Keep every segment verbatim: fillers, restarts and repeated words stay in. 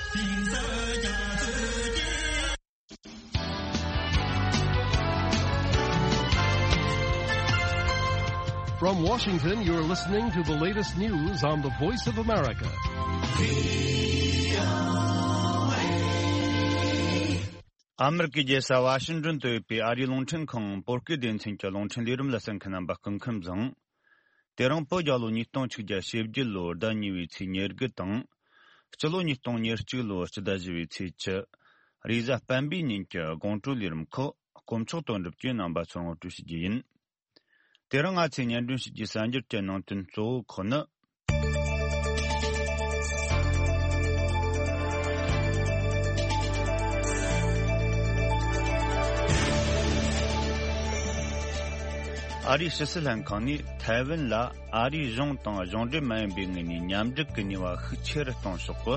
From Washington, you're listening to the latest news on the Voice of America. ཨ་མེ་རི་ཀའི་རྒྱལ་ས་ཝ་ཤིང་ཏོན་དུ་ཡོད་པའི་ཨ་རིའི་རླུང་འཕྲིན་ཁང་བོད་སྐད་སྡེ་ཚན་གྱི་རླུང་འཕྲིན་ལས་རིམ་ལ་གསན་མཁན་རྣམ་པ་སྐུ་ཁམས་བཟང་། དེ་རིང་བོད་རྒྱལ་ལོ་ཉིས་སྟོང་ཆིག་བརྒྱ་ཞེ་བརྒྱད་ལོའི་ཟླ་གཉིས་པའི་ཚེས་ཉེར་དགུ་དང་། སྤྱི་ལོ་ཉིས་སྟོང་ཉེར་གཅིག་ལོའི་སྤྱི་ཟླ་བཞི་པའི་ཚེས་བཅུ། རེས་གཟའ་སྤེན་པའི་ཉིན་གྱི་དགོང་དྲོའི་ལས་རིམ་ཁག་དཀོན་མཆོག་དོན་གྲུབ་ཀྱིས་རྣམ་པ་ཚོར་ངོ་སྤྲོད་ཞུ་རྒྱུ་ཡིན། དེ་རིང་ང་ཚོས་སྙན་སྒྲོན་ཞུ་རྒྱུའི་གསར་འགྱུར་གྱི་ནང་དོན་གཙོ་བོ་ཁག་ནི། ཨ་རིའི་ཕྱི་སྲིད་ལྷན་ཁང་ནས་ཐའེ་ཝན་ལ་ཨ་རིའི་གཞུང་དང་གཞུང་འབྲེལ་མ་ཡིན་པའི་ངོས་ནས་མཉམ་འབྲེལ་གྱི་ནུས་པ་ཤུགས་ཆེ་རུ་གཏོང་ཕྱོགས་ཀྱི་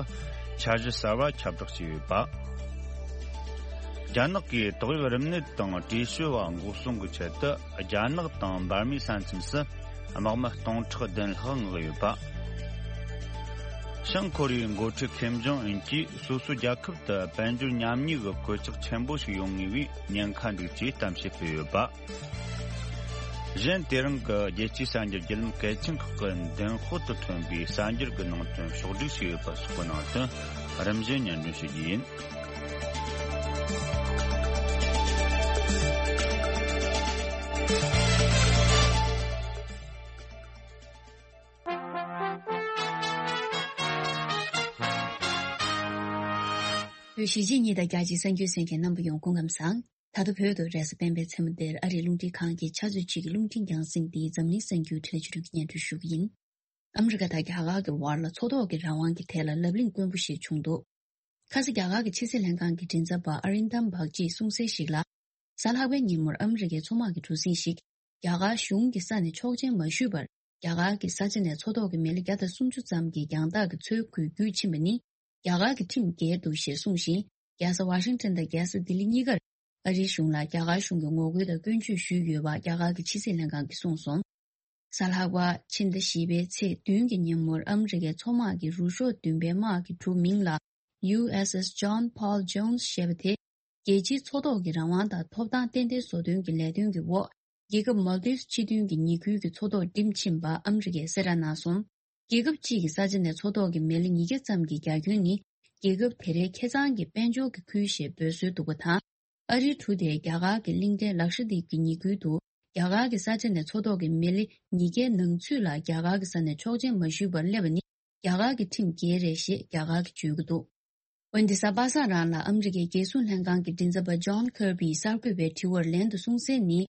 འཆར་གཞི་གསར་བ་ཁྱབ་བསྒྲགས་བྱས་ཡོད་པ། རྒྱ་ནག་གིས་ཏོག་དབྱིབས་རིམས་ནད་དང་བྲེས་ཤོད་པ་འགོག་སྲུང་གི་ཆེད་དུ་རྒྱ་ནག་དང་འབར་མའི་ས་མཚམས་སུ་དམག་མི་སྟོང་ཕྲག་བདུན་ལྷག་མངགས་ཡོད་པ། བྱང་ཀོ་རི་ཡའི་འགོ་ཁྲིད་ཁེམ་ཇོང་ཨུན་གྱིས་སོ་སོའི་རྒྱལ་ཁབ་ཏུ་དཔལ་འབྱོར་ཉམས་ཉེས་ཀྱི་གོད་ཆག་ཆེན་པོ་ཞིག་ཡོང་ངེས་པའི་ཉེན་ཁ་འདུག་ཅེས་གཏམ་བཤད་སྤེལ་ཡོད་པ། གཞན་དེ་རིང་གི་རྒྱལ་སྤྱིའི་གསར་འགྱུར་བརྒྱུད་ལམ་གལ་ཆེན་ཁག་གི་མདུན་ཤོག་ཏུ་ཐོན་པའི་གསར་འགྱུར་གྱི་ནང་དོན་ཕྱོགས་བསྒྲིགས་བྱས་ཡོད་པ་སོགས་ཀྱི་ནང་དོན་རིམ་བཞིན་སྙན་སྒྲོན་ཞུ་རྒྱུ་ཡིན། བོད་གཞིས་བྱེས་གཉིས་དང་རྒྱ་ཆེའི་གསར་འགྱུར་གསན་མཁན་རྣམ་པ་ཡོངས་སྐུ་ཁམས་བཟང་། ད་ལྟ་བོད་དུ་རེས་གཟའ་སྤེན་པའི་མཚན་མོ་འདིར་ཨ་རིའི་རླུང་འཕྲིན་ཁང་གི་ཆུ་ཚོད་གཅིག་གི་རླུང་འཕྲིན་རྒྱང་སྲིང་འདིའི་འཛམ་གླིང་གསར་འགྱུར་འཕྲིན་ལས་ཆུ་སྒྲོན་གྱིས་སྙན་སྒྲོན་ཞུ་གི་ཡིན། ཨ་མི་རི་ཀ་དང་རྒྱ་གར་གྱི་བར་ལ་མཚོ་ཐོག་གི་རང་དབང་གི་ཐད་ལ་ལབ་གླེང་དཀོན་པོ་ཞིག་བྱུང་འདུག་ཁ་སང་རྒྱ་གར་གྱི་ཕྱི་སྲིད་ལྷན་ཁང་གི་མགྲིན་ཚབ་པ་ཨ་རིན་དམ་བག་ཅིས་གསུངས་གསལ་ཞིག་ལ། གཟའ་ལྷག་པའི་ཉིན་མོར་ཨ་མི་རི་ཀའི་མཚོ་དམག་གི་གྲུ་གཟིངས་ཤིག་རྒྱ་གར་གཞུང་གི་ས་ནས་ཆོག་མཆན་མ་ཞུས་པར་རྒྱ་གར་གྱི་ས་ཆ་ནས་མཚོ་ཐོག་གི་མི་ལི་བརྒྱ་དང་སུམ་ཅུ་ཙམ་གྱི་རྒྱང་ཐག་གི་མཚོའི་ཁུལ་བརྒྱུད་ཕྱིན་པ་ནི་རྒྱ་གར་གྱི་ཁྲིམས་འགལ་འདུག་ཞེས་གསུངས་ཤིང་། རྒྱལ་ས་ཝ་ཤིང་ཊོན་དང་རྒྱལ་ས་ལྡི་ལི་གཉིས་ཀར་ཨ་རིའི་གཞུང་ལ་རྒྱ་གར་གཞུང་གིས་ངོ་རྒོལ་དང་སྐྱོན་བརྗོད་ཞུས་ཡོད་པ་རྒྱ་གར་གྱི་ཕྱི་སྲིད་ལྷན་ཁང་གིས་གསུངས་སོང་། གཟའ་ལྷག་པ་ཕྱི་ཟླ་བཞི་པའི་ཚེས་བདུན་གྱི་ཉིན་མོར་ཨ་མི་རི་ཀའི་མཚོ་དམག་གི་རུ་ཤོག་བདུན་པའི་དམག་གི་གྲུ་མིང་ལ་ཡུ་ཨེས་ཨེས་John Paul Jones ཞེས་པ་དེ། རྒྱལ་སྤྱིའི་མཚོ་ཐོག་གི་རང་དབང་དང་ཐོབ་ཐང་ཏན་ཏན་བཟོ་སྟོན་གྱི་ལས་དོན་གྱི་འོག་རྒྱལ་ཁབ་མོལ་དིབ་སྤྱི་མཐུན་གྱི་ཉེ་ཁུལ་གྱི་མཚོ་ཐོག་འགྲིམ་ཕྱིན་པ་ཨ་མི་རི་ཀས་གསལ་བསྒྲགས་གནང་སོང་། རྒྱལ་ཁབ་གཅིག་གི་ས་ཆ་ནས་མཚོ་ཐོག་གི་མི་ལི་ཉིས་བརྒྱ་ཙམ་གྱི་རྒྱ་ཁྱོན་ནི་རྒྱལ་ཁབ་དེ་རའི་ཁེ་གཙང་གི་དཔལ་འབྱོར་གྱི་ཁུལ་ཞེས་འབོད་སྲོལ་འདུག་པ་དང་། ཨ་རིའི་གྲུ་དེས་རྒྱ་གར་གྱི་གླིང་ཕྲན་ལག་ཤ་དིབ་ཀྱི་ཉེ་ཁུལ་དུ་རྒྱ་གར་གྱི་ས་ཆ་ནས་མཚོ་ཐོག་གི་མི་ལི་ཉིས་བརྒྱའི་ནང་ཚུད་ལ་རྒྱ་གར་གྱི་ས་ནས་ཆོག་མཆན་མ་ཞུས་པར་སླེབས་པ་ནི་རྒྱ་གར་གྱི་ཁྲིམས་འགལ་རེད་ཞེས་རྒྱ་གར་གྱིས་བརྗོད་ཀྱི་འདུག་འོན་ཏེ་གཟའ་པ་སངས་རང་ལ་ཨ་མི་རི་ཀའི་རྒྱལ་སྲུང་ལྷན་ཁང་གི་མགྲིན་ཚབ་པ་John Kirby གསར་འགོད་པའི་དྲི་བར་ལན་དུ་གསུངས་གསལ་ནི།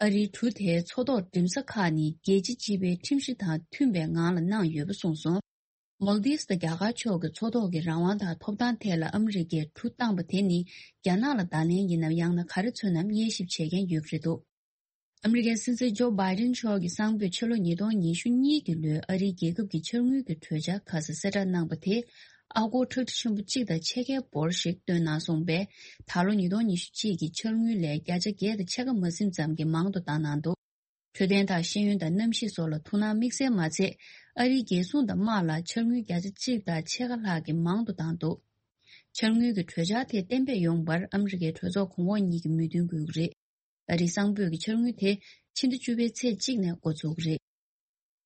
ཨ་རིའི་གྲུ་དེའི་མཚོ་ཐོག་འགྲིམ་ས་ཁག་ནི་རྒྱལ་སྤྱི་སྤྱི་པའི་ཁྲིམས་གཞི་དང་མཐུན་པའི་ངང་ལ་གནང་ཡོད་པ་གསུངས་སོང་། མོལ་དིབ་དང་རྒྱ་གར་ཕྱོགས་ཀྱི་མཚོ་ཐོག་གི་རང་དབང་དང་ཐོབ་ཐང་ཐད་ལ་ཨ་མི་རི་ཀས་གྲུ་བཏང་པ་དེ་ནི་རྒྱ་ནག་ལ་བརྡ་ལན་ཡིན་ནམ་ཡང་ན་ག་རེ་མཚོན་ནམ་དབྱེ་ཞིབ་བྱེད་མཁན་ཡོད་ཀྱི་རེད་འདུག་ཨ་མི་རི་ཀའི་སྲིད་འཛིན་ཇོ་བྷའི་ཌེན་མཆོག་གིས་སང་ཕོད་ཕྱི་ལོ་ཉིས་སྟོང་ཉི་ཤུ་གཉིས་ཀྱི་ལོའི་ཨ་རིའི་རྒྱལ་ཁབ་ཀྱི་འཆར་དངུལ་གྱི་གྲོས་འཆར་ཁ་གསལ་གསལ་བསྒྲགས་གནང་པ་དེ། ཨ་སྒོར་ཁྲག་ཁྲིག་ཆེན་པོ་གཅིག་དང་ཕྱེད་ཀའི་འབོར་ཞིག་བཏོན་གནང་སོང་པས། ད་ལོ་ཉིས་སྟོང་ཉི་ཤུ་གཅིག་གི་འཆར་དངུལ་ལས་བརྒྱ་ཆ་བརྒྱད་དང་ཕྱེད་ཀ་མ་ཟིན་ཙམ་གྱི་མང་དུ་བཏང་གནང་འདུག་འཕྲོད་བསྟེན་དང་ཤེས་ཡོན་དང་གནམ་གཤིས་སོགས་ལ་ཐུགས་སྣང་དམིགས་བསལ་མ་ཚད། ཨ་རིའི་རྒྱལ་སྲུང་དང་དམག་ལ་འཆར་དངུལ་བརྒྱ་ཆ་གཅིག་དང་ཕྱེད་ཀ་ལྷག་གིས་མང་དུ་བཏང་འདུག་འཆར་དངུལ་གྱི་གྲོས་འཆར་དེ་གཏན་འབེབས་ཡོང་བར་ཨ་མི་རི་ཀའི་གྲོས་ཚོགས་གོང་འོག་གཉིས་ཀྱི་མོས་མཐུན་དགོས་ཀྱི་རེད། ཨ་རིའི་སང་ཕོད་ཀྱི་འཆར་དངུལ་དེ་ཕྱི་ཟླ་བཅུ་པའི་ཚེས་གཅིག་ནས་འགོ་འཛུགས་ཀྱི་རེད།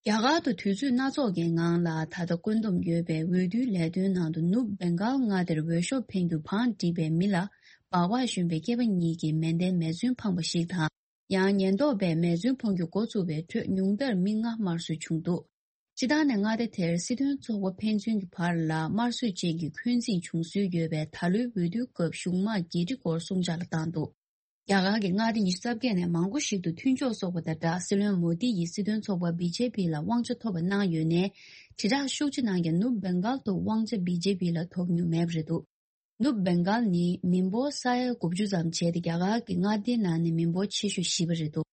རྒྱ་གར་དུ་དུས་ཚོད་སྣ་ཚོགས་ཀྱི་ངང་ལ་ད་ལྟ་བཀོད་འདོམས་ཡོད་པའི་འོས་བསྡུའི་ལས་དོན་ནང་དུ་ནུབ་བེང་གཱལ་མངའ་སྡེར་འོས་ཤོག་འཕེན་རྒྱུ་བང་བསྒྲིགས་པའི་མི་ལ་སྦག་སྦག་ཞོན་པའི་སྐྱེས་པ་གཉིས་ཀྱིས་མེ་མདའི་མེ་མཚོན་འཕངས་པ་ཞིག་དང་། ཡང་ཉེན་རྟོག་པས་མེ་མཚོན་འཕང་རྒྱུ་འགོ་བཙུགས་པའི་ཁྲོད་ཉུང་མཐར་མི་ལྔ་དམར་གསོད་བྱུང་འདུག་སྤྱི་བཏང་ནས་མངའ་སྡེ་དེར་སྲིད་དོན་ཚོགས་པ་ཕན་ཚུན་གྱི་བར་ལ་དམར་གསོད་ཅན་གྱི་འཁོན་འཛིན་བྱུང་སྲོལ་ཡོད་པས། ད་ལོའི་འོས་བསྡུའི་སྐབས་གཞུང་དམག་རྒྱས་འབྲི་སྐོར་སྲུང་བྱ་ལ་བཏང་འདུག་རྒྱ་གར་གྱི་མངའ་སྡེ་ཉི་ཤུ་རྩ་བརྒྱད་ནས་མང་པོ་ཞིག་ཏུ་མཐུན་ཕྱོགས་སོགས་པ་དང་སྦྲགས། སྲིད་བློན་མོ་དི་ཡིས་སྲིད་དོན་ཚོགས་པ་བི་ཇེ་པི་ལ་དབང་ཆ་ཐོབ་པ་གནང་ཡོད་ནའི། དྲིལ་བསྒྲགས་ཤུགས་ཆེ་གནང་མཁན་ནུབ་བེང་གཱལ་དུ་དབང་ཆ་བི་ཇེ་པི་ལ་ཐོབ་མྱོང་མེད་པ་རེད་འདུག་ནུབ་བེང་གཱལ་ནི་མི་འབོར་ས་ཡ་དགུ་བཅུ་ཙམ་བྱས་ཏེ། རྒྱ་གར་གྱི་མངའ་སྡེའི་ནང་ནས་མི་འབོར་ཆེ་ཤོས་བཞི་པ་རེད་འདུག་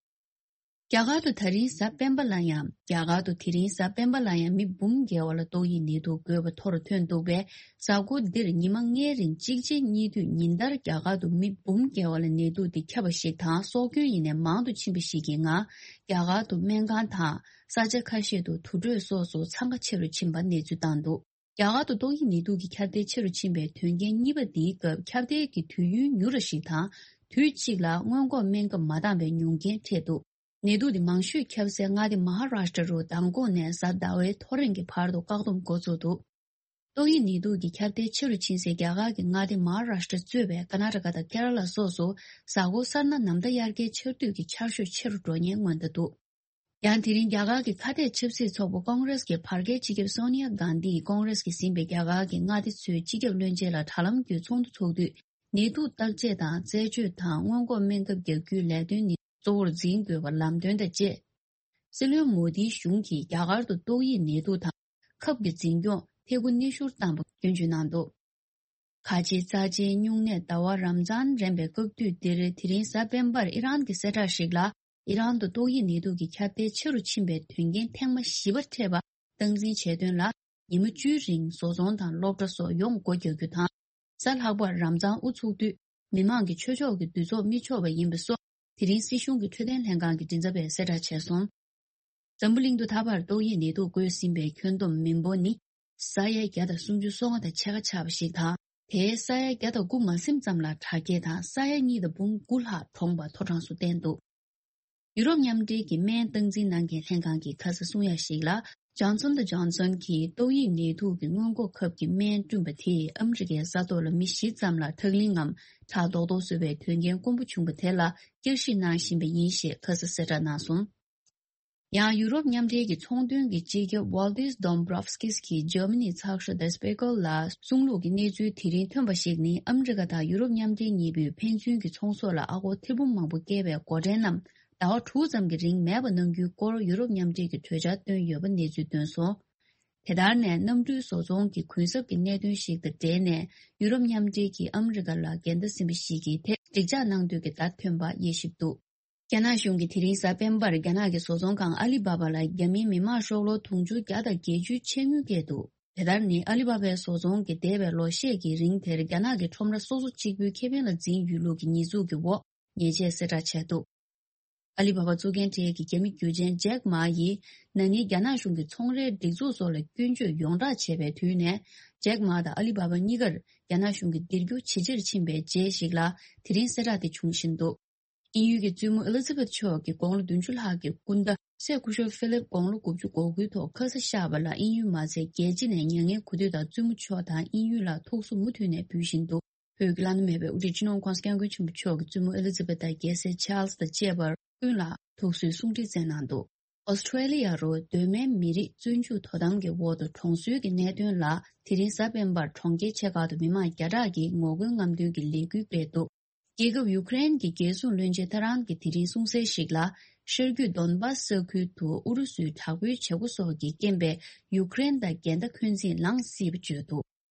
རྒྱ་གར་དུ་དེ་རིང་གཟའ་སྤེན་པ་ལ་ཡང་། རྒྱ་གར་དུ་དེ་རིང་གཟའ་སྤེན་པ་ལ་ཡང་མི་འབུམ་བརྒལ་བ་ལ་ཏོག་དབྱིབས་ནད་དུག་འགོས་པ་ཐོ་རུ་ཐོན་འདུག་པས། གཟའ་འཁོར་འདིར་ཉི་མ་ལྔའི་རིང་གཅིག་རྗེས་གཉིས་མཐུད་ཉིན་ལྟར་རྒྱ་གར་དུ་མི་འབུམ་བརྒལ་བ་ལ་ནད་དུག་འདི་ཁྱབ་པ་ཞིག་དང་། སྲོག་སྐྱོན་ཡིན་ནའི་མང་དུ་ཕྱིན་པ་ཞིག་གི་ངང་རྒྱ་གར་དུ་སྨན་ཁང་དང་ས་ཆ་ཁ་ཤས་དུ་དུར་ཁྲོད་སོགས་སུ་འཚང་ཁ་ཆེ་རུ་ཕྱིན་པ་གནས་ཚུལ་བཏང་འདུག་རྒྱ་གར་དུ་ཏོག་དབྱིབས་ནད་དུག་གི་ཁྱབ་གདལ་ཆེ་རུ་ཕྱིན་པའི་དོན་རྐྱེན་གཉིས་པ་འདིའི་སྐབས་ཁྱབ་གདལ་གྱི་དུས་ཡུན་ཉུང་ར་ཞིག་དང་། དུས་གཅིག་ལ་སྔོན་འགོག་སྨན་ཁབ་མ་འདང་བའི་ཉུང་རྐྱེན་འཕྲད་འདུག་ནད་དུག་དེ་མང་ཤོས་ཁྱབ་སའི་མངའ་སྡེ་མ་ཧཱ་རཱཤ་ཏྲ་རུ་མདང་དགོང་ནས་གཟའ་ཟླ་བའི་ཐོ་རེངས་ཀྱི་བར་དུ་བཀག་སྡོམ་འགོ་བཙུགས་འདུག་ཏོག་དབྱིབས་ནད་དུག་གི་ཁྱབ་གདལ་ཆེ་རུ་ཕྱིན་སའི་རྒྱ་གར་གྱི་མངའ་སྡེ་མ་ཧཱ་རཱཤ་ཏྲ་གཙོས་པའི་ཀར་ན་ཊ་ཀ་དང་ཀེ་ར་ལ་སོགས་སུ་གཟའ་འཁོར་གསར་ན་ནམ་ཟླ་དབྱར་ཁའི་ཆར་དུས་ཀྱི་ཆར་ཞོད་ཆེ་རུ་འགྲོ་ཉེན་མངོན་བསྡད་འདུག་ཡང་དེ་རིང་རྒྱ་གར་གྱི་ཁ་གཏད་ཆབ་སྲིད་ཚོགས་པ་ཀོང་རེས་ཀྱི་བར་བརྒལ་སྤྱི་ཁྱབ་སོ་ནི་ཡ་གྷན་དྷིས་ཀོང་རེས་ཀྱིས་ཟིན་པའི་རྒྱ་གར་གྱི་མངའ་སྡེ་ཚོའི་སྤྱི་ཁྱབ་བློན་ཆེན་ལ་དྲ་ལམ་བརྒྱུད་ཚོགས་འདུ་ཚོགས་དུས། ནད་དུག་བརྟག་དཔྱད་དང་རྩད་གཅོད་དང་སྔོན་འགོག་སྨན་ཁབ་རྒྱག་རྒྱུའི་ལས་དོན་ནི་གཙོ་བོར་འཛིན་དགོས་པ་ལམ་སྟོན་དང་བཅས། སྲིད་བློན་མོ་དིའི་གཞུང་གིས་རྒྱ་གར་དུ་ཏོག་དབྱིབས་ནད་དུག་དང་ཁབ་ཀྱི་འཛིན་སྐྱོང་ཐད་ཀར་སྣེ་ཤོར་བཏང་པ་སྐྱོན་བརྗོད་གནང་འདུག་ཁ་ཆེའི་རྩ་ཆེའི་སྨྱུང་གནས་ཟླ་བ་རམ་ཛཱན་རན་པའི་སྐབས་དུས་འདིར་དེ་རིང་གཟའ་སྤེན་པར་ཨི་རན་གྱི་གསལ་བསྒྲགས་ཤིག་ལ། ཨི་རན་དུ་ཏོག་དབྱིབས་ནད་དུག་གི་ཁྱབ་གདལ་ཆེ་རུ་ཕྱིན་པའི་དོན་རྐྱེན་ཐེངས་མ་བཞི་པ་འཕྲད་པ་སྟངས་འཛིན་བྱས་དོན་ལ། ཉི་མ་བཅུའི་རིང་བཟོ་ཚོང་དང་སློབ་གྲྭ་སོགས་ཡོངས་སྒོ་རྒྱག་རྒྱུ་དང་། གཟའ་ལྷག་པར་རམ་ཛཱན་དབུ་ཚུགས་དུས་མི་མང་གི་ཆོས་ཕྱོགས་ཀྱི་འདུ་ཚོགས་མི་ཆོག་པ་ཡིན་པ་སོགས། དེ་རིང་སྲིད་གཞུང་གི་འཕྲོད་བསྟེན་ལྷན་ཁང་གི་མགྲིན་ཚབ་པས་གསལ་བསྒྲགས་བྱས་སོང་། འཛམ་བུ་གླིང་དུ་ད་བར་ཏོག་དབྱིབས་ནད་དུག་འགོས་ཟིན་པའི་ཁྱོན་བསྡོམས་མི་འབོར་ནི་ས་ཡ་བརྒྱ་དང་སུམ་ཅུ་སོ་ལྔ་དང་ཕྱེད་ཀ་ཆགས་པ་ཞིག་དང་། དེའི་ས་ཡ་བརྒྱ་དང་དགུ་མ་ཟིན་ཙམ་ལ་དྲག་སྐྱེད་དང་ས་ཡ་གཉིས་དང་འབུམ་དགུ་ལྷག་གྲོངས་པ་ཐོ་གྲངས་སུ་བསྟན་འདུག་ཡུ་རོབ་མཉམ་འབྲེལ་གྱི་སྨན་སྟངས་འཛིན་གནང་མཁན་ལྷན་ཁང་གིས་ཁ་སང་གསུང་ཡ་ཞིག་ལ། ཇོན་སོན་དང་ཇོན་སོན་གྱིས་ཏོག་དབྱིབས་ནད་དུག་གི་སྔོན་འགོག་ཁབ་ཀྱི་སྨན་བསྐྲུན་པ་དེས་ཨ་མི་རི་ཀའི་ས་ཐོག་ལ་མི་བཞི་ཙམ་ལ་ཁྲག་ལིང་ངམ་ཁྲག་རྡོག་རྡོག་བཟོ་བའི་དོན་རྐྱེན་དཀོན་པོ་བྱུང་བ་དེ་ལ་བསྐྱར་ཞིབ་གནང་བཞིན་པ་ཡིན་ཞེས་ཁ་སང་གསལ་བསྒྲགས་གནང་སོང་། ཡང་ཡུ་རོབ་མཉམ་འབྲེལ་གྱི་ཚོང་དོན་གྱི་སྤྱི་ཁྱབ་ཝཱལ་ཏིས་དོམ་བྷྲོབ་སྐིས་ཀྱིས་འཇར་མ་ནིའི་ཚགས་ཤོག་དེ་སྤེ་ཀལ་ལ་གསུང་ལུགས་ཀྱི་གནས་ཚུལ་དེ་རིང་ཐོན་པ་ཞིག་ནི། ཨ་མི་རི་ཀ་དང་ཡུ་རོབ་མཉམ་འབྲེལ་གཉིས་པོས་ཕན་ཚུན་གྱི་ཚོང་ཟོག་ལ་ཨ་སྒོར་ཐེར་འབུམ་མང་པོ་བཀལ་བའི་སྒོ་ཁྲལ་རྣམས་ཟླ་བ་དྲུག་ཙམ་གྱི་རིང་མེད་པ་གནང་རྒྱུའི་སྐོར་ཡུ་རོབ་མཉམ་འབྲེལ་གྱིས་གྲོས་འཆར་བཏོན་ཡོད་པ་གནས་ཚུལ་བཏོན་སོང་། དེ་ལྟར་ནས་གནམ་གྲུའི་བཟོ་ཚོང་གི་གུན་གསབ་ཀྱི་གནད་དོན་ཞིག་དང་འབྲེལ་ནས། ཡུ་རོབ་མཉམ་འབྲེལ་གྱིས་ཨ་མི་རི་ཀ་ལ་འགལ་ཟླ་ཟིན་པ་ཞིག་གི་ཐད་འགྲིག་འཇགས་གནང་འདོད་ཀྱི་བརྡ་ཐོན་པ་དབྱེ་ཞིབ་འདུག་རྒྱ་ནག་གཞུང་གིས་དེ་རིང་གཟའ་སྤེན་པར་རྒྱ་ནག་གི་བཟོ་ཚོང་ཁང་ཨ་ལི་བྷ་བྷ་ལ་རྒྱ་མིའི་མི་མང་ཤོག་ལོར་དུང་ཕྱུར་བརྒྱ་དང་བརྒྱད་ཅུའི་ཆད་དངུལ་བཀལ་འདུག་དེ་ལྟར་ནི་ཨ་ལི་བྷ་བྷའི་བཟོ་ཚོང་གིས་འདས་པའི་ལོ་ཤས་ཀྱི་རིང་དེར་རྒྱ་ནག་གི་ཁྲོམ་ར་སོ་སོ་གཅིག་པུའི་ཁེ་ཕན་ལ་འཛིན་ཡོད་ལུགས་ཀྱི་ཉེས་འཛུགས་ཀྱི་འོག་ཉེས་ཆད་གསལ་བསྒྲགས་བྱས་འདུག་ཨ་ལི་བྷ་བྷ་གཙོ་འགན་གྲས་ཀྱི་རྒྱ་མི་རྒྱུ་ཆེན་ཇེག་མ་ཡིས་ན་ནིང་རྒྱ་ནག་གཞུང་གིས་ཚོང་རའི་སྒྲིག་འཛུགས་སོགས་ལ་སྐྱོན་བརྗོད་ཡོངས་གྲགས་བྱས་པའི་དུས་ནས། ཇེག་མ་དང་ཨ་ལི་བྷ་བྷ་གཉིས་ཀར་རྒྱ་ནག་གཞུང་གིས་འདེད་རྒྱུ་ཇེ་ཆེར་ཕྱིན་པའི་རྗེས་ཤིག་ལ་དེ་རིང་གསལ་བསྒྲགས་དེ་བྱུང་བཞིན་འདུག་དབྱིན་ཡུལ་གྱི་བཙུན་མོ་ཨེ་ལི་ཛ་བེད་མཆོག་གི་དགུང་ལོ་བདུན་ཅུ་ལྷག་གི་སྐུ་ཟླ་སྲས་སྐུ་ཞབས་ཧྥི་ལིབ་དགུང་ལོ་དགུ་བཅུ་གོ་དགུའི་ཐོག་ཁ་ས་བཞག་པ་ལ་དབྱིན་ཡུལ་མ་ཚད་རྒྱལ་སྤྱི་ནས་མྱ་ངན་གུས་འདུད་དང་བཙུན་མོ་མཆོག་དང་དབྱིན་ཡུལ་ལ་ཐུགས་གསོ་མུ་མཐུད་ནས་འབུལ་བཞིན་འདུག་བོད་ཀྱི་བླ་ན་མེད་པའི་དབུ་ཁྲིད་སྤྱི་ནོར་༸གོང་ས་༸སྐྱབས་མགོན་ཆེན་པོ་མཆོག་གིས་བཙུན་མོ་ཨེ་ལི་ཛ་བེད་དང་རྒྱལ་སྲས་ཆཱལ་སི་དང་བཅས་པར་ཀུན་ལ་ཐུགས་གསོའི་གསུང་འཕྲིན་བསྩལ་གནང་འདུག་ཨོ་སི་ཁྲེ་ལི་ཡ་རུ་གདོད་མའི་མི་རིགས་བཙོན་འཇུག་དོ་དམ་གྱི་འོག་ཏུ་གྲོངས་གསོལ་གྱི་གནད་དོན་ལ། དེ་རིང་གཟའ་སྤེན་པར་གྲོང་ཁྱེར་ཆེ་ཁག་ཏུ་མི་མང་བརྒྱ་ཕྲག་གིས་ངོ་རྒོལ་རྔམ་སྟོན་གྱི་ལས་འགུལ་སྤེལ་འདུག་རྒྱལ་ཁབ་ཡུ་ཀེ་རེན་གྱི་རྒྱལ་སྲུང་བློན་ཆེན་ཐ་རན་གྱིས་དེ་རིང་གསུངས་གསལ་ཞིག་ལ། ཤར་རྒྱུད་དོན་བཱ་སི་ས་ཁུལ་དུ་ཨུ་རུ་སུའི་དྲག་པོའི་བྱེད་སྒོ་སོགས་ཀྱི་རྐྱེན་པས་ཡུ་ཀེ་རེན་དང་འགལ་ཟླ་འཁོན་འཛིན་ལངས་སྲིད་པ་བརྗོད་འདུག་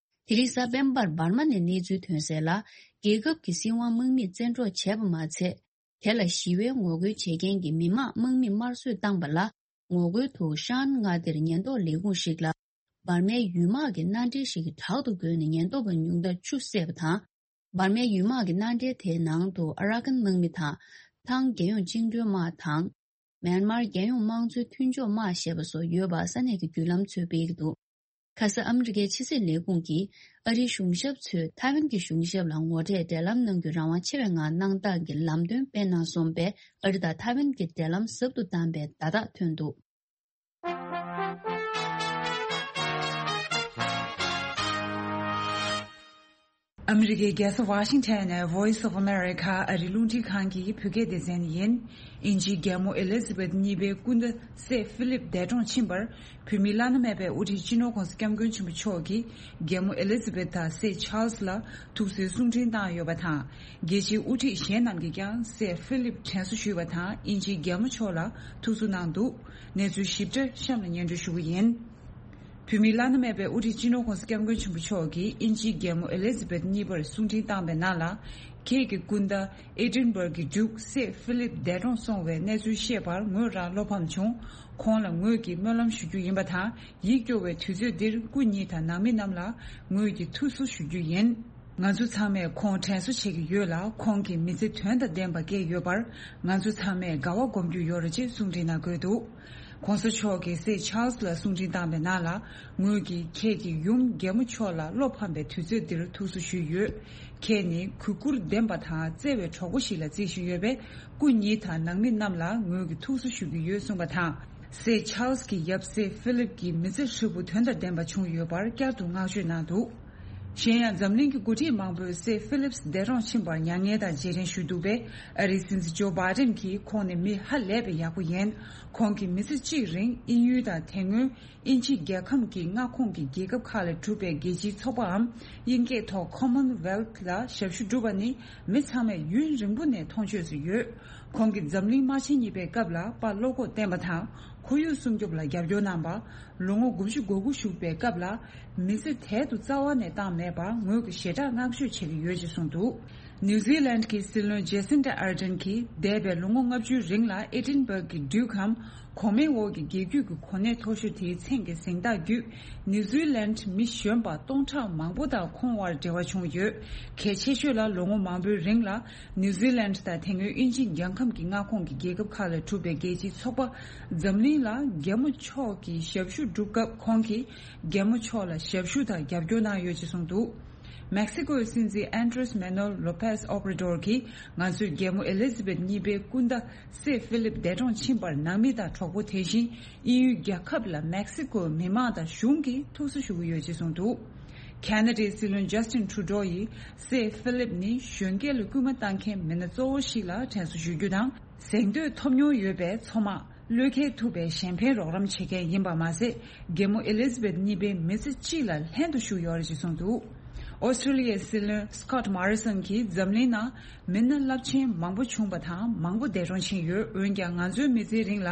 དེ་རིང་གཟའ་སྤེན་པར་འབར་མ་ནས་གནས་ཚུལ་ཐོན་གསལ་ལ། རྒྱལ་ཁབ་ཀྱི་སྲིད་དབང་དམག་མིས་བཙན་འཕྲོག་བྱས་པ་མ་ཚད། དེ་ལ་ཞི་བའི་ངོ་རྒོལ་བྱེད་མཁན་གྱི་མི་མང་དམག་མིས་དམར་གསོད་བཏང་པ་ལ། ངོ་རྒོལ་དུ་ཤན་མངའ་སྡེར་ཉེན་རྟོག་ལས་ཁུངས་ཤིག་ལ། འབར་མའི་ཡུལ་དམག་གི་མནའ་འབྲེལ་ཞིག་གི་བྲག་ཏུ་བརྒོས་ནས་ཉེན་རྟོག་པ་ཉུང་མཐར་ཆུ་བསད་པ་དང་། འབར་མའི་ཡུལ་དམག་གི་མནའ་འབྲེལ་དེའི་ནང་དུ་ཨ་ར་ཀན་དམག་མི་དང་། ཐང་རྒྱལ་ཡོངས་བཅིངས་འགྲོལ་དམག་དང་། མེན་མར་རྒྱལ་ཡོངས་དམངས་གཙོའི་མཐུན་ཕྱོགས་དམག་ཞེས་པ་སོགས་ཡོད་པ་ས་གནས་ཀྱི་བརྒྱུད་ལམ་ཚོས་སྤེལ་གྱི་འདུག་ཁ་ས་ཨ་མི་རི་ཀའི་ཕྱི་སྲིད་ལས་ཁུངས་ཀྱིས་ཨ་རིའི་གཞུང་ཞབས་ཚོས་ཐའེ་ཝན་གྱི་གཞུང་ཞབས་ལ་ངོ་འཕྲད་འབྲེལ་ལམ་གནང་རྒྱུ་རང་དབང་ཆེ་བའི་ངང་གནང་སྟངས་ཀྱི་ལམ་སྟོན་སྤེལ་གནང་སོང་པས། ཨ་རི་དང་ཐའེ་ཝན་གྱི་འབྲེལ་ལམ་ཟབ་ཏུ་བཏང་པའི་བརྡ་རྟགས་ཐོན་འདུག་ཨ་མི་རི་ཀའི་རྒྱལ་ས་ཝ་ཤིང་ཊོན་ནས་Voice of America ཨ་རིའི་རླུང་འཕྲིན་ཁང་གི་བོད་སྐད་སྡེ་ཚན་ཡིན། དབྱིན་ཇིའི་རྒྱལ་མོ་ཨེ་ལི་ཛ་བེད་གཉིས་པའི་སྐུ་ཟླ་སྲས་ཧྥི་ལིབ་འདས་གྲོངས་ཕྱིན་པར། བོད་མིའི་བླ་ན་མེད་པའི་དབུ་ཁྲིད་སྤྱི་ནོར་༸གོང་ས་༸སྐྱབས་མགོན་ཆེན་པོ་མཆོག་གིས་རྒྱལ་མོ་ཨེ་ལི་ཛ་བེད་དང་སྲས་ཆཱལ་སི་ལ་ཐུགས་གསོའི་གསུང་འཕྲིན་བཏང་ཡོད་པ་དང་། རྒྱལ་སྤྱིའི་དབུ་ཁྲིད་གཞན་རྣམས་ཀྱིས་ཀྱང་སྲས་ཧྥི་ལིབ་དྲན་གསོ་ཞུས་པ་དང་། དབྱིན་ཇིའི་རྒྱལ་མོ་མཆོག་ལ་ཐུགས་གསོ་གནང་འདུག་གནས་ཚུལ་ཞིབ་ཕྲ་གཤམ་ལ་སྙན་སྒྲོན་ཞུ་གི་ཡིན། བོད་མིའི་བླ་ན་མེད་པའི་དབུ་ཁྲིད་སྤྱི་ནོར་༸གོང་ས་༸སྐྱབས་མགོན་ཆེན་པོ་མཆོག་གིས་དབྱིན་ཇིའི་རྒྱལ་མོ་ཨེ་ལི་ཛ་བེད་གཉིས་པར་གསུང་འཕྲིན་བཏང་པའི་ནང་ལ། ཁྱེད་ཀྱི་སྐུ་ཟླ་ཨེ་ཌིན་སྦརག་གི་ཌུག་སྲས་ཧྥི་ལིབ་འདས་གྲོངས་སོང་བའི་གནས་ཚུལ་བཤད་པར་ངོས་རང་བློ་ཕམ་བྱུང་། ཁོང་ལ་ངོས་ཀྱིས་སྨོན་ལམ་ཞུ་རྒྱུ་ཡིན་པ་དང་། ཡིད་སྐྱོ་བའི་དུས་ཚོད་འདིར་སྐུ་ཉིད་དང་ནང་མི་རྣམས་ལ་ངོས་ཀྱིས་ཐུགས་གསོ་ཞུ་རྒྱུ་ཡིན། ང་ཚོ་ཚང་མས་ཁོང་དྲན་གསོ་བྱེད་ཀྱི་ཡོད་ལ། ཁོང་གིས་མི་ཚེ་དོན་དང་ལྡན་པ་བསྐྱལ་ཡོད་པར་ང་ཚོ་ཚང་མས་དགའ་བ་སྒོམ་རྒྱུ་ཡོད་རེད་ཅེས་གསུང་འཕྲིན་ནང་འཁོད་འདུག་གོང་ས་མཆོག་གིས་སྲས་ཆཱལ་སི་ལ་གསུང་འཕྲིན་བཏང་བའི་ནང་ལ། ངོས་ཀྱིས་ཁྱེད་ཀྱི་ཡུམ་རྒྱལ་མོ་མཆོག་ལ་བློ་ཕམ་པའི་དུས་ཚོད་འདིར་ཐུགས་གསོ་ཞུས་ཡོད། ཁྱེད་ནི་གུས་བཀུར་ལྡན་པ་དང་བརྩེ་བའི་གྲོགས་པོ་ཞིག་ལ་བརྩི་བཞིན་ཡོད་པས། སྐུ་ཉིད་དང་ནང་མི་རྣམས་ལ་ངོས་ཀྱིས་ཐུགས་གསོ་ཞུ་གི་ཡོད་གསུངས་པ་དང་། སྲས་ཆཱལ་སི་གི་ཡབ་སྲས་ཧྥི་ལིབ་ཀྱི་མི་ཚེ་ཧྲིལ་པོ་དོན་དང་ལྡན་པ་བྱུང་ཡོད་པར་བསྐྱར་དུ་བསྔགས་བརྗོད་གནང་འདུག་གཞན་ཡང་འཛམ་གླིང་གི་འགོ་ཁྲིད་མང་པོས་སྲས་ཧྥི་ལིབས་འདས་གྲོངས་ཕྱིན་པར་མྱ་ངན་དང་རྗེས་དྲན་ཞུས་འདུག་པས། ཨ་རིའི་སྲིད་འཛིན་ཇོ་བྷའི་ཌེན་གྱིས་ཁོང་ནི་མི་ཧ་ལས་པའི་ཡག་པོ་ཡིན། ཁོང་གིས་མི་ཚེ་གཅིག་རིང་དབྱིན་ཡུལ་དང་དེ་སྔོན་དབྱིན་ཇི་རྒྱལ་ཁམས་ཀྱི་མངའ་ཁོངས་ཀྱི་རྒྱལ་ཁབ་ཁག་ལས་གྲུབ་པའི་རྒྱལ་སྤྱིའི་ཚོགས་པའམ་དབྱིན་སྐད་ཐོག་Commonwealth ལ་ཞབས་ཞུ་བསྒྲུབས་པ་ནི་མི་ཚང་མས་ཡུན་རིང་པོ་ནས་མཐོང་ཆོས་སུ་ཡོད། ཁོང་གིས་འཛམ་གླིང་དམག་ཆེན་གཉིས་པའི་སྐབས་ལ་དཔའ་བློ་ཁོག་བསྟན་པ་དང་། ཁོར་ཡུག་སྲུང་སྐྱོབ་ལ་རྒྱབ་སྐྱོར་གནང་བ། ལོ་ངོ་དགུ་བཅུ་གོ་དགུ་བཞུགས་པའི་སྐབས་ལ། མི་ཚེ་དལ་དུ་རྩ་བ་ནས་བཏང་མེད་པར་ངོས་ཀྱིས་ཞེ་དྲག་བསྔགས་བརྗོད་བྱེད་ཀྱི་ཡོད་ཅེས་གསུངས་འདུག་ནིའུ་ཛི་ལན་གྱི་སྲིད་བློན་ཇེ་སིན་ཌ་ཨར་ཌེན་གྱིས་འདས་པའི་ལོ་ངོ་ལྔ་བཅུའི་རིང་ལ་ཨེ་ཌིན་སྦག་གི་ཌིའུ་ཀམ་གོང་མའི་འོག་གི་རྒྱལ་རྒྱུད་ཀྱི་གོ་གནས་མཐོ་ཤོས་དེའི་མཚན་གྱི་གཟེངས་རྟགས་བརྒྱུད། ནིའུ་ཛི་ལན་མི་གཞོན་པ་སྟོང་ཕྲག་མང་པོ་དང་ཁོང་དབར་འབྲེལ་བ་བྱུང་ཡོད། གལ་ཆེ་ཤོས་ལ་ལོ་ངོ་མང་པོའི་རིང་ལ་ནིའུ་ཛི་ལན་དང་དེ་སྔོན་དབྱིན་ཇི་རྒྱལ་ཁམས་ཀྱི་མངའ་ཁོངས་ཀྱི་རྒྱལ་ཁབ་ཁག་ལས་གྲུབ་པའི་རྒྱལ་སྤྱིའི་ཚོགས་པ་འཛམ་གླིང་ལ་རྒྱལ་མོ་མཆོག་གི་ཞབས་ཞུ་བསྒྲུབས་སྐབས་ཁོང་གིས་རྒྱལ་མོ་མཆོག་ལ་ཞབས་ཞུ་དང་རྒྱབ་སྐྱོར་གནང་ཡོད་ཅེས་གསུངས་འདུག་མེག་སི་ཀོའི་སྲིད་འཛིན་ཨན་ཌྲེས་མེ་ནོལ་ལོ་པེས་ཨོབ་ར་ཌོར་གྱིས་ང་ཚོས་རྒྱལ་མོ་ཨེ་ལི་ཛི་བེད་གཉིས་པའི་སྐུ་ཟླ་སྲས་ཧྥི་ལིབ་འདས་གྲོངས་ཕྱིན་པར་ནང་མི་དང་གྲོགས་པོ། དེ་བཞིན་དབྱིན་ཡུལ་རྒྱལ་ཁབ་ལ་མེག་སི་ཀོའི་མི་མང་དང་གཞུང་གིས་ཐུགས་གསོ་ཞུ་གི་ཡོད་ཅེས་གསུངས་འདུག་ཁ་ན་ཌའི་སྲིད་བློན་ཇ་སི་ཊིན་ཁྲུ་ཌོ་ཡིས་སྲས་ཧྥི་ལིབ་ནི་གཞོན་སྐྱེས་ལ་སྐུལ་མ་བཏང་མཁན་མི་སྣ་གཙོ་བོ་ཞིག་ལ་དྲན་གསོ་ཞུ་རྒྱུ་དང་། གཟེངས་བསྟོད་ཐོབ་མྱོང་ཡོད་པའི་ཚོང་དམག་བློས་འཁེལ་ཐུབ་པའི་གཞན་ཕན་རོགས་རམ་བྱེད་མཁན་ཡིན་པ་མ་ཟད། རྒྱལ་མོ་ཨེ་ལི་ཛི་བེད་གཉིས་པའི་མི་ཚེ་གཅིག་ལ་ལྷན་དུ་བཞུགས་ཡོད་རེད་ཅེས་གསུངས་འདུག་ཨོ་སི་ཀྲི་ལི་ཡའི་སྲིད་བློན་སི་ཀོཊ་མོ་རི་སོན་གྱིས་འཛམ་གླིང་ནང་མི་སྣ་རླབས་ཆེན་མང་པོ་བྱུང་བ་དང་མང་པོ་འདས་གྲོངས་ཕྱིན་ཡོད། འོན་ཀྱང་ང་ཚོའི་མི་ཚེའི་རིང་ལ་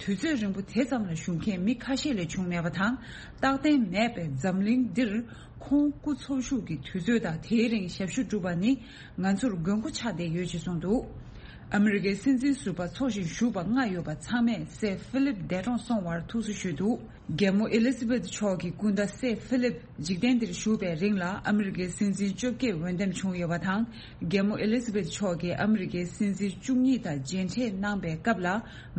དུས་ཚོད་རིང་པོ་དེ་ཙམ་ལ་བཞུགས་མཁན་མི་ཁ་ཤས་ལས་བྱུང་མེད་པ་དང་། རྟག་བརྟན་མེད་པའི་འཛམ་གླིང་འདིར་ཁོང་སྐུ་འཚོ་བཞུགས་ཀྱི་དུས་ཚོད་དང་དེའི་རིང་ཞབས་ཞུ་བསྒྲུབས་པ་ནི་ང་ཚོར་མགོན་སྐོར་ཆགས་བསྡད་ཡོད་ཅེས་གསུངས་འདུག་ཨ་མི་རི་ཀའི་སྲིད་འཛིན་ཟུར་པ་ཚོགས་ཞིང་བཞུགས་པ་ལྔ་ཡོད་པ་ཚང་མས་སྲས་ཧྥི་ལིབ་འདས་གྲོངས་སོང་བར་ཐུགས་གསོ་ཞུས་འདུག་རྒྱལ་མོ་ཨེ་ལི་ཛི་བེད་མཆོག་གི་སྐུ་ཟླ་སྲས་ཧྥི་ལིབ་འཇིག་རྟེན་འདིར་བཞུགས་པའི་རིང་ལ་ཨ་མི་རི་ཀའི་སྲིད་འཛིན་བཅོ་བརྒྱད་འོས་འདེམས་བྱུང་ཡོད་པ་དང་། རྒྱལ་མོ་ཨེ་ལི་ཛི་བེད་མཆོག་གིས་ཨ་མི་རི་ཀའི་སྲིད་འཛིན་བཅུ་གཉིས་དང་མཇལ་འཕྲད་གནང་པའི་སྐབས་ལ་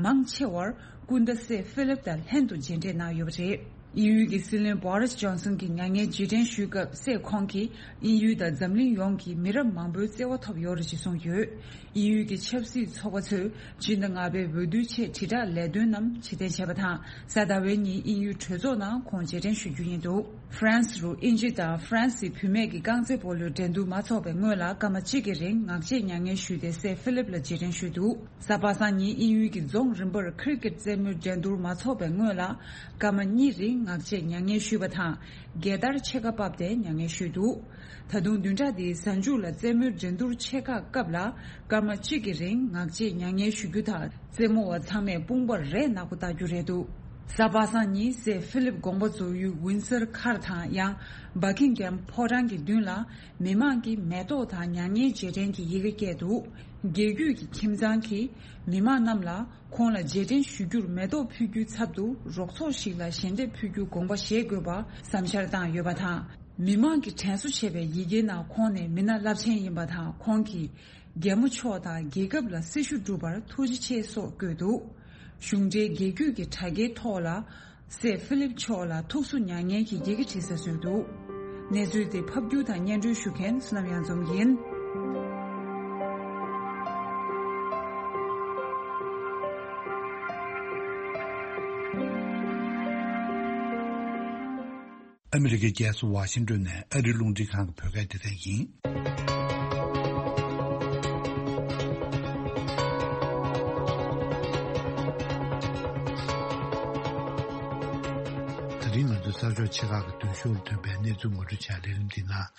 མང་ཆེ་བར་སྐུ་ཟླ་སྲས་ཧྥི་ལིབ་དང་ལྷན་དུ་མཇལ་འཕྲད་གནང་ཡོད་པ་རེད། དབྱིན་ཡུལ་གྱི་སྲིད་བློན་བྷོ་རིས་ཇོན་སན་གྱི་མྱ་ངན་རྗེས་དྲན་ཞུས་སྐབས་སྲས་ཁོང་གིས་དབྱིན་ཡུལ་དང་འཛམ་གླིང་ཡོངས་ཀྱི་མི་རབས་མང་པོའི་བརྩེ་བ་ཐོབ་ཡོད་རེད་ཅེས་གསུངས་ཡོད། དབྱིན་ཡུལ་གྱི་ཆབ་སྲིད་ཚོགས་པ་ཚོས་སྤྱི་ཟླ་ལྔ་པའི་འོས་བསྡུའི་ཆེད་དྲིལ་བསྒྲགས་ལས་དོན་རྣམས་ཕྱིར་འཐེན་བྱས་པ་དང་། གཟའ་ཟླ་བའི་ཉིན་དབྱིན་ཡུལ་གྲོས་ཚོགས་ནང་ཁོང་རྗེས་དྲན་ཞུ་རྒྱུ་ཡིན་འདུག་ཧྥ་རན་སི་རུ་དབྱིན་ཇི་དང་ཧྥ་རན་སིའི་བུད་མེད་ཀྱི་རྐང་རྩེད་སྤོ་ལོའི་འགྲན་བསྡུར་མ་འཚོགས་པའི་སྔོན་ལ་སྐར་མ་གཅིག་གི་རིང་ངག་བཅད་མྱ་ངན་ཞུས་ཏེ་སྲས་ཧྥི་ལིབ་ལ་རྗེས་དྲན་ཞུས་འདུག་གཟའ་པ་སངས་ཉིན་དབྱིན་ཡུལ་གྱི་རྫོང་རིམ་པར་ཁི་རི་ཀེད་རྩེད་མོའི་འགྲན་བསྡུར་མ་འཚོགས་པའི་སྔོན་ལ་སྐར་མ་གཉིས་རིང་ངག་བཅད་མྱ་ངན་ཞུས་པ་དང་། རྒྱལ་དར་ཕྱེད་ཀ་ཕབ་སྟེ་མྱ་ངན་ཞུས་འདུག་ད་དུང་བདུན་ཕྲག་འདིའི་གཟའ་མཇུག་ལ་རྩེད་མོའི་འགྲན་བསྡུར་ཆེ་ཁག་སྐབས་ལ་སྐར་མ་གཅིག་གི་རིང་ངག་བཅད་མྱ་ངན་ཞུ་རྒྱུ་དང་། རྩེད་མོ་བ་ཚང་མས་དཔུང་པར་རས་ནག་པོ་བཏགས་རྒྱུ་རེད་འདུག་གཟའ་པ་སངས་ཉིན་སྲས་ཧྥི་ལིབ་དགོངས་པ་རྫོགས་ཡུལ་ཝིན་སར་མཁར་དང་ཡང་། བྷ་ཀིང་གྷམ་ཕོ་བྲང་གི་མདུན་ལ་མི་མང་གིས་མེ་ཏོག་དང་མྱ་ངན་རྗེས་དྲན་གྱི་ཡི་གེ་བཀལ་འདུག་རྒྱལ་རྒྱུད་ཀྱི་ཁྱིམ་ཚང་གིས་མི་མང་རྣམས་ལ་ཁོང་ལ་རྗེས་དྲན་ཞུ་རྒྱུར་མེ་ཏོག་ཕུལ་རྒྱུའི་ཚབ་ཏུ་རོགས་ཚོགས་ཤིག་ལ་ཞལ་འདེབས་ཕུལ་རྒྱུའི་དགོངས་པ་བཞེས་དགོས་པ་བསམ་འཆར་བཏང་ཡོད་པ་དང་། མི་མང་གིས་དྲན་གསོ་བྱས་པའི་ཡི་གེའི་ནང་ཁོང་ནི་མི་སྣ་རླབས་ཆེན་ཡིན་པ་དང་། ཁོང་གིས་རྒྱལ་མོ་མཆོག་དང་རྒྱལ་ཁབ་ལ་སྲི་ཞུ་བསྒྲུབས་པར་ཐུགས་རྗེ་ཆེ་སོགས་བཀོད་འདུག་གཞུང་འབྲེལ་རྒྱལ་རྒྱུད་ཀྱི་དྲ་རྒྱའི་ཐོག་ལ་སྲས་ཧྥི་ལིབ་མཆོག་ལ་ཐུགས་གསོ་མྱ་ངན་གྱི་ཡི་གེ་བྲིས་ས་བཟོས་འདུག་གནས་ཚུལ་དེ་ཕབ་སྒྱུར་དང་སྙན་སྒྲོན་ཞུ་མཁན་བསོད་ནམས་གཡང་འཛོམས་ཡིན། ཨ་མི་རི་ཀའི་རྒྱལ་ས་ཝ་ཤིང་ཏོན་ནས་ཨ་རིའི་རླུང་འཕྲིན་ཁང་གི་བོད་སྐད་སྡེ་ཚན་ཡིན། ད་རིང་ང་ཚོའི་གསར་ཤོག་ཆེ་ཁག་གི་མདུན་ཤོག་ལ་ཐོན་པའི་གནས་ཚུལ་ངོ་སྤྲོད་བྱ་ལས་རིམ་འདི་ནང་།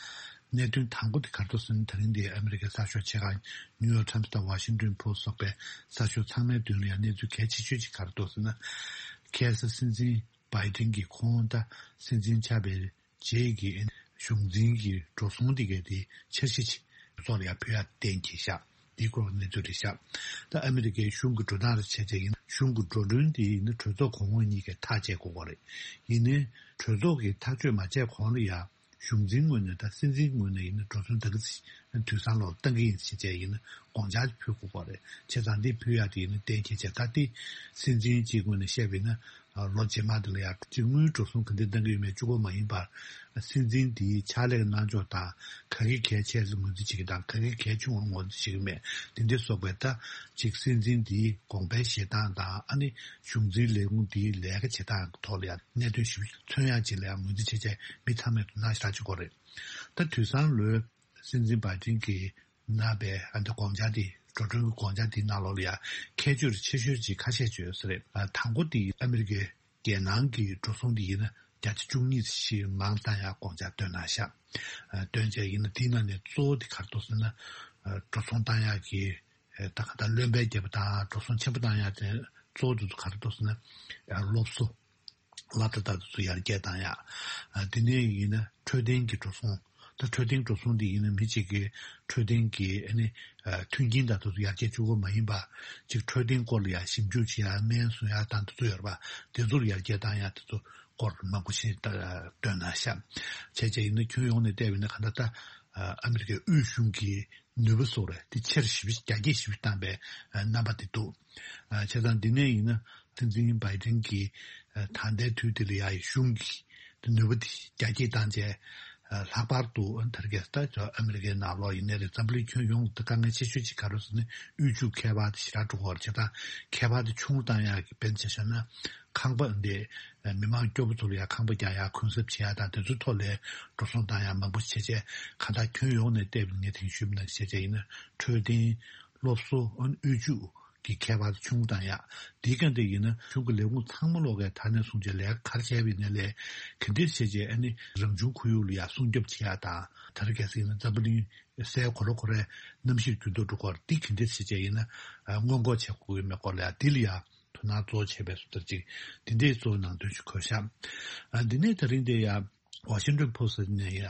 གནད་དོན་དང་པོ་དེ་ག་རེ་འདུག་ཟེར་ན། ད་རིང་འདིའི་ཨ་མི་རི་ཀའི་གསར་ཤོག་ཆེ་ཁག་ནིའུ་ཡོག་ཊའིམ་སི་དང་ཝ་ཤིང་ཏོན་པོ་སི་སི་སོགས་པའི་གསར་ཤོག་ཚང་མའི་མདུན་ལ་ཡང་གནས་ཚུལ་གལ་ཆེ་ཤོས་ཅིག་ག་རེ་འདུག་ཟེར་ན། ཁ་སང་སྲིད་འཛིན་བྷའི་ཏིན་གྱིས་ཁོང་ད་སྲིད་འཛིན་ཆགས་པའི་རྗེས་ཀྱི་གཞུང་འཛིན་གྱི་འགྲོ་སོང་དེ་གའི་དེ་འཆར་གཞི་ཅིག་ཚོགས་ལ་ཡང་ཕུལ་ཡ་གཏན་འཁེལ་བཞག་འདིའི་སྐོར་གནས་ཚུལ་རེད་བཞག་ད་ཨ་མི་རི་ཀའི་གཞུང་གི་འགྲོ་སྟངས་རེ་བྱས་བྱས་ཡིན་ན། གཞུང་གི་འགྲོ་གྲོན་དེ་ཡིན་ན་གྲོས་ཚོགས་གོང་འོག་གཉིས་ཀས་ཐག་བཅད་དགོས་པ་རེད། ཡིན་ནའི་གྲོས་ཚོགས་ཀྱིས་ཐག་གཅོད་མ་བྱས་གོང་ལ་ཡང་ གཞུང་འཛིན་ངོས་ནས་དང་སྲིད་འཛིན་ངོས་ནས་ཡིན་ན་འགྲོ་སོང་ད་ག་ཚོད་དུས་སང་ལོག་བཏང་གི་ཡིན་ཞེས་བྱས་ཡིན་ན་དགོངས་འཆར་ཕུལ་དགོས་པ་རེད། བྱས་ཙང་འདི་ཕུལ་ཡག་དེ་ཡིན་ན་གཏན་འཁེལ་བྱས། ད་དེ་སྲིད་འཛིན་གཅིག་ངོས་ནས་བཤད་པ་ཡིན་ན། ལོ་རྗེས་མ་དེ་ལ་ཡང་དངུལ་འགྲོ་སོང་ག་འདྲ་གཏང་གི་ཡོད་མེད་གཅིག་པོ་མ་ཡིན་པར། སྲིད་འཛིན་དེའི་ཕྱག་ལས་གནང་ཕྱོགས་དང་ག་གི་གལ་ཆེ་ཚུལ་ངོས་འཛིན་བྱེད་ཀྱི་དང་ག་གི་གལ་ཆུང་བ་ངོས་འཛིན་བྱེད་ཀྱི་མེད། དེ་འདྲ་སོགས་པའི་ད་ཅིག་སྲིད་འཛིན་དེའི་དགོངས་པའི་བཞེས་སྟངས་དང་ཨ་ནི་གཞུང་འཛིན་ལས་ཁུངས་དེའི་ལས་ཀ་བྱེད་སྟངས་ཐོག་ལ་ཡང་གནད་དོན་ཞིབ་མཚོན་ཡག་ཅིག་ལ་ཡང་ངོས་འཛིན་བྱེད་བྱས་མི་ཚང་མས་དོ་སྣང་ཞེ་དྲག་བྱེད་དགོས་རེད། ད་དུས་སང་ལོའི་སྲིད་འཛིན་བྷའི་ཏིན་གྱིས་གནང་བའི་ཨ་འདི་དགོངས་འཆར་འདི་འགྲོ་གྲོན་གྱི་དགོངས་འཆར་འདིའི་ནང་ལོགས་ལ་ཡང་ཁྱད་ཆོས་ཆེ་ཤོས་ཅིག་ཁ་ཤས་བརྗོད་ས་རེད། དང་པོ་འདི་ཨ་མི་རི་ཀའི་རྒྱལ་ནང་གི་འགྲོ་སོང་འདི་ཡིན་ན་བརྒྱ་ཆ་བཅུ་གཉིས་ཞིག་མང་བཏང་ཡག་དགོངས་འཆར་བཏོན་གནང་ཤག་བཏོན་བྱས་ཡིན་ན་འདིའི་ནང་ནས་གཙོ་བོ་འདི་ག་རེ་འདུག་ཟེར་ན། འགྲོ་སོང་བཏང་ཡག་གི་ད་ག་ད་རློན་པའི་རྒྱབ་དང་འགྲོ་སོང་ཆེན་པོ་བཏང་ཡག་དེ་གཙོ་བོ་འདི་ཚོ་ག་རེ་འདུག་ཟེར་ན། སློབ་གསོ། ལ་ད་ད་དུ་ཡར་རྒྱས་བཏང་ཡག་དེ་ནས་ཡིན་ན་འཕྲོད་བསྟེན་གྱི་འགྲོ་སོང་། ད་འཕྲོད་བསྟེན་འགྲོ་སོང་འདི་ཡིན་ན་མི་གཅིག་གི་འཕྲོད་བསྟེན་གྱི་ཨ་ནི་མཐུན་རྐྱེན་ད་དུ་ཡར་རྒྱས་བཅུག་པ་མ་ཡིན་པ། ཅིག་འཕྲོད་བསྟེན་སྐོར་ལ་ཡང་ཞིབ་འཇུག་བྱེད་ཡག་སྨན་བཟོ་ཡག་དང་དེ་ཚོ་ཡོད་རེད་པ། དེ་ཚོར་ཡར་རྒྱས་བཏང་ཡག་དེ་ཚོ་སྐོར་མང་པོ་ཞིག་བཏོན་གནང་ཤག་བྱས་བྱས་ཡིན་ན་ཁྱོན་ཡོངས་ནས་བལྟས་པ་ཡིན་ན་ག་འདྲ་ད་ཨ་མི་རི་ཀའི་དབུས་གཞུང་གི་ནུས་པ་སོགས་རེད་དེ་ཆེར་ཞིབ་རྒྱ་སྐྱེད་ཞིབ་བཏང་པའི་རྣམ་པ་དེ་འདུག་བྱས་ཙང་འདི་ནས་ཡིན་ན་སྲིད་འཛིན་བྷའི་ཏིན་གྱིས་ད་ལྟའི་དུས་འདི་ལ་ཡ་གཞུང་གི་ནུས་པ་དེ་རྒྱ་སྐྱེད་བཏང་བྱས་ལྷག་པར་དུ་དར་རྒྱས་ད་ཨ་མི་རི་ཀའི་ནང་ལོགས་ཡིན་ནའི་རེད། འཛམ་བུ་གླིང་ཁྱོན་ཡོངས་ད་དཀའ་ངལ་ཆེ་ཤོས་ཅིག་ག་རེ་ཟེར་ན་དབུལ་ཕྱུག་ཁྱད་པར་དེ་ཞེ་དྲག་འགྲོ་གི་ཡོད་རེད། བྱས་ཙང་ཁྱད་པར་དེ་ཆུང་བཏང་ཡག་གི་དཔེར་ན་ཆ་བཞག་ན་ཁང་པ་འདི་མི་མང་སྐྱོ་པོ་ཚོ་ལ་ཡ་ཁང་པ་རྒྱག་ཡག་གུན་གསབ་བྱེད་ཡག་དང་དེ་ཚོའི་ཐོག་ལ་འགྲོ་སོང་བཏང་ཡག་མང་པོ་བྱས་བྱས་གང་ལྟར་ཁྱོན་ཡོངས་ནས་བལྟས་པ་ངས་དེང་ཞུས་པ་ནང་བཞིན་བྱས་བྱས་ཡིན་ན་འཕྲོད་བསྟེན། སློབ་གསོ། ཨ་ནི་དབུལ་ཕྱུག་གི་ཁྱད་པར་ཆུང་བཏང་ཡག་འདི་ག་འདྲ་ཡིན་ན་གཞུང་གི་ལས་ཁུངས་ཚང་མ་ལོག་གའི་ད་ནས་བཟུང་བྱས་ལས་ཀ་ག་རེ་བྱས་པ་ཡིན་ནའི་ལས་ག་འདྲ་བྱས་བྱས་ཨ་ནི་རང་བྱུང་ཁོར་ཡུག་ལ་ཡ་སྲུང་སྐྱོབ་བྱེད་ཡག་དང་ད་རེས་གལ་སྲིད་ཡིན་ན་འཛམ་བུ་གླིང་སའི་གོ་ལ་ཁོ་རའི་གནམ་གཤིས་འགྱུར་ལྡོག་འགྲོ་སྐོར་འདི་ག་འདྲ་བྱས་བྱས་ཡིན་ན་སྔོན་འགོག་བྱེད་དགོས་ཀྱི་མེད་སྐོར་ལ་ཡ་འདི་ལ་ཡ་དོ་སྣང་གཙོ་བོ་བྱས་པའི་སུ་ལྟར་ཅིག་འདི་འདྲའི་གཙོ་བོ་ནང་དོན་ཞིག་འཁོད་ཤག་འདི་ནས་ད་རིང་འདི་ཡ། ཝ་ཤིང་ཊོན་པོ་སི་ཊི་ནས་ཡང་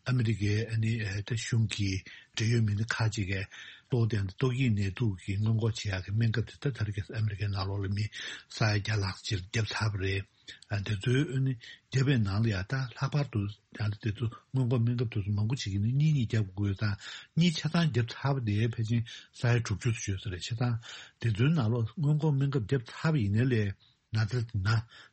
ཨ་མི་རི་ཀའི་ཨ་ནི་ཨ་ད་གཞུང་གི་འབྲེལ་ཡོད་མི་སྣ་ཁག་ཅིག་གིས་གཙོ་བོ་དེ་ཏོག་དབྱིབས་ནད་དུག་གི་སྔོན་འགོག་བྱེད་ཡག་གི་སྨན་ཁབ་དེ་ད་ད་རེས་ཀྱི་ཨ་མི་རི་ཀའི་ནང་ལོགས་ལ་མི་ས་ཡ་བརྒྱ་ལྷག་ཅིག་བརྒྱབ་ཚར་བ་རེད། ཨ་དེ་ཚོའི་ཨ་ནི་བརྒྱབ་པའི་ནང་ལ་ཡང་ད་ལྷག་པར་དུ་ཡང་ད་དེ་ཚོ་སྔོན་འགོག་སྨན་ཁབ་དེ་ཚོ་མང་པོ་ཅིག་གིས་ནི་གཉིས་གཉིས་བརྒྱབ་དགོས་དང་གཉིས་ཆ་ཚང་བརྒྱབ་ཚར་བ་དེ་ཕལ་ཆེར་ས་ཡ་དྲུག་ཅུ་ཙམ་ཡོད་ས་རེད། བྱས་ཙང་དེ་ཚོའི་ནང་ལོགས་སྔོན་འགོག་སྨན་ཁབ་བརྒྱབ་ཚར་བ་ཡིན་ནའི་ལས། ན་ཚ་དེ་ན་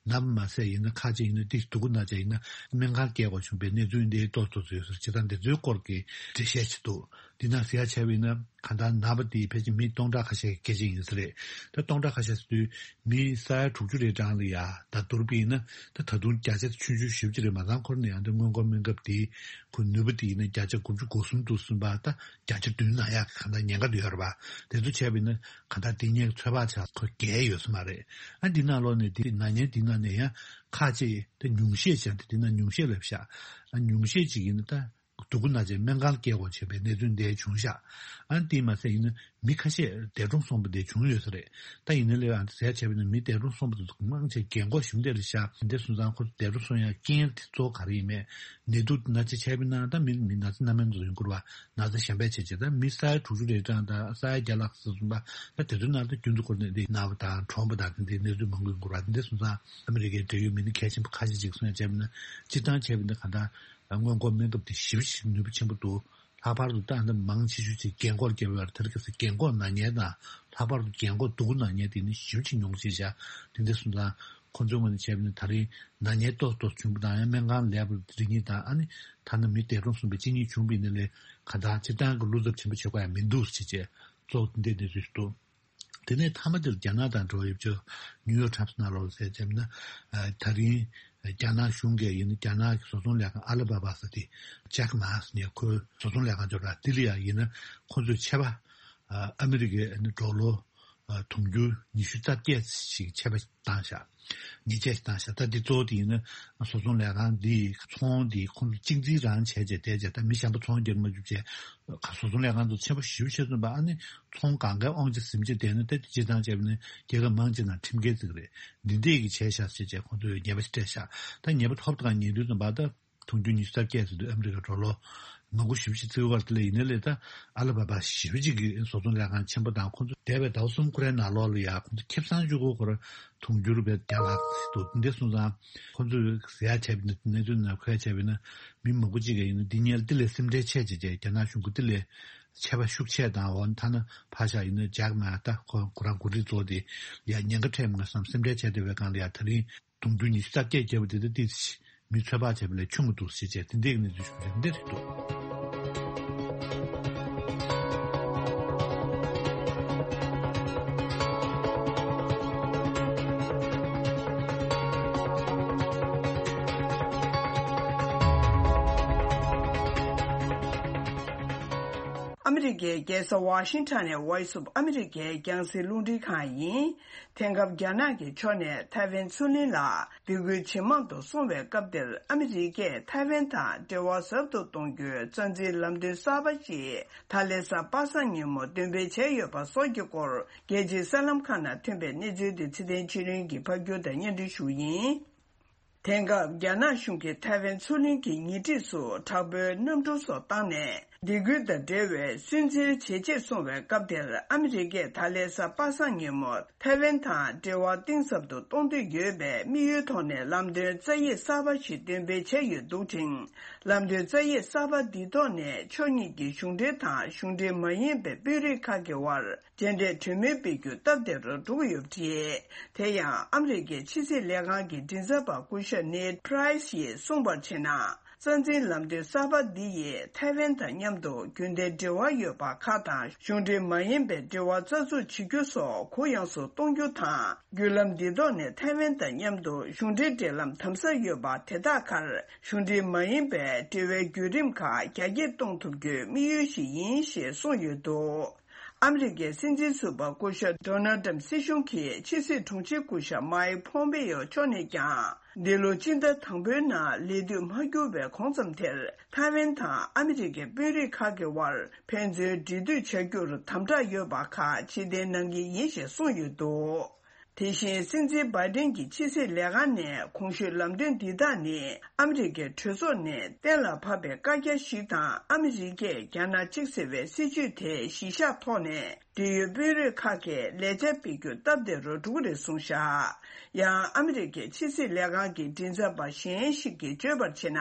ན་བ་མ་ཟད་ཡིན་ན་ཁ་ཅིག་ཡིན་ན་ཏིག་སྡུག་གུ་ན་ཅིག་ཡིན་ན་སྨན་ཁང་སྐྱེལ་དགོས་བྱུང་བའི་གནས་ཚུལ་འདི་ཏོག་ཏོག་ཙམ་ཡོད་ཟེར། སྤྱིར་བཏང་འདི་ཚོའི་སྐོར་གྱི་འགྲེལ་བཤད་ཅིག་འདུག་འདི་ན་ཟེར་ཡ་བྱས་པ་ཡིན་ན་གང་ལྟར་ན་བ་དེ་ཕལ་ཆེར་མི་སྟོང་ཕྲག་ཁ་ཤས་ཀྱི་སྐད་ཆ་ཡིན་ས་རེད། ད་སྟོང་ཕྲག་ཁ་ཤས་ཟེར་དུས་མི་ས་ཡ་དྲུག་ཅུ་རེ་གྲངས་ལ་ཡ་ད་བསྡུར་བ་ཡིན་ན་ད་ད་དུང་བརྒྱ་ཆ་ཆུང་ཆུང་ཞེ་པོ་ཅིག་རེད། མ་ཚང་ཁོ་རང་ནས་ཡང་འདི་སྔོན་འགོག་སྨན་ཁབ་དེ་ཁོ་ནུས་པ་དེ་ཡིན་ན་བརྒྱ་ཆ་དགུ་བཅུ་གོ་གསུམ་དུ་སོང་བ་ད། བརྒྱ་ཆ་བདུན་ན་ཡག་གི་གང་ལྟར་ཉེན་ཁ་འདུག་ཡོད་རེད་པ། དེ་ཚོ་བྱས་པ་ཡིན་ན་གང་ལྟར་དེ་ཉེན་ཚོད་དཔག་བྱ་ཁོ་བརྒལ་ཡོད་ས་མ་རེད། ཨ་འདི་ནང་ལོགས་ནས་དེ་ན་ཉེན་འདི་ནང་ནས་ཡང་ཁག་ཅིག་དེ་ཉུང་ཤས་ཅིག་དེ་འདི་ན་ཉུང་ཤས་ལབ་ཤག་ཨ་ཉུང་ཤས་ཅིག་ཡིན་ན་ད་སྡུག་གུ་ན་ཅིག་སྨན་ཁང་སྐྱེལ་དགོས་བྱས་པའི་གནས་ཚུལ་འདི་བྱུང་ཤག་ཨ་འདི་མ་ཟད་ཡིན་ན་མི་ཁ་ཤས་འདས་གྲོངས་སོང་བ་འདི་བྱུང་ཡོད་ས་རེད། ད་ཡིན་ན་ལས་ཨ་འདི་ཟས་བྱས་པ་ཡིན་ན་མི་འདས་གྲོངས་སོང་བ་དེ་ཚོ་མང་ཆེ་རྒན་གོག་གཞོན་དེ་རེད་ཤག་འདི་སོང་ཙང་ཁོ་འདས་གྲོངས་སོང་ཡང་རྐྱེན་དེ་གཙོ་བོ་ག་རེ་ཡིན་མེད་ནད་དུག་ན་ཅིག་བྱས་པ་ཡིན་ན་ད་མི་མི་ན་ཚ་སྣ་མིན་དུ་ཡོང་དགོས་རེད་པ། ན་ཚ་གཞན་པའི་བྱས་བྱས་ད་མི་ས་ཡ་དྲུག་ཅུ་རེ་གྲངས་དང་ས་ཡ་བརྒྱ་ལྷག་ཙམ་སོང་པ་ད་དེ་ཚོའི་ནང་དུ་རྒྱུན་དུ་འཁོར་ནས་འདི་ན་བ་དང་གྲོངས་པ་དང་དེ་འདྲའི་གནས་ཚུལ་མང་པོ་ཡོང་གི་རེད་པ། འདི་སོང་ཙང་ཨ་མི་རི་ཀའི་འབྲེལ་ཡོད་མི་སྣ་གལ་ཆེན་པོ་ཁ་ཤས་ཅིག་གསུངས་ཡ་བྱས་པ་ན་སྤྱིར་བཏང་བྱས་པ་ན་གང་ལྟར་སྔོན་འགོག་སྨན་ཁབ་དེ་ཞེ་པོ་ཅིག་ནུས་པ་ཆེན་པོ་འདུག་ལྷག་པར་དུ་ད་ལྟ་མང་ཆེ་ཤོས་ཅིག་རྒན་འཁོགས་སྐྱེ་བའི་བར་དེར་གལ་སྲིད་རྒན་འཁོགས་ན་མཁན་དང་ལྷག་པར་དུ་རྒན་འཁོགས་སྡུག་གུ་ན་མཁན་དེ་ནི་ཞེ་པོ་ཅིག་ཉུང་ཤས་ཤག་དེ་འདྲ་སོང་ཙང་ཁོང་ཚོའི་ངོས་ནས་བྱས་པ་ན་ད་རེས་ན་མཁན་ཏོག་ཏོག་བྱུང་པ་དང་ཡང་སྨན་ཁང་ལས་པར་རིགས་གཉིས་དང་ཨ་ནི་ཐ་ན་མི་འདས་གྲོངས་སོང་བའི་གཅིན་སྙི་བྱུང་བ་ཡིན་ན་ལས་ག་ད་སྤྱིར་བཏང་གི་བློ་འཚབ་ཆེན་པོ་བྱེད་དགོས་ཡ་མི་འདུག་ཟེར་བྱས་གཙོ་བོ་དེ་འདྲའི་གནས་ཚུལ་ཞིག་འདུག་དེ་ནས་མཐའ་མ་དེར་རྒྱ་ནག་དང་འབྲེལ་བ་ཡོད་ཆོག་ནིའུ་ཡོག་ཊའིམ་སི་ནང་ལོགས་ལ་གསལ་བྱས་ན་ད་རིང་རྒྱ་ནག་གཞུང་གིས་ཡིན་ན་རྒྱ་ནག་གི་བཟོ་ཚོང་ལས་ཁང་ཨ་ལི་བྷ་བྷ་ཟེར་དེ་ཇེག་མ་ཟེར་ནས་ཁོའི་བཟོ་ཚོང་ལས་ཁང་ཅིག་ཡོད་རེད། དེ་ལ་ཡང་ཡིན་ན་ཁོ་ཚོས་ཆད་པ་ཨ་མི་རི་ཀའི་ཌོ་ལར་དུང་ཕྱུར་ཉི་ཤུ་རྩ་བརྒྱད་ཞིག་ཆད་པ་བཏང་ཤག་ཉེས་ཆད་ཞིག་བཏང་ཤག་ད་འདི་གཙོ་བོ་དེ་ཡིན་ན་བཟོ་ཚོང་ལས་ཁང་འདིའི་ཚོང་འདི་ཁོང་ཚོ་གཅིག་འཛིན་རང་བྱས་བྱས་བསྡད་བྱས་ད་མི་གཞན་པ་ཚོང་རྒྱག་མ་བཅུག་བྱས་བཟོ་ཚོང་ལས་ཁང་ཚོ་ཆེན་པོ་ཞེ་པོ་ཆེ་ཙམ་པ་ཨ་ནི་ཚོང་གང་གའི་དབང་ཆ་ཟིན་བྱས་བསྡད་ན་ད་དེ་སྤྱིར་བཏང་བྱས་པ་ནི་རྒྱལ་ཁབ་མང་ཆེ་ནང་ཁྲིམས་འགལ་ཟེར་གི་རེད། འདི་འདྲས་ཀྱི་བྱས་ཤག་ཟེར་བྱས་ཁོང་ཚོས་ཉེས་པ་ཞིག་སྤྲད་ཤག་ད་ཉེས་པ་ཐོབ་དང་ཉེས་དུས་ཙམ་པ་ད། དུང་ཕྱུར་ཉི་ཤུ་རྩ་བརྒྱད་ཟེར་དུས་ཨ་མི་རི་ཀ་ཌོ་ལར་མང་པོ་ཞེ་པོ་ཅིག་བརྩི་གི་ཡོད་པ་དེ་ལས། ཡིན་ནའི་ལས་ད་ཨ་ལི་བྷ་བྷ་ཞེ་པོ་ཅིག་གི་བཟོ་ཚོང་ལས་ཁང་ཆེན་པོ་དང་ཁོང་ཚོ་འདས་པའི་ཟླ་བ་གསུམ་ཁོ་རའི་ནང་ལོགས་ལ་ཡ་ཁོང་ཚོ་ཁེ་བཟང་ཅིག་གོ་ཁོ་ར་དུང་ཕྱུར་བས་བརྒྱ་ལྷག་ཅིག་འདུག་འདི་སོང་ཙང་ཁོང་ཚོས་ཟེར་ཡ་བྱས་པ་ཡིན་ན། གནས་ཚུལ་ནང་ཁོ་ཡ་བྱས་པ་ཡིན་ན་མི་མང་པོ་ཅིག་གིས་ཡིན་ན་འདི་སྔོན་ལ་འདི་ལས་སེམས་ཁྲལ་ཆེ་བྱས་བྱས་རྒྱ་ནག་གཞུང་གིས་འདི་ལས་ཆད་པ་ཤུགས་ཆེ་དང་། འོ་ཐ་ན་ཕར་བཞག་ཡིན་ན་ཇག་མ་ད་ཁོ་ཁོ་རང་འགོ་ཁྲིད་ཚོ་དེ་ཡ་ཉེན་ཁ་འཕྲད་མ་སོང་བསམ་སེམས་ཁྲལ་བྱས་བསྡད་པའི་སྒང་ལ་ཡ་ད་རིང་དུང་ཕྱུར་ཉི་ཤུ་རྩ་བརྒྱད་བརྒྱབ་པ་དེ་ད་ཏོག་ཙམ་མི་ཚོད་དཔག་བྱས་པ་ལས་ཆུང་གི་འདུག་ཟེར་བྱས་དེ་འདྲའི་གནས་ཚུལ་བྱུང་བ་འདི་རེད་འདུག་ཨ་མི་རི་ཀའི་རྒྱལ་ས་ཝ་ཤིང་ཊོན་ནས་Voice of America རྒྱང་སྲིང་རླུང་འཕྲིན་ཁང་ཡིན། དེང་སྐབས་རྒྱ་ནག་གི་ཕྱོགས་ནས་ཐའེ་ཝན་མཚོ་གླིང་ལ་སྡིགས་སྐུལ་ཇེ་མང་དུ་སོང་བའི་སྐབས་འདིར། ཨ་མི་རི་ཀས་ཐའེ་ཝན་དང་འབྲེལ་བ་ཟབ་ཏུ་གཏོང་རྒྱུའི་རྩ་འཛིན་ལམ་སྟོན་གསར་པ་ཞིག་ད་ལན་གཟའ་པ་སངས་ཉིན་མོ་འདོན་སྤེལ་བྱས་ཡོད་པ་སོགས་ཀྱི་སྐོར། རྒྱལ་སྤྱིའི་གསར་ལམ་ཁག་ནང་ཐོན་པའི་གནས་ཚུལ་དེ་ཚེ་བརྟན་ཆོས་གླིང་གིས་ཕབ་སྒྱུར་དང་སྙན་སྒྲོན་ཞུ་ཡིན། དེང་སྐབས་རྒྱ་ནག་གཞུང་གིས་ཐའེ་ཝན་མཚོ་གླིང་གི་ཉེ་འཁྲིས་སུ་དྲག་པོའི་གནམ་གྲུ་སོགས་བཏང་ནས། སྡིགས་སྐུལ་དང་འབྲེལ་བའི་སུན་གཙེར་ཇེ་ཆེར་སོང་བའི་སྐབས་དེར། ཨ་མི་རི་ཀས་ད་ལན་གཟའ་པ་སངས་ཉིན་མོ་ཐའེ་ཝན་དང་འབྲེལ་བ་གཏིང་ཟབ་ཏུ་གཏོང་འདོད་ཡོད་པའི་དམིགས་ཡུལ་ཐོག་ནས་ལམ་སྟོན་རྩ་ཡིག་གསར་པ་ཞིག་འདོན་སྤེལ་བྱས་ཡོད་འདུག་ཅིང་། ལམ་སྟོན་རྩ་ཡིག་གསར་པ་འདིའི་ཐོག་ནས་ཕྱོགས་གཉིས་ཀྱི་གཞུང་འབྲེལ་དང་གཞུང་འབྲེལ་མ་ཡིན་པའི་དཔོན་རིགས་ཁག་གི་དབར། མཇལ་འཕྲད་གྲོས་མོལ་སྤེལ་རྒྱུ་སྟབས་བདེ་རུ་འགྲོ་གི་ཡོད་པ་རེད། དེ་ཡང་ཨ་མི་རི་ཀའི་ཕྱི་སྲིད་ལས་ཁང་གི་མགྲིན་ཚབ་པ་སྐུ་ཞབས་ནེཌ་པྲའི་སི་ཡིས་གསུངས་པར་བྱས་ན། རྩ་འཛིན་ལམ་སྟོན་གསར་པ་འདི་ཡིས་ཐའེ་ཝན་དང་མཉམ་དུ་རྒྱུན་ལྡན་འབྲེལ་བ་ཡོད་པ་ཁག་དང་གཞུང་འབྲེལ་མ་ཡིན་པའི་འབྲེལ་བ་རྩ་འཛུགས་བྱེད་རྒྱུ་སོགས་གུ་ཡངས་སུ་གཏོང་རྒྱུ་དང་། བརྒྱུད་ལམ་འདིའི་ཐོག་ནས་ཐའེ་ཝན་དང་མཉམ་དུ་གཞུང་འབྲེལ་འབྲེལ་ལམ་དམ་ཟབ་ཡོད་པ་དེ་དག་ཁར་གཞུང་འབྲེལ་མ་ཡིན་པའི་འབྲེལ་བའི་བརྒྱུད་རིམ་ཁག་རྒྱ་སྐྱེད་གཏོང་ཐུབ་རྒྱུའི་དམིགས་ཡུལ་ཞིག་ཡིན་ཞེས་གསུངས་ཡོད་འདུག་ཨ་མི་རི་ཀའི་སྲིད་འཛིན་ཟུར་པ་སྐུ་ཞབས་ཌོ་ནལ་ཏྲམ་སྲིད་གཞུང་གིས་ཕྱི་སྲིད་དྲུང་ཆེ་སྐུ་ཞབས་མའེ་ཕོམ་པེ་ཡོ་མཆོག་ནས་ཀྱང་། འདི་ལོ་སྤྱི་ཟླ་དང་པོའི་ནང་ལས་དུས་མ་འགྱུར་བའི་གོང་ཙམ་དེར་ཐའེ་ཝན་དང་ཨ་མི་རི་ཀའི་དཔོན་རིགས་ཁག་གི་དབར་ཕན་ཚུན་འབྲེལ་མཐུད་བྱ་རྒྱུར་དམ་དྲག་ཡོད་པ་ཁག་ཕྱིར་འཐེན་གནང་གི་ཡིན་ཞེས་གསུངས་ཡོད་འདུག་དེ་བཞིན་སྲིད་འཛིན་བྷའི་ཏིན་གྱི་ཕྱི་སྲིད་ལས་ཁང་ནས་གོང་ཞུས་ལམ་སྟོན་འདི་དག་ནི་ཨ་མི་རི་ཀའི་གྲོས་ཚོགས་ནས་གཏན་ལ་ཕབ་པའི་བཀའ་རྒྱ་ཞིག་དང་། ཨ་མི་རི་ཀས་རྒྱ་ནག་གཅིག་ཟེར་བའི་སྲིད་བྱུས་དེ་གཞི་བཞག་ཐོག་ནས་འབྲེལ་ཡོད་དཔོན་རིགས་ཁག་གིས་ལས་བྱ་སྤེལ་རྒྱུ་སྟབས་བདེ་རུ་འགྲོ་གི་རེད་གསུངས་བཞག་ཡང་ཨ་མི་རི་ཀའི་ཕྱི་སྲིད་ལས་ཁང་གི་མགྲིན་ཚབ་པ་གཞན་ཞིག་གིས་བརྗོད་པར་བྱས་ན།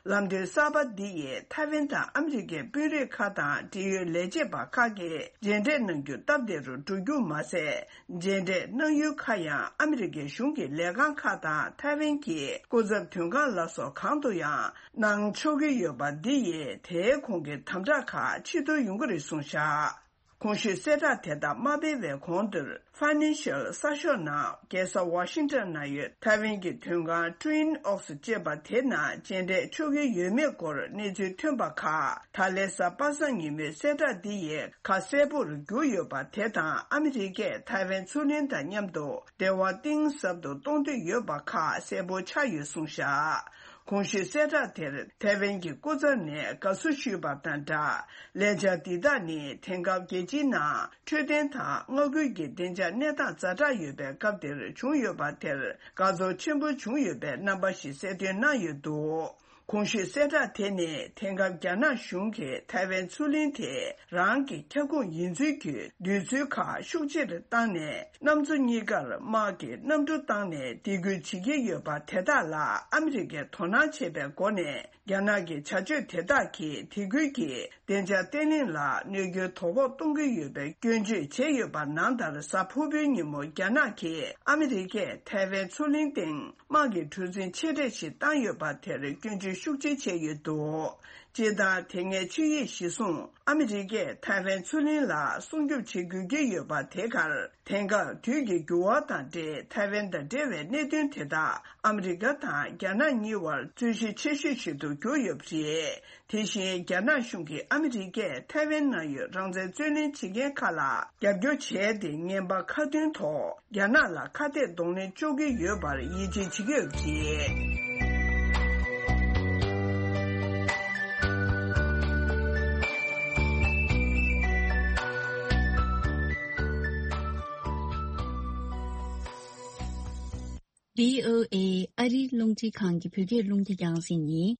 ལམ་སྟོན་གསར་པ་འདི་ཡིས་ཐའེ་ཝན་དང་ཨ་མི་རི་ཀའི་དཔོན་རིགས་ཁག་དང་འབྲེལ་ཡོད་ལས་བྱེད་པ་ཁག་གིས་མཇལ་འཕྲད་གནང་རྒྱུ་སྟབས་བདེ་རུ་འགྲོ་རྒྱུ་མ་ཟད། མཇལ་འཕྲད་གནང་ཡུལ་ཁག་ཡང་ཨ་མི་རི་ཀའི་གཞུང་གི་ལས་ཁང་ཁག་དང་ཐའེ་ཝན་གྱི་སྐུ་ཚབ་དོན་ཁང་ལ་སོགས་གང་དུ་ཡང་གནང་ཆོག་གི་ཡོད་པ་འདི་ཡིས་དེའི་གོང་གི་དམ་དྲག་ཁག་ཕྱིར་གཏོང་ཡོང་གི་རེད་གསུངས་བཞག་གོང་ཞུས་གསལ་བསྒྲགས་དེ་དག་མ་སྤེལ་བའི་གོང་དུ། Financial གསར་ཤོག་ནང་རྒྱལ་ས་ཝ་ཤིང་ཊོན་ན་ཡོད་ཐའེ་ཝན་གྱི་དོན་ཁང་Twin Oaks ཅེས་པ་དེ་ནང་མཇལ་འཕྲད་ཆོག་གི་ཡོད་མེད་སྐོར་གནས་ཚུལ་ཐོན་པ་ཁག་ད་ལན་གཟའ་པ་སངས་ཉིན་མོའི་གསལ་བསྒྲགས་འདི་ཡིས་ཁ་གསལ་པོར་གྱུར་ཡོད་པ་དེ་དང་། ཨ་མི་རི་ཀས་ཐའེ་ཝན་མཚོ་གླིང་དང་མཉམ་དུ་འབྲེལ་བ་གཏིང་ཟབ་ཏུ་གཏོང་འདོད་ཡོད་པ་ཁག་གསལ་པོ་ཆགས་ཡོད་གསུངས་བཞག་གོང་ཞུས་གསལ་བསྒྲགས་དེར་ཐའེ་ཝན་གྱི་སྐུ་ཚབ་ནས་དགའ་བསུ་ཞུས་པ་དང་སྦྲགས། ལས་འཆར་འདི་དག་ནི་དེང་སྐབས་རྒྱལ་སྤྱིའི་ནང་འཕྲོད་བསྟེན་དང་མངའ་ཁུལ་གྱི་བདེ་འཇགས་གནས་སྟངས་ཛ་དྲག་ཡོད་པའི་སྐབས་འདིར་བྱུང་ཡོད་པ་དེར་དགའ་ཚོར་ཆེན་པོ་བྱུང་ཡོད་པའི་རྣམ་པ་ཞིག་གསལ་སྟོན་གནང་ཡོད་འདུག་གོང་ཞུས་གསལ་བསྒྲགས་དེ་ནི་དེང་སྐབས་རྒྱ་ནག་གཞུང་གིས་ཐའེ་ཝན་མཚོ་གླིང་དེ་རང་གི་ཁྱབ་ཁོངས་ཡིན་ཚུལ་གྱི་འདོད་ཚུལ་ཁག་ཤུགས་ཆེར་བཏང་ནས། གནམ་མཚོ་གཉིས་ཀར་དམག་གི་གནམ་གྲུ་བཏང་ནས་སྡིགས་སྐུལ་བྱེད་ཀྱི་ཡོད་པ་དེ་དག་ལ་ཨ་མི་རི་ཀས་དོ་སྣང་བྱེད་པའི་སྒོ་ནས། རྒྱ་ནག་གི་བྱ་སྤྱོད་དེ་དག་གིས་དེ་ཁུལ་གྱི་བདེ་འཇགས་བརྟན་ལྷིང་ལ་གནོད་སྐྱོན་དོ་ཕོག་གཏོང་གི་ཡོད་པའི་སྐྱོན་བརྗོད་བྱས་ཡོད་པ་ནང་ལྟར། གཟའ་ཕུར་བུའི་ཉིན་མོ་རྒྱ་ནག་གིས་ཨ་མི་རི་ཀས་ཐའེ་ཝན་མཚོ་གླིང་སྟེང་དམག་གི་གྲུ་གཟིངས་ཆེ་གྲས་ཤིག་བཏང་ཡོད་པ་དེར་སྐྱོན་བརྗོད་ཤུགས་ཆེ་བྱས་ཡོད་འདུག་སྤྱིར་བཏང་། དེ་སྔའི་ཆིངས་ཡིག་གཞིར་བཟུང་། ཨ་མི་རི་ཀས་ཐའེ་ཝན་མཚོ་གླིང་ལ་སྲུང་སྐྱོབ་བྱེད་དགོས་ཀྱི་ཡོད་པ་དེ་གར། དེང་སྐབས་དུས་ཀྱི་འགྱུར་བ་དང་འབྲེལ། ཐའེ་ཝན་དང་འབྲེལ་བའི་གནད་དོན་དེ་དག་ཨ་མི་རི་ཀ་དང་རྒྱ་ནག་གཉིས་བར་རྩོད་གཞི་ཆེ་ཤོས་ཤིག་ཏུ་གྱུར་ཡོད་པ་རེད། དེ་བཞིན། རྒྱ་ནག་གཞུང་གིས་ཨ་མི་རི་ཀས་ཐའེ་ཝན་ནང་ཡོད་རང་བཙན་རྩོད་ལེན་བྱེད་མཁན་ཁག་ལ་རྒྱབ་སྐྱོར་བྱས་ཏེ། ངན་པ་ཁ་མཐུན་ཐོག་རྒྱ་ནག་ལ་ཁ་གཏད་གདོང་ལེན་གཅོག་གི་ཡོད་པར་ཡིད་ཆེས་བྱེད་ཀྱི་ཡོད་པ་རེད། བྷི་ཨོ་ཨེ་ཨ་རིའི་རླུང་འཕྲིན་ཁང་གི་བོད་སྐད་རླུང་འཕྲིན་རྒྱང་སྲིང་ཡིན།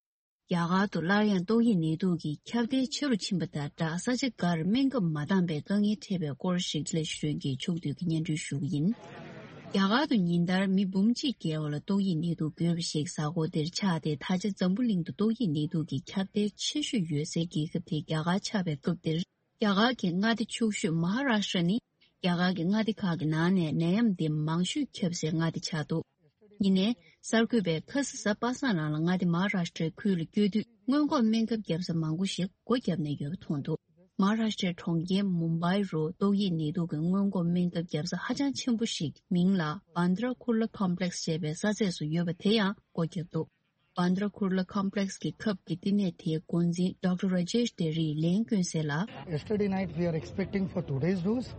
རྒྱ་གར་དུ་སླར་ཡང་ཏོག་དབྱིབས་ནད་དུག་གི་ཁྱབ་གདལ་ཆེ་རུ་ཕྱིན་པ་དང་སྦྲགས། ས་ཆ་འགར་སྨན་ཁབ་མ་འདང་པའི་དཀའ་ངལ་འཕྲད་པའི་སྐོར་ཞིག་ལས་གཞི་རོན་གྱི་ཕྱོགས་བསྡུས་ཀྱི་སྙན་སྒྲོན་ཞུ་གི་ཡིན། རྒྱ་གར་དུ་ཉིན་ལྟར་མི་འབུམ་གཅིག་བརྒལ་བ་ལ་ཏོག་དབྱིབས་ནད་དུག་འགོས་པ་ཞིག་གཟའ་འཁོར་འདིར་ཆགས་ཏེ། ད་ཆ་འཛམ་བུ་གླིང་དུ་ཏོག་དབྱིབས་ནད་དུག་གི་ཁྱབ་གདལ་ཆེ་ཤོས་ཡོད་སའི་རྒྱལ་ཁབ་དེ་རྒྱ་གར་ཆགས་པའི་སྐབས་འདིར། རྒྱ་གར་གྱི་མངའ་སྡེ་ཕྱུག་ཤོས་མ་ཧཱ་རཱ་ཤྲ་ནི་རྒྱ་གར་གྱི་མངའ་སྡེ་ཁག་གི་ནང་ནས་ནད་ཡམས་འདི་མང་ཤོས་ཁྱབ་སའི་མངའ་སྡེ་ཆགས་འདུག་ཉིན་ནས་གསར་འགོད་པས་ཁ་སང་གཟའ་པ་སངས་ལམ་ལ་མངའ་སྡེ་མ་ཧཱ་རཱ་ཤྲའི་ཁུལ་ལ་བསྐྱོད་དུས། སྔོན་འགོག་སྨན་ཁབ་བརྒྱབ་ས་མང་པོ་ཞིག་སྒོ་བརྒྱབ་ནས་ཡོད་པ་མཐོང་འདུག་མ་ཧཱ་རཱ་ཤྲའི་གྲོང་ཁྱེར་མུམ་བྷའི་རུ་ཏོག་དབྱིབས་ནད་དུག་གི་སྔོན་འགོག་སྨན་ཁབ་བརྒྱབ་ས་ཧ་ཅང་ཆེན་པོ་ཞིག་མིང་ལ་བྷན་དྲ་ཁུར་ལ་ཀོམ་པི་ལེགས་ཞེས་པའི་ས་ཚད་སུ་ཡོད་པ་དེ་ཡང་སྒོ་བརྒྱབ་འདུག་བྷན་དྲ་ཁུར་ལ་ཀོམ་པི་ལེགས་ཀྱི་ཁབ་ཀྱི་བསྟི་གནས་དེའི་འགོ་འཛིན་ཌོག་ཊར་ར་ཇེཤ་ཏེ་རིས་ལན་བསྐྱོན་གསལ་ལ། Yesterday night we are expecting for today's dose,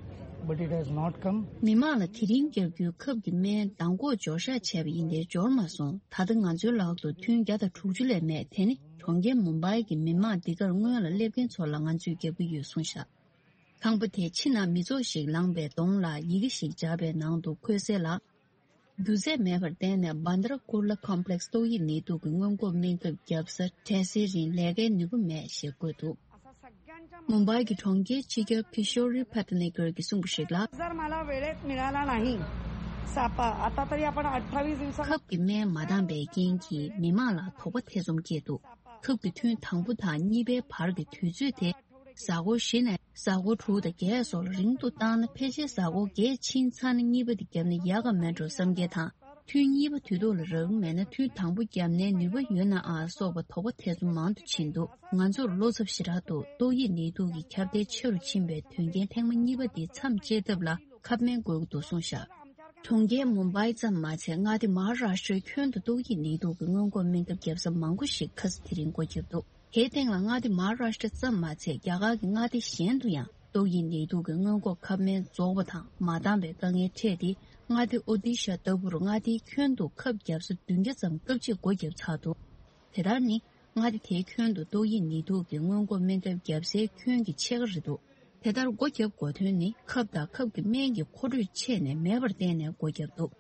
but it has not come. མི་མང་ལ་དེ་རིང་བརྒྱབ་རྒྱུའི་ཁབ་ཀྱི་སྨན་མདང་དགོང་འབྱོར་བཞག་བྱས་པ་ཡིན་ཏེ་འབྱོར་མ་སོང་། ད་ལྟ་ང་ཚོའི་ལག་ཏུ་ཐུན་བརྒྱ་དང་དྲུག་ཅུ་ལས་མེད། དེ་ནི་གྲོང་ཁྱེར་མུམ་བྷའི་གི་མི་མང་འདི་གར་སྔོན་ལ་སླེབས་མཁན་ཚོ་ལ་ང་ཚོས་བརྒྱབ་ཀྱི་ཡོད་གསུངས་བཞག་ཁང་པ་དེའི་ཕྱི་ནང་མི་ཚོགས་ཤིག་ལངས་པའི་གདོང་ལ་ཡི་གེ་ཞིག་སྦྱར་བའི་ནང་དུ་འཁོད་གསལ་ལ། རྒྱུ་རྫས་མེད་པར་བརྟེན་ནས་བྷན་དྲ་ཀུར་ལ་ཀོམ་པི་ལེགས་ཏོག་དབྱིབས་ནད་དུག་གི་སྔོན་འགོག་སྨན་ཁབ་བརྒྱབ་ས་གྲས་སའི་རིང་ལས་ཀའི་ནུས་པ་མེད་ཞེས་བཀོད་འདུག་མུམ་བྷའི་གི་གྲོང་ཁྱེར་སྤྱི་ཁྱབ་ཀི་ཤོ་རི་ཕ་ཏ་ནི་ཀར་གྱིས་གསུངས་པ་ཞིག་ལ། जर मला वेळेत मिळाला नाही सापा, आता तरी आपण अठ्ठावीस दिवसात खप की मैं मादाम बेकिंग की मिमाला थोपा थेसुम केतु खप की थुन थंगबु था नीबे भर की थुजु थे གཟའ་འཁོར་བཞི་ནས་གཟའ་འཁོར་དྲུག་དང་བརྒྱད་སོགས་ལ་རིང་དུ་བཏང་ན། ཕལ་ཆེར་གཟའ་འཁོར་བརྒྱད་ཕྱིན་ཚར་ན་གཉིས་པ་དེ་བརྒྱབ་ན་ཡག་ག་མེད་འགྲོ་བསམ་གྱི་དང་། ཐུན་གཉིས་པ་དུས་ཐོག་ལ་རག་མེད་ན་ཐུན་དང་པོ་བརྒྱབ་ནའི་ནུས་པ་ཡོད་ན་ཨ་སོགས་པ་དོགས་པ་ཐེ་ཚོམ་མང་དུ་ཕྱིན་འདུག་ང་ཚོར་བློ་འཚབ་ཞེ་དྲག་འདུག་ཏོག་དབྱིབས་ནད་དུག་གི་ཁྱབ་གདལ་ཆེ་རུ་ཕྱིན་པའི་དོན་རྐྱེན་ཐེངས་མ་གཉིས་པ་དེ་མཚམས་བཅད་ཐབས་ལ་ཁབ་སྨན་དགོས་ཀྱི་འདུག་གསུངས་བཞག་གྲོང་ཁྱེར་མུམ་བྷའི་ཙམ་མ་ཚད་མངའ་སྡེ་མ་ཧཱ་རཱ་ཤྲའི་ཁྱོན་དུ་ཏོག་དབྱིབས་ནད་དུག་གི་སྔོན་འགོག་སྨན་ཁབ་བརྒྱབ་ས་མང་པོ་ཞིག་ཁ་སང་དེ་རིང་སྒོ་བརྒྱབ་འདུག་དེའི་སྟེང་ལ་མངའ་སྡེ་མ་ཧཱ་རཱ་ཤྲ་ཙམ་མ་ཚད་རྒྱ་གར་གྱི་མངའ་སྡེ་གཞན་དུ་ཡང་ཏོག་དབྱིབས་ནད་དུག་གི་སྔོན་འགོག་ཁབ་སྨན་རྫོགས་པ་དང་མ་འདང་པའི་དཀའ་ངལ་འཕྲད་དེ། མངའ་སྡེ་ཨོ་ཏི་ཤ་ལྟ་བུར་མངའ་སྡེའི་ཁྱོན་དུ་ཁབ་བརྒྱབ་ས་བདུན་བརྒྱ་ཙམ་སྐབས་གཅིག་སྒོ་བརྒྱབ་ཚར་འདུག་དེ་ལྟར་ནི་མངའ་སྡེ་དེའི་ཁྱོན་དུ་ཏོག་དབྱིབས་ནད་དུག་གི་སྔོན་འགོག་སྨན་ཁབ་བརྒྱབ་སའི་ཁྱོན་གྱི་ཕྱེད་ཀ་རེད་འདུག་དེ་ལྟར་སྒོ་བརྒྱབ་དགོས་དོན་ནི་ཁབ་དང་ཁབ་ཀྱི་སྨན་གྱི་མཁོ་སྤྲོད་ཆད་ནས་མེད་པར་བརྟེན་ནས་སྒོ་བརྒྱབ་འདུག་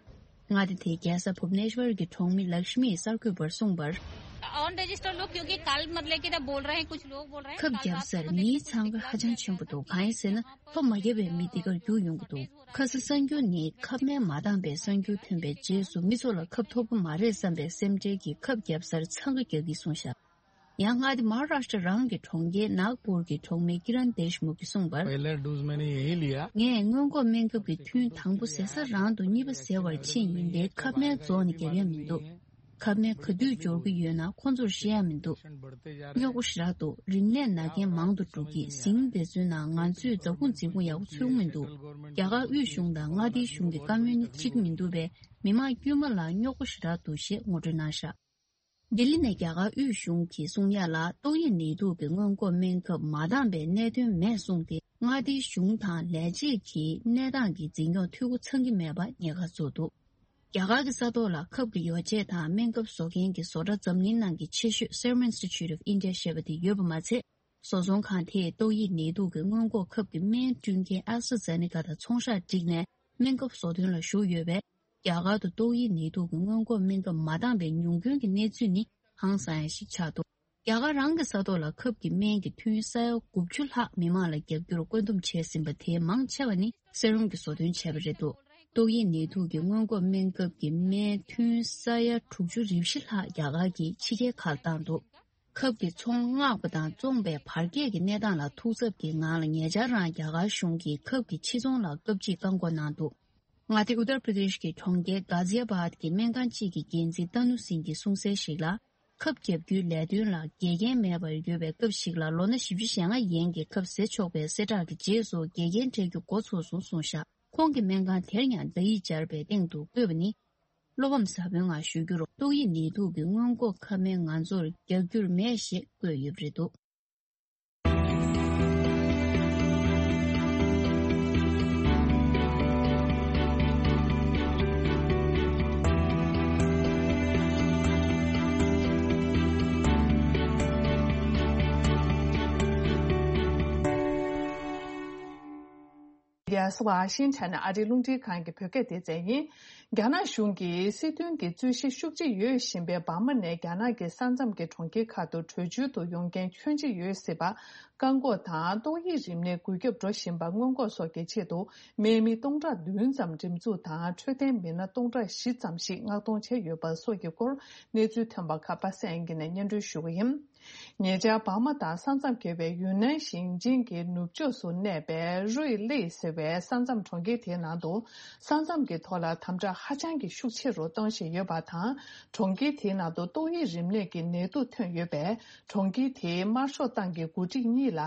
མངའ་སྡེ་དེའི་རྒྱལ་ས་བྷུབ་ནེ་ཤ་ཝར་གྱི་གྲོང་མི་ལག་ཤི་མིས་གསར་འགོད་པར་གསུངས་པར། ऑन रजिस्टर लोग क्योंकि कल मतलब कि बोल रहे हैं कुछ लोग बोल रहे हैं ཁབ་བརྒྱབ་སར་མིའི་འཚང་ཁ་ཧ་ཅང་ཆེན་པོ་འདུག་གང་ཡིན་ཟེར་ན་ཐོ་མ་བརྒྱབ་པའི་མི་འདི་གར་རྒྱུགས་ཡོང་གི་འདུག་ཁ་སང་གསར་འགྱུར་ནི་ཁབ་སྨན་མ་འདང་པའི་གསར་འགྱུར་ཐོན་པའི་རྗེས་སུ་མི་ཚོ་ལ་ཁབ་ཐོབ་པ་མ་རེད་བསམ་པའི་སེམས་ཁྲལ་གྱིས་ཁབ་བརྒྱབ་སར་འཚང་ཁ་རྒྱག་གི་གསུངས་བཞག་ཡང་མངའ་སྡེ་མ་ཧཱ་རཱ་ཤྲ་རང་གི་གྲོང་ཁྱེར་ནཱག་པུར་གྱི་གྲོང་མི་ཀི་རན་དེཤ་མུག་གིས་གསུངས་པར། पहला डोज मैंने यहीं लिया। ངས་སྔོན་འགོག་སྨན་ཁབ་ཀྱི་ཐུན་དང་པོ་ཟ་ས་རང་དུ་གཉིས་པ་ཟ་བར་ཕྱིན་ཡིན་ཏེ་ཁབ་སྨན་རྫོགས་ནས་བརྒྱབ་ཡ་མི་འདུག་ཁབ་སྨན་ག་དུས་འབྱོར་གྱི་ཡོད་ན་ཁོ་ཚོར་བཤད་ཡ་མི་འདུག་རྙོག་པོ་ཞེ་དྲག་འདུག་རིམས་ནད་ན་མཁན་མང་དུ་འགྲོ་གི། ཟིང་དེ་ཚོའི་ནང་ང་ཚོས་ཛ་ཁུང་འཛིན་ཁུང་ཡག་པོ་ཚུགས་མི་འདུག་རྒྱ་གར་དབུས་གཞུང་དང་མངའ་སྡེའི་གཞུང་གི་བཀའ་མོལ་ནི་གཅིག་མི་འདུག་པས་མི་མང་དཀྱུས་མ་ལ་རྙོག་པོ་ཞེ་དྲག་འདུག་ཞེས་ངོ་སྤྲོད་གནང་བཞག་ལྡི་ལི་ནས་རྒྱ་གར་དབུས་གཞུང་གིས་གསུང་ཡ་ལ་ཏོག་དབྱིབས་ནད་དུག་གི་སྔོན་འགོག་སྨན་ཁབ་མ་འདང་པའི་གནད་དོན་མེད་གསུངས་ཏེ། མངའ་སྡེའི་གཞུང་དང་ལས་བྱེད་ཀྱིས་གནས་སྟངས་ཀྱི་འཛིན་སྐྱོང་འཐུས་སྒོ་ཚང་གི་མེད་པ་ཉེན་ཁ་བཟོས་འདུག་རྒྱ་གར་གྱི་ས་ཐོག་ལ་ཁབ་ཀྱི་ཡོ་བྱད་དང་སྨན་ཁབ་བཟོ་མཁན་གྱི་བཟོ་གྲྭ་འཛམ་གླིང་ནང་གི་ཆེ་ཤོས་Serum Institute of India ཞེས་པ་དེ་ཡོད་པ་མ་ཚད། བཟོ་ཚོང་ཁང་དེས་ཏོག་དབྱིབས་ནད་དུག་གི་སྔོན་འགོག་ཁབ་ཀྱི་སྨན་སྐྲུན་མཁན་ཨེ་སི་ཊ་ཛེ་ནེ་ཀ་དང་ཚོང་ཤག་བསྒྲིགས་ནས་སྨན་ཁབ་བཟོ་དོན་ལ་ཞུགས་ཡོད་པས། རྒྱ་གར་དུ་ཏོག་དབྱིབས་ནད་དུག་གི་སྔོན་འགོག་སྨན་ཁབ་མ་འདང་པའི་ཉུང་སྐྱོན་གྱི་གནས་ཚུལ་ནི་ཧང་སང་ཡ་ཞིག་ཆགས་འདུག་རྒྱ་གར་རང་གི་ས་ཐོག་ལ་ཁབ་ཀྱི་སྨན་གྱི་ཐུན་ས་ཡ་དགུ་བཅུ་ལྷག་མི་མང་ལ་བརྒྱབ་རྒྱུར་བཀོད་འདོམས་བྱས་ཟིན་པ་དེའི་མང་ཆེ་བ་ནི་སེ་རུམ་གྱིས་བཟོ་སྐྲུན་བྱས་པ་རེད་འདུག་ཏོག་དབྱིབས་ནད་དུག་གི་སྔོན་འགོག་སྨན་ཁབ་ཀྱི་སྨན་ཐུན་ས་ཡ་དྲུག་ཅུ་རེ་བཞི་ལྷག་རྒྱ་གར་གྱིས་ཕྱི་རྒྱལ་ཁག་ལ་བཏང་འདུག་ཁབ་ཀྱི་ཚོང་མངགས་པ་དང་བཙོངས་པའི་བར་བརྒལ་གྱི་གནས་སྟངས་ལ་ཐུགས་འཚབ་ཀྱི་ངང་ལ་ཉེ་ཆར་རང་རྒྱ་གར་གཞུང་གིས་ཁབ་ཀྱི་ཕྱིར་ཚོང་ལ་སྐབས་གཅིག་བཀག་འགོག་གནང་འདུག་མངའ་སྡེ་ཨུ་ཏར་པྲ་དེཤ་གི་གྲོང་ཁྱེར་གྷ་ཛི་ཡ་བཱད་ཀྱི་སྨན་ཁང་གཅིག་གི་འགན་འཛིན་ཏ་ནུ་སིང་གིས་གསུངས་གསལ་ཞིག་ལ། ཁབ་བརྒྱབ་རྒྱུའི་ལས་དོན་ལ་འགལ་རྐྱེན་མེད་པར་ཡོད་པའི་སྐབས་ཤིག་ལ་ལོ་ན་བཞི་བཅུ་ཞེ་ལྔ་ཡན་གྱི་ཁབ་ཟས་ཆོག་པའི་གསལ་བསྒྲགས་ཀྱི་རྗེས་སུ་འགལ་རྐྱེན་འཕྲད་རྒྱུ་འགོ་ཚུགས་སོང་གསུངས་བཞག་ཁོང་གི་སྨན་ཁང་དེར་ཡང་བརྡ་ཡིག་སྦྱར་བའི་སྟེང་དུ་བཀོད་པ་ནི། བློ་ཕམ་ཟབ་མོའི་ངང་ཞུ་རྒྱུར། ཏོག་དབྱིབས་ནད་དུག་གི་སྔོན་འགོག་ཁབ་སྨན་ང་ཚོར་རྒྱག་རྒྱུར་མེད་ཞེས་བཀོད་ཡོད་པ་རེད་འདུག་ཡ་སི་ཝ་ཤིང་ཊོན་ཨ་རིའི་རླུང་འཕྲིན་ཁང་གི་བོད་སྐད་སྡེ་ཚན་ཡིན། རྒྱ་ནག་གཞུང་གིས་སྲིད་དོན་གྱི་རྩོད་གཞི་ཤུགས་ཆེ་ཡོད་བཞིན་པའི་འབར་མ་ནས་རྒྱ་ནག་གི་ས་མཚམས་ཀྱི་གྲོང་ཁྱེར་ཁག་ཏུ་བྲོས་བྱོལ་དུ་ཡོང་མཁན་ཁྱོན་ཆེ་ཡོད་སྲིད་པ། བཀག་འགོག་དང་ཏོག་དབྱིབས་རིམས་ནད་འགོས་ཁྱབ་འགྲོ་བཞིན་པ་སྔོན་འགོག་སོགས་ཀྱི་ཆེད་དུ། དམག་མི་སྟོང་ཕྲག་བདུན་ཙམ་འགྲེམས་འཛུགས་དང་། འཕྲོད་བསྟེན་མི་སྣ་སྟོང་ཕྲག་བཞི་ཙམ་ཞིག་མངགས་གཏོང་བྱས་ཡོད་པ་སོགས་ཀྱི་སྐོར་གནས་ཚུལ་ཐོན་པ་ཁག་པ་སངས་དབྱངས་སྐྱིད་ནས་སྙན་སྒྲོན་ཞུ་གི་ཡིན། ཉེ་ཆར་འབར་མ་དང་ས་མཚམས་བརྒལ་བའི་ཡུན་ནན་ཞིང་ཆེན་གྱི་ནུབ་ཕྱོགས་སུ་གནས་པའི་རུའི་ལི་ཟེར་བའི་ས་མཚམས་གྲོང་ཁྱེར་དེའི་ནང་དུ། ས་མཚམས་ཀྱི་ཐོག་ལ་དམ་དྲག་ཧ་ཅང་གི་ཤུགས་ཆེ་རུ་གཏོང་བཞིན་ཡོད་པ་དང་། གྲོང་ཁྱེར་དེའི་ནང་དུ་ཏོག་དབྱིབས་རིམས་ནད་ཀྱི་ནད་དུག་ཐོན་ཡོད་པས། གྲོང་ཁྱེར་དེའི་དམར་ཤོག་ཏང་གི་འགོ་ཁྲིད་གཉིས་ལ་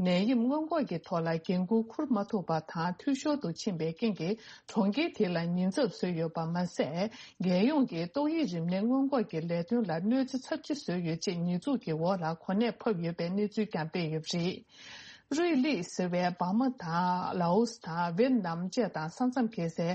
ནད་ཡམས་སྔོན་འགོག་གི་ཐོག་ལ་འགན་འཁུར་འཁུར་མ་ཐུབ་པ་དང་། འཐུས་ཤོར་དུ་ཕྱིན་པའི་རྐྱེན་གྱིས། གྲོང་ཁྱེར་དེ་ལ་ཉེན་ཚབས་བཟོས་ཡོད་པ་མ་ཟད། རྒྱལ་ཡོངས་ཀྱི་ཏོག་དབྱིབས་རིམས་ནད་སྔོན་འགོག་གི་ལས་དོན་ལ་གནོད་འཚེ་ཚབས་ཆེ་བཟོས་ཡོད་ཅེས་ཉེས་འཛུགས་ཀྱི་འོག་ལ་གོ་གནས་ཕབ་ཡོད་པའི་གནས་ཚུལ་ཀྱང་སྤེལ་ཡོད་པ་རེད། རུའི་ལི་ཟེར་བའི་འབར་མ་དང་། ལའོ་སི་དང་། ཝེད་ནམ་བཅས་དང་ས་མཚམས་བརྒལ་སའི་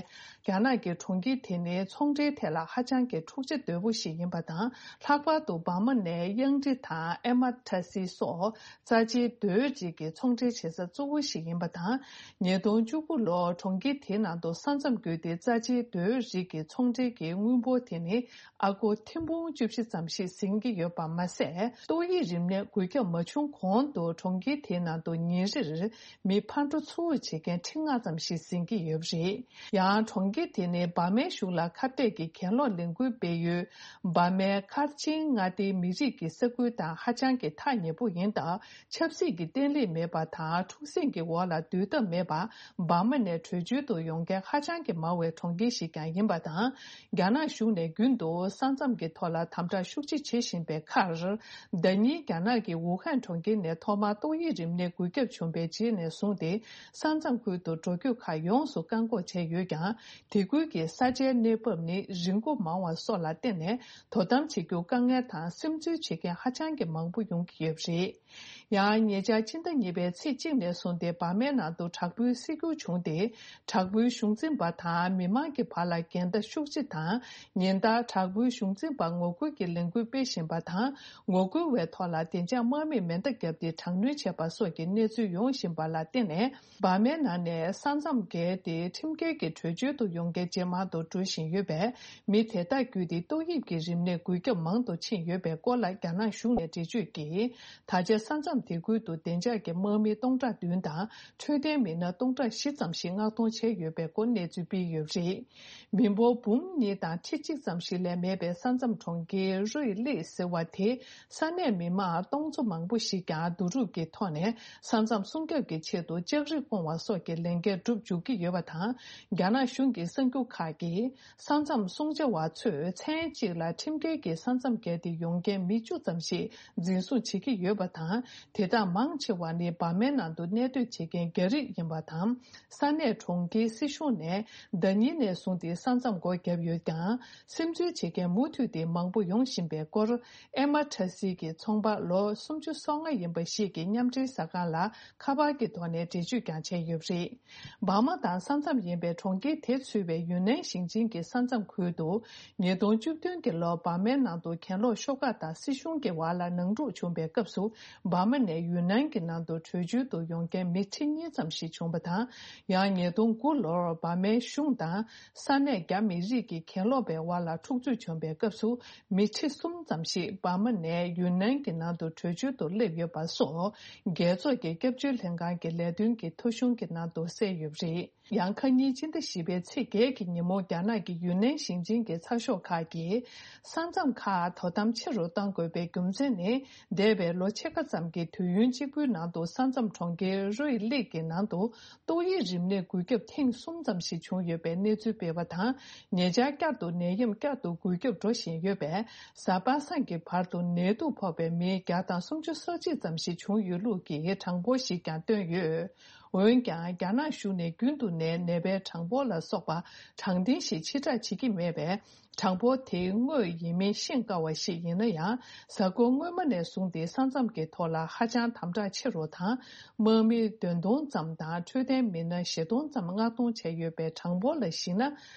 རྒྱ་ནག་གི་གྲོང་ཁྱེར་དེ་ནི་ཚོང་འབྲེལ་ཐད་ལ་ཧ་ཅང་གི་འཁྲུག་ཆ་དོད་པོ་ཞིག་ཡིན་པ་དང་། ལྷག་པར་དུ་འབར་མ་ནས་གཡང་ཊི་དང་ཨེ་མ་ཐ་སི་སོགས་རྩ་ཆེའི་རྡོའི་རིགས་ཀྱི་ཚོང་འབྲེལ་བྱེད་ས་གཙོ་བོ་ཞིག་ཡིན་པ་དང་། ཉིས་སྟོང་བཅུ་དགུ་ལོར་གྲོང་ཁྱེར་དེའི་ནང་དུ་ས་མཚམས་བརྒལ་ཏེ་རྩ་ཆེའི་རྡོའི་རིགས་ཀྱི་ཚོང་འབྲེལ་གྱི་དངུལ་འབོར་དེ་ནི་ཨ་སྒོར་ཐེར་འབུམ་བཅུ་བཞི་ཙམ་ཞིག་ཟིན་གྱི་ཡོད་པ་མ་ཟད། ཏོག་དབྱིབས་རིམས་ནད་འགོས་ཁྱབ་མ་བྱུང་གོང་དུ་གྲོང་ཁྱེར་དེའི་ནང་དུ་ཉིན་རེར་མི་ཕར་འགྲོ་ཚུར་འགྲོ་བྱེད་མཁན་ཁྲི་ལྔ་ཙམ་ཞིག་ཟིན་གྱི་ཡོད་པ་རེད། ཡང་གྲོང་ཁྱེར་དེ་ནི་འབར་མའི་གཞུང་ལ་ཁ་གཏད་ཀྱི་གྱེན་ལོག་ལས་འགུལ་སྤེལ་ཡུལ། འབར་མའི་མཁར་ཆེན་མངའ་སྡེའི་མི་རིགས་ཀྱི་ས་ཁུལ་དང་ཧ་ཅང་གི་ཐག་ཉེ་པོ་ཡིན་སྟབས། ཆབ་སྲིད་ཀྱི་བརྟན་ལྷིང་མེད་པ་དང་། འཁྲུག་ཟིང་གི་འོག་ལ་སྡོད་ཐབས་མེད་པར། འབར་མ་ནས་བྲོས་བྱོལ་དུ་ཡོང་མཁན་ཧ་ཅང་གི་མང་བའི་གྲོང་ཁྱེར་ཞིག་ཀྱང་ཡིན་པ་དང་། རྒྱ་ནག་གཞུང་ནས་རྒྱུན་དུ་ས་མཚམས་ཀྱི་ཐོག་ལ་དམ་དྲག་ཤུགས་ཆེ་བྱེད་བཞིན་པའི་ཁར། ཟླ་ཉིན་རྒྱ་ནག་གི་ཝུ་ཧན་གྲོང་ཁྱེར་ནས་ཐོག་མར་ཏོག་དབྱིབས་རིམས་ནད་འགོས་ཁྱབ་བྱུང་བའི་རྗེས་ནས་བཟུང་སྟེ། ས་མཚམས་ཁུལ་དུ་འགྲོ་སྐྱོད་ཁག་ཡོངས་སུ་བཀག་འགོག་བྱས་ཡོད་ཀྱང་། དེ་ཁུལ་གྱི་ས་ཆའི་གནས་བབ་ནི་རི་མགོ་མང་བ་སོགས་ལ་བརྟེན་ནས། དོ་དམ་བྱེད་རྒྱུ་དཀའ་ངལ་དང་། སིམ་འཛུལ་བྱེད་མཁན་ཧ་ཅང་གི་མང་པོ་ཡོང་གི་ཡོད་པ་རེད། ཡང་ཉེ་ཆར་ཕྱི་ཟླ་གཉིས་པའི་ཚེས་གཅིག་ནས་བཟུང་སྟེ་འབར་མའི་ནང་དུ་དྲག་པོའི་སྲིད་འགྱུར་བྱུང་སྟེ། དྲག་པོའི་གཞུང་འཛིན་པ་དང་མི་མང་གི་བར་ལ་འགལ་ཟླ་ཤུགས་ཆེ་དང་། ཉིན་ལྟར་དྲག་པོའི་གཞུང་འཛིན་པར་ངོ་རྒོལ་གྱི་ལས་འགུལ་སྤེལ་བཞིན་པ་དང་། ངོ་རྒོལ་བའི་ཐོག་ལ་བདེ་འཇགས་དམག་མིས་མེ་མདའ་བརྒྱབ་སྟེ་དྲག་གནོན་བྱས་པ་སོགས་ཀྱི་གནས་ཚུལ་ཡོང་བཞིན་པ་ལ་བརྟེན་ནས། འབར་མའི་ནང་ནས་ས་མཚམས་བརྒལ་ཏེ་ཁྲིམས་འགལ་གྱི་བྲོས་བྱོལ་དུ་ཡོང་མཁན་ཇེ་མང་དུ་འགྲོ་བཞིན་ཡོད་པས། མི་དེ་དག་བརྒྱུད་དེ་ཏོག་དབྱིབས་ཀྱི་རིམས་ནད་འགོས་ཁྱབ་མང་དུ་ཕྱིན་ཡོད་པའི་སྐོར་ལ་རྒྱ་ནག་གཞུང་ནས་འགྲེལ་བརྗོད་ཀྱིས། ད་ཆ་ས་མཚམས་དེ་ཁུལ་དུ་བདེ་འཇགས་ཀྱི་དམག་མི་སྟོང་ཕྲག་བདུན་དང་། འཕྲོད་བསྟེན་མི་སྣ་སྟོང་ཕྲག་བཞི་ཙམ་ཞིག་མངགས་གཏོང་བྱས་ཡོད་པའི་སྐོར་གནས་ཚུལ་སྤེལ་ཡོད་པ་རེད། མི་འབོར་འབུམ་གཉིས་དང་ཁྲི་གཅིག་ཙམ་ཞིག་ལས་མེད་པའི་ས་མཚམས་གྲོང་ཁྱེར་རུའི་ལི་ཟེར་བ་དེ། ས་གནས་མི་མང་སྟོང་ཚོ་མང་པོ་ཞིག་ཀྱང་བསྡུ་རུབ་ཀྱི་ཐོག་ནས་ས་མཚམས་སྲུང་སྐྱོབ་ཀྱི་ཆེད་དུ་ལྕགས་རི་སྐོང་བ་སོགས་ཀྱི་ལས་འགན་བསྒྲུབ་འཇུག་གི་ཡོད་པ་དང་། རྒྱ་ནག་གཞུང་གི་གསར་འགྱུར་ཁག་གིས། ས་མཚམས་སྲུང་བྱ་བ་ཚོས་མཚན་གཅིག་ལ་ཁྲིམས་འགལ་གྱིས་ས་མཚམས་བརྒལ་ཏེ་ཡོང་མཁན་མི་བཅུ་ཙམ་ཞིག་འཛིན་བཟུང་བྱེད་ཀྱི་ཡོད་པ་དང་། དེ་དག་མང་ཆེ་བ་ནི་འབར་མའི་ནང་དུ་གནས་སྡོད་བྱེད་མཁན་རྒྱ་རིགས་ཡིན་པ་དང་། ས་གནས་གྲོང་ཁྱེར་སྲིད་གཞུང་ནས་ཟླ་ཉིན་ནས་བཟུང་སྟེ་ས་མཚམས་སྒོ་བརྒྱབ་ཡོད་ཀྱང་། སིམ་འཛུལ་བྱེད་མཁན་མུ་མཐུད་དེ་མང་པོ་ཡོང་བཞིན་པའི་སྐོར། ཨེ་མ་ཊ་སི་གི་ཚོང་པ་ལོ་སུམ་ཅུ་སོ་ལྔ་ཡིན་པ་ཞིག་གིས་མཉམ་འབྲེལ་གསར་ཁང་ལ་ཁ་པར་གྱི་ཐོག་ནས་འགྲེལ་བརྗོད་ཀྱང་བྱས་ཡོད་པ་རེད། འབར་མ་དང་ས་མཚམས་ཡིན་པའི་གྲོང་ཁྱེར་དེ་ཚུད་པའི་ཡུན་ནན་ཞིང་ཆེན་གྱི་ས་མཚམས་ཁུལ་དུ། ཉིས་སྟོང་བཅུ་བདུན་གྱི་ལོར་འབར་མའི་ནང་དུ་གྱེན་ལོག་ཤོག་ཁག་དང་སྲིད་གཞུང་གི་བར་ལ་ནང་འཁྲུག་བྱུང་བའི་སྐབས་སུ། འབར་མ་ནས་ཡུན་ནན་གྱི་ནང་དུ་བྲོས་བྱོལ་དུ་ཡོང་མཁན་མི་ཁྲི་གཉིས་ཙམ་ཞིག་བྱུང་བ་དང་། ཡང་ཉིས་སྟོང་དགུ་ལོར་འབར་མའི་གཞུང་དང་ས་གནས་རྒྱ་མི་རིགས་ཀྱི་གྱེན་ལོག་པའི་བར་ལ་འཁྲུག་རྩོད་བྱུང་བའི་སྐབས་སུ། མི་ཁྲི་གསུམ་ཙམ་ཞིག་འབར་མ་ནས་ཡུན་ནན་གྱི་ནང་དུ་བྲོས་བྱོལ་དུ་སླེབས་ཡོད་པ་སོགས། རྒྱལ་ཚོགས་ཀྱི་སྐྱབས་བཅོལ་ལྷན་ཁང་གི་ལས་དོན་གྱི་ཐོ་གཞུང་གི་ནང་དུ་གསལ་ཡོད་པ་རེད། ཡང་ཁ་ཉིན་སྤྱི་ཟླ་བཞི་པའི་ཚེས་བརྒྱད་ཀྱི་ཉིན་མོ། རྒྱ་ནག་གི་ཡུན་ནན་ཞིང་ཆེན་གྱི་ཚགས་ཤོག་ཁག་གིས། ས་མཚམས་ཁག་དོ་དམ་ཆེ་རུ་གཏང་དགོས་པའི་རྒྱུ་མཚན་ནི། འདས་པའི་ལོ་ཕྱེད་ཀ་ཙམ་གྱི་དུས་ཡུན་གཅིག་པུའི་ནང་དུ་ས་མཚམས་གྲོང་ཁྱེར་རུའི་ལིག་གི་ནང་དུ། ཏོག་དབྱིབས་རིམས་ནད་འགོས་ཁྱབ་ཐེངས་གསུམ་ཙམ་ཞིག་བྱུང་ཡོད་པའི་གནས་ཚུལ་སྤེལ་བ་དང་། ཉེ་ཆར་བསྐྱར་དུ་ནད་ཡམས་བསྐྱར་དུ་འགོས་ཁྱབ་འགྲོ་བཞིན་ཡོད་པས། གཟའ་པ་སངས་ཀྱི་བར་དུ་ནད་དུག་ཕོག་པའི་མི་བརྒྱ་དང་སུམ་ཅུ་སོ་གཅིག་ཙམ་ཞིག་བྱུང་ཡོད་ལུགས་ཀྱི་གྲངས་འབོར་ཞིག་ཀྱང་བཏོན་ཡོད། འོན་ཀྱང་། རྒྱ་ནག་གཞུང་ནས་རྒྱུན་དུ་ནས་ནད་པའི་གྲངས་འབོར་ལ་སོགས་པ་གྲངས་འདྲེན་ཞིག་ཕྱིར་བསྒྲགས་བྱེད་ཀྱི་མེད་པས། གྲངས་འབོར་དེ་དངོས་ཡིན་མིན་ཤེས་དཀའ་བ་ཞིག་ཡིན་ན་ཡང་། གཟའ་འཁོར་སྔོན་མ་ནས་བཟུང་སྟེ་ས་མཚམས་ཀྱི་ཐོག་ལ་ཧ་ཅང་དམ་དྲག་ཆེ་རུ་དང་། དམག་མི་བདུན་སྟོང་ཙམ་དང་། འཕྲོད་བསྟེན་མི་སྣ་བཞི་སྟོང་ཙམ་མངགས་གཏོང་བྱས་ཡོད་པའི་གྲངས་འབོར་ལ་གཞིགས་ན།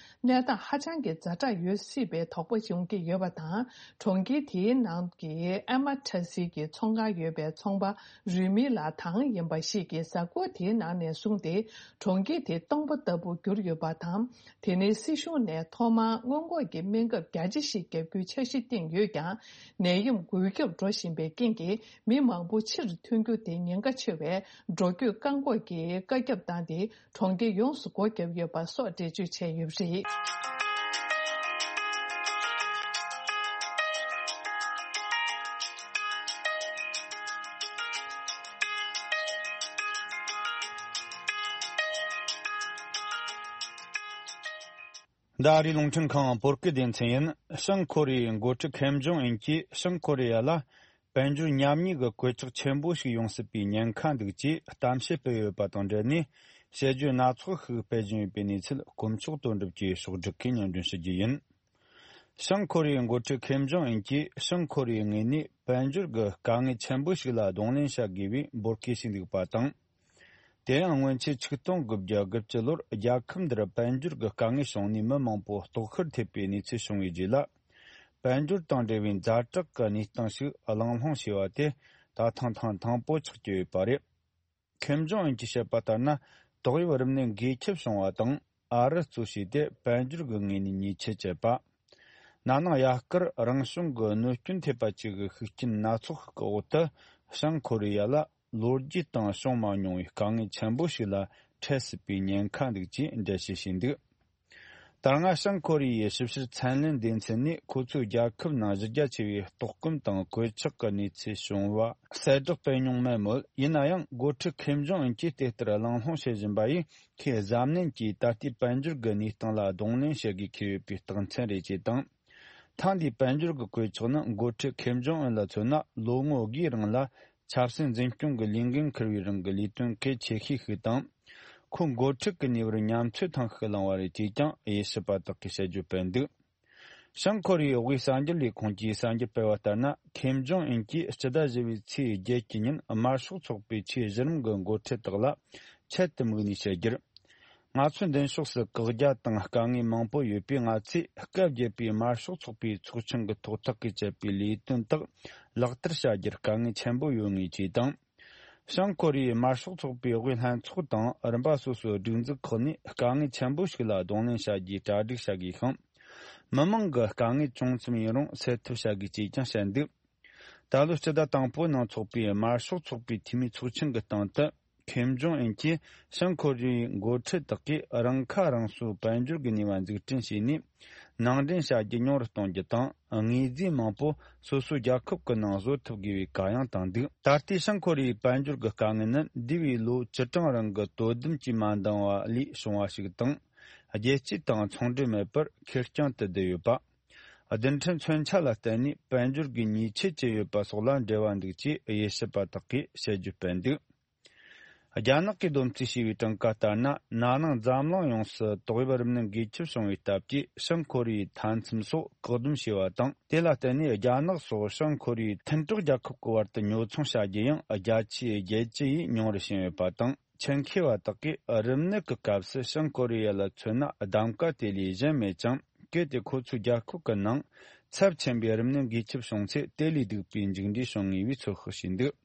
གནས་སྟངས་ཧ་ཅང་གི་ཛ་དྲག་ཡོད་སྲིད་པའི་དོགས་པ་ཡོང་གི་ཡོད་པ་དང་། གྲོང་ཁྱེར་དེའི་ནང་གི་ཨེ་མ་ཊ་སི་གི་ཚོང་ཁང་ཡོད་པའི་ཚོང་པ་རུས་མི་ལགས་དང་ཡིན་པ་ཞིག་གིས། གཟའ་འཁོར་དེའི་ ནང་ནས་བཟུང་སྟེ་གྲོང་ཁྱེར་དེ་སྟོང་པ་ལྟ་བུར་གྱུར་ཡོད་པ་དང་། དེ་ནས་སྲིད་གཞུང་ནས་ཐོག་མར་སྔོན་འགོག་གི་སྨན་ཁབ་རྒྱ་ཆེ་ཞིག་བརྒྱབ་རྒྱུའི་འཆར་གཞི་བཏིང་ཡོད་ཀྱང་། ནད་ཡམས་འགོས་ཁྱབ་འགྲོ་བཞིན་པའི་རྐྱེན་གྱིས། མི་མང་པོ་ཕྱིར་ཐོན་རྒྱུ་དེ་ཉེན་ཁ་ཆེ་བས། འགྲོ་སྐྱོད་བཀག་འགོག་གི་བཀའ་ཁྱབ་བཏང་སྟེ། གྲོང་ཁྱེར་ཡོངས་སུ་སྒོ་བརྒྱབ་ཡོད་པ་སོགས་འགྲེལ་བརྗོད་བྱས་ཡོད་པ་རེད། འདི་ཨ་རིའི་རླུང་འཕྲིན་ཁང་བོད་སྐད་སྡེ་ཚན་ཡིན། བྱང་ཁོ་རེ་ཡའི་འགོ་ཁྲིད་ཁེམ་ཇོང་ཨུན་གྱིས་བྱང་ཁོ་རེ་ཡ་ལ་དཔལ་འབྱོར་ཉམས་ཉེས་ཀྱི་གོད་ཆག་ཆེན་པོ་ཞིག་ཡོང་སྲིད་པའི་ཉེན་ཁ་འདུག་ཅེས་གཏམ་བཤད་སྤེལ་ཡོད་པ་དང་འབྲེལ་ནས། དཔྱད་བརྗོད་སྣ་ཚོགས་ཤིག་སྤེལ་བཞིན་ཡོད་པའི་གནས་ཚུལ། དཀོན་མཆོག་དོན་གྲུབ་ཀྱིས་ཕྱོགས་སྒྲིག་གིས་སྙན་སྒྲོན་ཞུ་རྒྱུ་ཡིན། བྱང་ཁོ་རེ་ཡའི་འགོ་ཁྲིད་ཁེམ་ཇོང་ཨུན་གྱིས་བྱང་ཁོ་རེ་ཡའི་ངོས་ནས་དཔལ་འབྱོར་གྱི་དཀའ་ངལ་ཆེན་པོ་ཞིག་ལ་གདོང་ལེན་བྱ་དགོས་པའི་འབོད་སྐུལ་བྱས་འདུག་པ་དང་། དེ་ཡང་སྔོན་ཆད་ཆིག་སྟོང་དགུ་བརྒྱ་དགུ་བཅུ་ལོར་རྒྱལ་ཁབ་འདིར་དཔལ་འབྱོར་གྱི་དཀའ་ངལ་བྱུང་ནས་མི་མང་པོ་ལྟོགས་ཤི་ཐེབས་པའི་གནས་ཚུལ་བྱུང་བའི་རྗེས་ལ། དཔལ་འབྱོར་དང་འབྲེལ་བའི་ཛ་དྲག་གི་གནས་སྟངས་ཤིག་གླེང་སློང་བྱས་པ་དེ་ད་ཐེངས་ཐེངས་དང་པོ་ཆགས་ཀྱི་ཡོད་པ་རེད། ཁེམ་ཇོང་ཨུན་གྱིས་བཤད་པ་ལྟར་ན། ཏོག་དབྱིབས་རིམས་ནད་འགོས་ཁྱབ་བྱུང་བ་དང་། ཨ་རི་གཙོས་བྱས་ཏེ་དཔལ་འབྱོར་གྱི་ངོས་ནས་ཉེས་ཆད་བཅད་པ། ན་ནིང་དབྱར་ཁར་རང་བྱུང་གི་གནོད་སྐྱོན་ཐེབས་པ་བཅས་ཀྱི་ཤུགས་རྐྱེན་སྣ་ཚོགས་ཤིག་གི་འོག་ཏུ། བྱང་ཁོ་རེ་ཡ་ལ་ལོ་རྒྱུས་སྟེང་བྱུང་མ་མྱོང་བའི་དཀའ་ངལ་ཆེན་པོ་ཞིག་ལ་འཕྲད་སྲིད་པའི་ཉེན་ཁ་འདུག་ཅེས་འགྲེལ་བཤད་བྱས་འདུག་ད་སྔ་བྱང་ཁོ་རེ་ཡའི་ཞིབ་བཤེར་ཚན་ལེན་སྡེ་ཚན་ནས། ཁོ་ཚོའི་རྒྱལ་ཁབ་ནང་གཞི་རྒྱ་ཆེ་བའི་ལྟོགས་སྐོམ་དང་གོད་ཆག་གི་གནས་ཚུལ་བྱུང་བ་གསལ་བསྒྲགས་སྤེལ་མྱོང་མེད་མོད། ཡིན་ན་ཡང་། འགོ་ཁྲིད་ཁེམ་ཇོང་ཨུན་གྱིས་དེ་ལྟར་གླེང་སློང་བྱེད་བཞིན་པ་ཡིས། ཁོས་གཟབ་ནན་གྱིས་ད་ལྟའི་དཔལ་འབྱོར་གྱི་གནས་སྟངས་ལ་གདོང་ལེན་བྱེད་དགོས་འཁེལ་ཡོད་པའི་རྟགས་མཚན་རེད་ཅེས་དང་། ཐེངས་འདིའི་དཔལ་འབྱོར་གྱི་གོད་ཆག་ནི། འགོ་ཁྲིད་ཁེམ་ཇོང་ཨུན་ལ་མཚོན་ན། ལོ་ངོ་དགུའི་རིང་ལ་ཆབ་སྲིད་འཛིན་སྐྱོང་གི་ལས་འགན་འཁུར་བའི་རིང་གི་ལས་དོན་གལ་ཆེ་ཤོས་ཤིག་དང་། ཁོ་འགོ་ཁྲིད་ཀྱི་གནས་བབར་ཉམས་ཚོད་ཐེངས་ཤིག་བླངས་པ་རེད་ཅེས་ཀྱང་དབྱེ་ཞིབ་པ་དག་གིས་དཔྱད་བརྗོད་སྤེལ་འདུག་བྱང་ཁོ་རེ་ཡའི་དབུས་གསར་འགྱུར་ལས་ཁུངས་ཀྱིས་གསར་འགྱུར་སྤེལ་བ་ལྟར་ན། ཁེམ་ཇོང་ཨུན་གྱིས་སྤྱི་ཟླ་བཞི་པའི་ཚེས་བརྒྱད་ཀྱི་ཉིན། དམར་ཤོག་ཚོགས་པའི་ཆེས་གཞི་རིམ་གྱི་འགོ་ཁྲིད་དག་ལ་ཆེད་དུ་དམིགས་ནས་བཤད་རྒྱུར། ང་ཚོའི་མདུན་ཕྱོགས་སུ་བཀག་རྒྱ་དང་དཀའ་ངལ་མང་པོ་ཡོད་པས། ང་ཚོས་སྐབས་བརྒྱད་པའི་དམར་ཤོག་ཚོགས་པའི་ཚོགས་ཆེན་གྱི་ཐོག་ཐག་གིས་བཅད་པའི་ལས་དོན་དག་ལག་བསྟར་བྱ་རྒྱུར་དཀའ་ངལ་ཆེན་པོ་ཡོད་ངེས་ཅེས་དང་། བྱང་ཁོ་རེ་ཡའི་དམར་ཤོག་ཚོགས་པའི་དབུས་ལྷན་ཚོགས་དང་རིམ་པ་སོ་སོའི་སྒྲིག་འཛུགས་ཁག་ནས་དཀའ་ངལ་ཆེན་པོ་ཞིག་ལ་གདོང་ལེན་བྱ་རྒྱུའི་གྲ་སྒྲིག་བྱ་དགོས་ཤིང་། མི་མང་གི་དཀའ་ངལ་ཅུང་ཙམ་ཡིན་རུང་སེལ་ཐབས་བྱ་དགོས་ཅེས་ཀྱང་བཤད་འདུག་ད་ལོའི་སྤྱི་ཟླ་དང་པོའི་ནང་འཚོགས་པའི་དམར་ཤོག་ཚོགས་པའི་འཐུས་མིའི་ཚོགས་ཆེན་གྱི་སྟེང་དུ། ཁེམ་ཇོང་ཨུན་གྱིས་བྱང་ཁོ་རེ་ཡའི་འགོ་ཁྲིད་དག་གིས་རང་ཁ་རང་གསོའི་དཔལ་འབྱོར་གྱི་ནུས་པ་འཛུགས་སྐྲུན་བྱས་ནས། ནང་འདྲེན་བྱ་རྒྱུ་ཉུང་རུ་གཏོང་རྒྱུ་དང་། དངོས་རྫས་མང་པོ་སོ་སོའི་རྒྱལ་ཁབ་ཀྱི་ནང་བཟོ་ཐུབ་དགོས་པའི་བཀའ་ཡང་བཏང་འདུག་ད་ལྟའི་བྱང་ཁོ་རེ་ཡའི་དཔལ་འབྱོར་གྱི་དཀའ་ངལ་ནི། འདས་པའི་ལོ་བཅུ་གྲངས་རིང་གི་དོ་དམ་གྱིས་མ་འདང་བ་ལས་བྱུང་བ་ཞིག་དང་། རྒྱལ་སྤྱི་དང་ཚོང་འབྲེལ་མེད་པར་ཁེར་རྐྱང་དུ་བསྡུས་ཡོད་པ། རྡུལ་ཕྲན་མཚོན་ཆ་ལ་བརྟེན་ནས་དཔལ་འབྱོར་གྱི་ཉེས་ཆད་བཅད་ཡོད་པ་སོགས་ལ་འབྲེལ་བ་འདུག་ཅེས་དབྱེ་ཞིབ་པ་དག་གིས་དཔྱད་བརྗོད་སྤེལ་འདུག་རྒྱ་ནག་གིས་བསྡོམས་རྩིས་བྱས་པའི་གྲངས་ཀ་ལྟར་ན། ན་ནིང་འཛམ་གླིང་ཡོངས་སུ་ཏོག་དབྱིབས་རིམས་ནད་འགོས་ཁྱབ་བྱུང་བའི་སྟབས་ཀྱིས། བྱང་ཁོ་རེ་ཡའི་མཐའ་མཚམས་སོགས་བཀག་སྡོམ་བྱས་པ་དང་། དེ་ལ་བརྟེན་ནས་རྒྱ་ནག་སོགས་བྱང་ཁོ་རེ་ཡའི་མཐུན་གྲོགས་རྒྱལ་ཁབ་ཀྱི་བར་དུ་ཉོ་ཚོང་བྱ་རྒྱུ་ཡང་རྒྱ་ཆེའི་རྒྱལ་སྤྱི་ཡིས་ཉུང་རུ་ཕྱིན་ཡོད་པ་དང་། ཆེད་མཁས་པ་དག་གིས་རིམས་ནད་ཀྱི་སྐབས་སུ་བྱང་ཁོ་རེ་ཡ་ལ་མཚོན་ན་གདམ་ག་དེ་ལས་གཞན་མེད་ཅིང་། གལ་ཏེ་ཁོ་ཚོའི་རྒྱལ་ཁབ་ཀྱི་ནང་ཚབས་ཆེན་པོའི་རིམས་ནད་འགོས་ཁྱབ་བྱུང་ཚེ། དེ་ལས་སྡུག་པའི་མཇུག་འབྲས་བྱུང་ངེས་པའི་ཚོད་དཔག་བྱས་འདུག་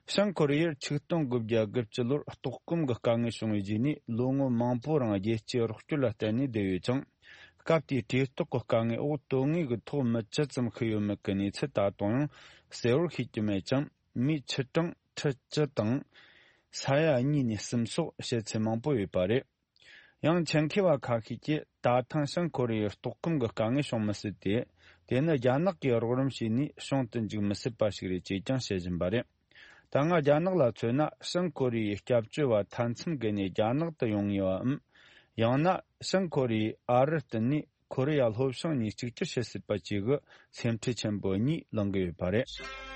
བྱང་ཁོ་རེ་ཡར་ཆིག་སྟོང་དགུ་བརྒྱ་དགུ་བཅུ་ལོར་ལྟོགས་སྐོམ་གྱི་དཀའ་ངལ་བྱུང་བའི་རྗེས་ནས། ལོ་ངོ་མང་པོའི་རིང་རྒྱལ་སྤྱིའི་རོགས་སྐྱོར་ལ་བརྟེན་ནས་བསྡད་ཡོད་ཅིང་། སྐབས་དེའི་གྲོས་ཐག་གི་དཀའ་ངལ་འོག་དོན་དངོས་ཀྱི་ཐོག་མི་ཇི་ཙམ་ཤི་ཡོད་མེད་ཀྱི་གནས་ཚུལ་ད་དུང་ཡང་གསལ་བོར་ཤེས་ཀྱི་མེད་ཅིང་། མིའི་ཆུ་གྲངས་ཁྲི་བཅུ་དང་ས་ཡ་གཉིས་ནས་གསུམ་སོགས་བཤད་ཚུལ་མང་པོ་ཡོད་པ་རེད། ཡང་ཆེད་མཁས་པ་ཁ་ཤས་ཀྱིས། ད་ཐེངས་བྱང་ཁོ་རེ་ཡའི་ལྟོགས་སྐོམ་གྱི་དཀའ་ངལ་བྱུང་མི་སྲིད་དེ། དེ་ནི་རྒྱ་ནག་གིས་རོགས་རམ་བྱས་ནས་བྱུང་དུ་འཇུག་མི་སྲིད་པ་ཞིག་རེད་ཅེས་ཀྱང་བཤད་བཞིན་པ་རེད། ད་སྔ་རྒྱ་ནག་ལ་མཚོན་ན། བྱང་ཁོ་རེ་ཡའི་སྐྱབས་བཅོལ་བ་མཐའ་མཚམས་བརྒལ་ནས་རྒྱ་ནག་ཏུ་ཡོང་ངེས་པའམ། ཡང་ན་བྱང་ཁོ་རེ་ཡས་ཨ་རིར་བསྟུན་ནས་ཁོ་རེ་ཡ་ལྷོ་བྱང་གཉིས་གཅིག་གྱུར་བྱེད་སྲིད་པ་བཅས་ཀྱི་སེམས་ཁྲལ་ཆེན་པོ་གཉིས་ལངས་ཀྱི་ཡོད་པ་རེད།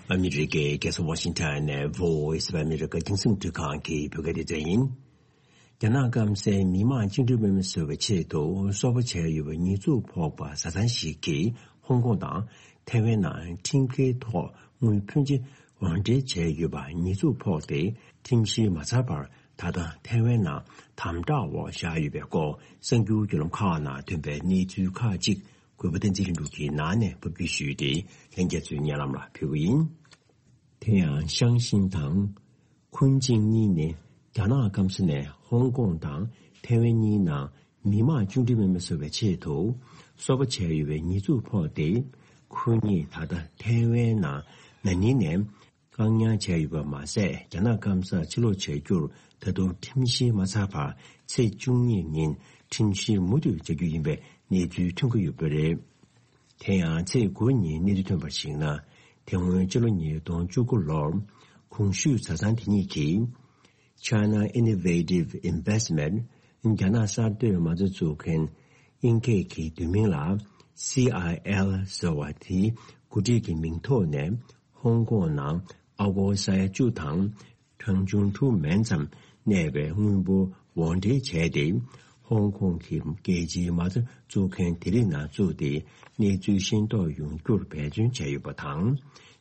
ཨ་མི་རི་ཀའི་རྒྱལ་ས་ཝ་ཤིང་ཊོན་ནས་Voice of America རྒྱང་སྲིང་རླུང་འཕྲིན་ཁང་གི་བོད་སྐད་སྡེ་ཚན་ཡིན། རྒྱ་ནག་སྐམ་སའི་མི་དམངས་བཅིངས་འགྲོལ་དམག་མི་བཟོ་བའི་ཆེད་དུ་སོག་པོ་བྱས་ཡོད་པའི་ཉེས་འཛུགས་ཕོག་པ་བཟའ་ཚང་ཞིག་གིས་ཧོང་ཀོང་དང་ཐའེ་ཝན་ནང་ཁྲིམས་འགལ་ཐོག་དངུལ་ཕོན་ཆེ་དབོར་འདྲེན་བྱས་ཡོད་པ་ཉེས་འཛུགས་ཕོག་སྟེ། ཁྲིམས་བཤེར་མ་ཚར་བར་ ད་ལྟ་ཐའེ་ཝན་ནང་དམ་དྲག་འོག་བཞག་ཡོད་པའི་སྐོར་གསར་འགྱུར་བརྒྱུད་ལམ་ཁག་ནང་ཐོན་པའི་གནས་ཚུལ་ཁག་ཅིག་གུས་པ་བསྟན་འཛིན་ལྷུན་གྲུབ་ཀྱིས་ནང་ནས་ཕབ་སྒྱུར་ཞུས་ཏེ་ལྷན་རྒྱས་ཚོའི་སྙན་ལམ་ལ་ཕུལ་གྱི་ཡིན། དེ་ཡང་ཤང་ཤིན་དང་ཁུན་ཅིང་གཉིས་ནི་རྒྱ་ནག་སྐམ་ས་ནས་ཧོང་ཀོང་དང་ཐའེ་ཝན་གཉིས་ནང་མི་དམངས་བཅིངས་འགྲོལ་མེད་མི་བཟོ་བའི་ཆེད་དུ་སོ་པ་བྱས་ཡོད་པའི་ཉེས་འཛུགས་ཕོག་སྟེ། ཁོ་གཉིས་ད་ལྟ་ཐའེ་ཝན་ནང་ན་ནིང་ནས་བཀག་ཉར་བྱས་ཡོད་པ་མ་ཟད། རྒྱ་ནག་སྐམ་སར་ཕྱིར་ལོག་བྱ་རྒྱུར་ད་དུང་ཁྲིམས་བཤེར་མ་ཚར་བར་ཚེས་བཅུ་གཉིས་ཉིན་ཁྲིམས་བཤེར་མུ་མཐུད་བྱ་རྒྱུ་ཡིན་པའི་གནས་ཚུལ་ཐོན་གྱི་ཡོད་པ་རེད། དེ་ཡང་ཚེས་དགུ་ཉིན་གནས་ཚུལ་ཐོན་པར་གཞིགས་ན། དེ་སྔོན་ཕྱི་ལོ་ཉིས་སྟོང་བཅུ་དགུ་ལོར་གོང་ཞུས་བཟའ་ཚང་དེ་གཉིས་ཀྱིས། China Innovative Investment། རྒྱ་ནག་གསར་གཏོད་མ་རྩ་བཙུགས་མཁན་དབྱིན་སྐད་ཀྱི་བསྡུས་མིང་ལ་སི་ཨའི་ཨེལ་ཟེར་བ་དེའི་འགོ་ཁྲིད་ཀྱི་མིང་ཐོག་ནས་ཧོང་ཀོང་ནང་ཨ་སྒོར་ས་ཡ་བཅུ་དང་གྲངས་ཆུང་དྲུག་མན་ཙམ་གནས་པའི་དངུལ་འབོར་དབོར་འདྲེན་བྱས་ཏེ། ཧོང་ཀོང་གི་རྒྱལ་སྤྱིའི་མ་རྩ་བཙུགས་མཁན་དེ་རིགས་ནང་བཙུགས་ཏེ་གནས་ཚུལ་ཤེས་རྟོགས་ཡོང་རྒྱུར་འབད་བརྩོན་བྱས་ཡོད་པ་དང་།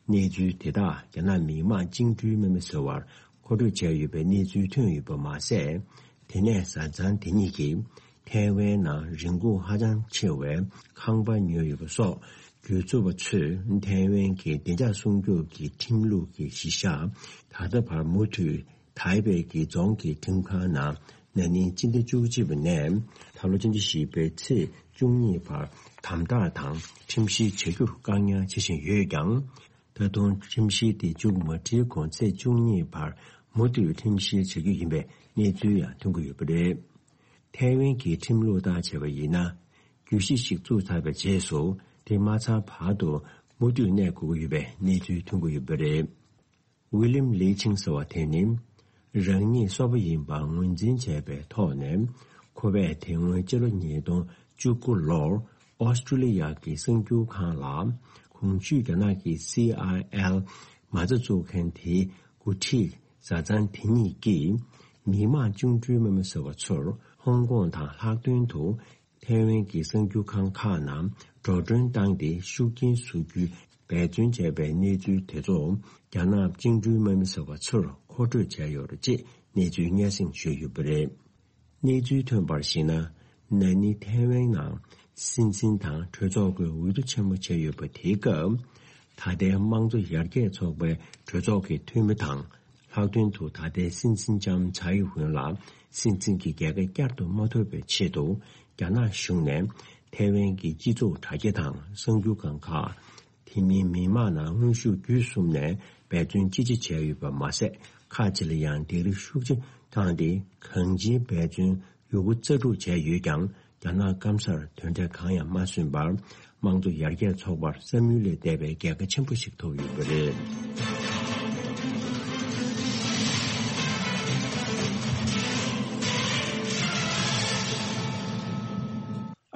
གནས་ཚུལ་དེ་དག་རྒྱ་ནག་མི་དམངས་བཅིངས་འགྲོལ་མེད་མི་བཟོ་བར་མཁོ་སྤྲོད་བྱས་ཡོད་པའི་གནས་ཚུལ་ཐོན་ཡོད་པ་མ་ཟད། དེ་ནས་བཟའ་ཚང་དེ་གཉིས་ཀྱིས་ཐའེ་ཝན་ནང་རིན་གོང་ཧ་ཅང་ཆེ་བའི་ཁང་པ་ཉོས་ཡོད་པ་སོགས་བརྒྱུད་འཛུགས་པ་ཚོས་ཐའེ་ཝན་གྱི་བདེ་འཇགས་སྲུང་སྐྱོབ་ཀྱི་ཁྲིམས་ལུགས་ཀྱི་གཞི་བཞག་ད་ལྟ་བར་མུ་མཐུད་ཐའེ་པེ་གྱི་རྫོང་གི་ཁྲིམས་ཁང་ནང་ན་ནིང་སྤྱི་ཟླ་བཅུ་གཅིག་པ་ནས་ད་ལོ་ཕྱི་ཟླ་བཞི་པའི་ཚེས་བཅུ་གཉིས་བར་དམ་དྲག་དང་ཁྲིམས་བཤེར་བྱ་རྒྱུར་བཀག་ཉར་བྱེད་བཞིན་ཡོད་ཀྱང་། ད་དུང་ཁྲིམས་བཤེར་དེ་མཇུག་མ་སྒྲིལ་གོང་ཚེས་བཅུ་གཉིས་བར་མུ་མཐུད་ཁྲིམས་བཤེར་བྱ་རྒྱུ་ཡིན་པའི་གནས་ཚུལ་ཡང་ཐོན་གྱི་ཡོད་པ་རེད། ཐའེ་ཝན་གྱི་ཁྲིམས་ལུགས་ལྟར་བྱས་པ་ཡིན་ན། གྱོད་གཞི་ཞིག་བཙུགས་ཚར་བའི་རྗེས་སུ་དེ་མ་ཚར་བར་དུ་མུ་མཐུད་གནས་དགོས་ཀྱི་ཡོད་པའི་གནས་ཚུལ་ཐོན་གྱི་ཡོད་པ་རེད། ཝི་ལིམ་ལི་ཆིང་ཟེར་བ་དེ་ནི། རང་ཉིད་སོ་པ་ཡིན་པ་ངོས་འཛིན་བྱས་པའི་ཐོག་ནས། ཁོ་པས་དེ་སྔོན་ཕྱི་ལོ་ཉིས་སྟོང་བཅུ་དགུ་ལོར་ཨོ་སི་ཀྲུ་ལི་ཡ་གི་གསར་འགྱུར་ཁང་ལ། གོང་ཞུས་རྒྱ་ནག་གི་སི་ཨའི་ཨེལ་མ་རྩ་བཙུགས་མཁན་དེའི་འགོ་ཁྲིད་བཟའ་ཚང་དེ་གཉིས་ཀྱིས། མི་དམངས་བཅིངས་འགྲོལ་མེད་མི་ཟེར་བ་ཚོར་ཧོང་ཀོང་དང་ལྷག་དོན་དུ། ཐའེ་ཝན་གྱི་གསར་འགྱུར་ཁང་ཁག་ནང་འགྲོ་གྲོན་བཏང་སྟེ་ཤུགས་རྐྱེན་བཟོ་རྒྱུའི་འབད་བརྩོན་བྱས་པའི་གནས་ཚུལ་དེ་ཚོ་རྒྱ་ནག་བཅིངས་འགྲོལ་མེད་མི་ཟེར་བ་ཚོར་མཁོ་སྤྲོད་བྱས་ཡོད་རེད་ཅེས་གནས་ཚུལ་སྙན་སེང་ཞུས་ཡོད་པ་རེད། གནས་ཚུལ་ཐོན་པར་གཞིགས་ན། ན་ནིང་ཐའེ་ཝན་ནང་སྲིད་འཛིན་དང་གྲོས་ཚོགས་ཀྱི་འོས་བསྡུ་ཆེན་མོ་བྱས་ཡོད་པ་དེའི་སྐབས། ད་ལྟའི་དམངས་གཙོ་ཡར་རྒྱས་ཚོགས་པའི་གྲོས་ཚོགས་ཀྱི་འཐུས་མི་དང་། ལྷག་དོན་དུ་ད་ལྟའི་སྲིད་འཛིན་ལྕམ་ཚའེ་ཝུན་ལ་སྲིད་འཛིན་གྱི་རྒྱལ་ཁ་བསྐྱར་དུ་མ་ཐོབ་པའི་ཆེད་དུ། རྒྱ་ནག་གཞུང་ནས་ཐའེ་ཝན་གྱི་སྤྱི་ཚོགས་དྲ་རྒྱ་དང་གསར་འགྱུར་ཁང་ཁག་དེ་མིན་མི་མང་ནང་དངོས་ཤུགས་བརྒྱུད་གསུམ་ནས་འབད་བརྩོན་ཅི་ཆེ་བྱས་ཡོད་པ་མ་ཟད། ཁག་ཅིག་ལ་ཡང་ལྡིང་རིམ་ཤུགས་ཆེ་བཏང་སྟེ། གང་ཅིའི་འབད་བརྩོན་ཡོད་རྒུ་རྩལ་སྤྲུགས་བྱས་ཡོད་ཀྱང་། རྒྱ་ནག་སྐམ་སར་དོན་འབྲས་གང་ཡང་མ་སོན་པར། དམངས་གཙོ་ཡར་རྒྱས་ཚོགས་པར་བསམ་ཡུལ་ལས་འདས་པའི་རྒྱལ་ཁ་ཆེན་པོ་ཞིག་ཐོབ་ཡོད་པ་རེད།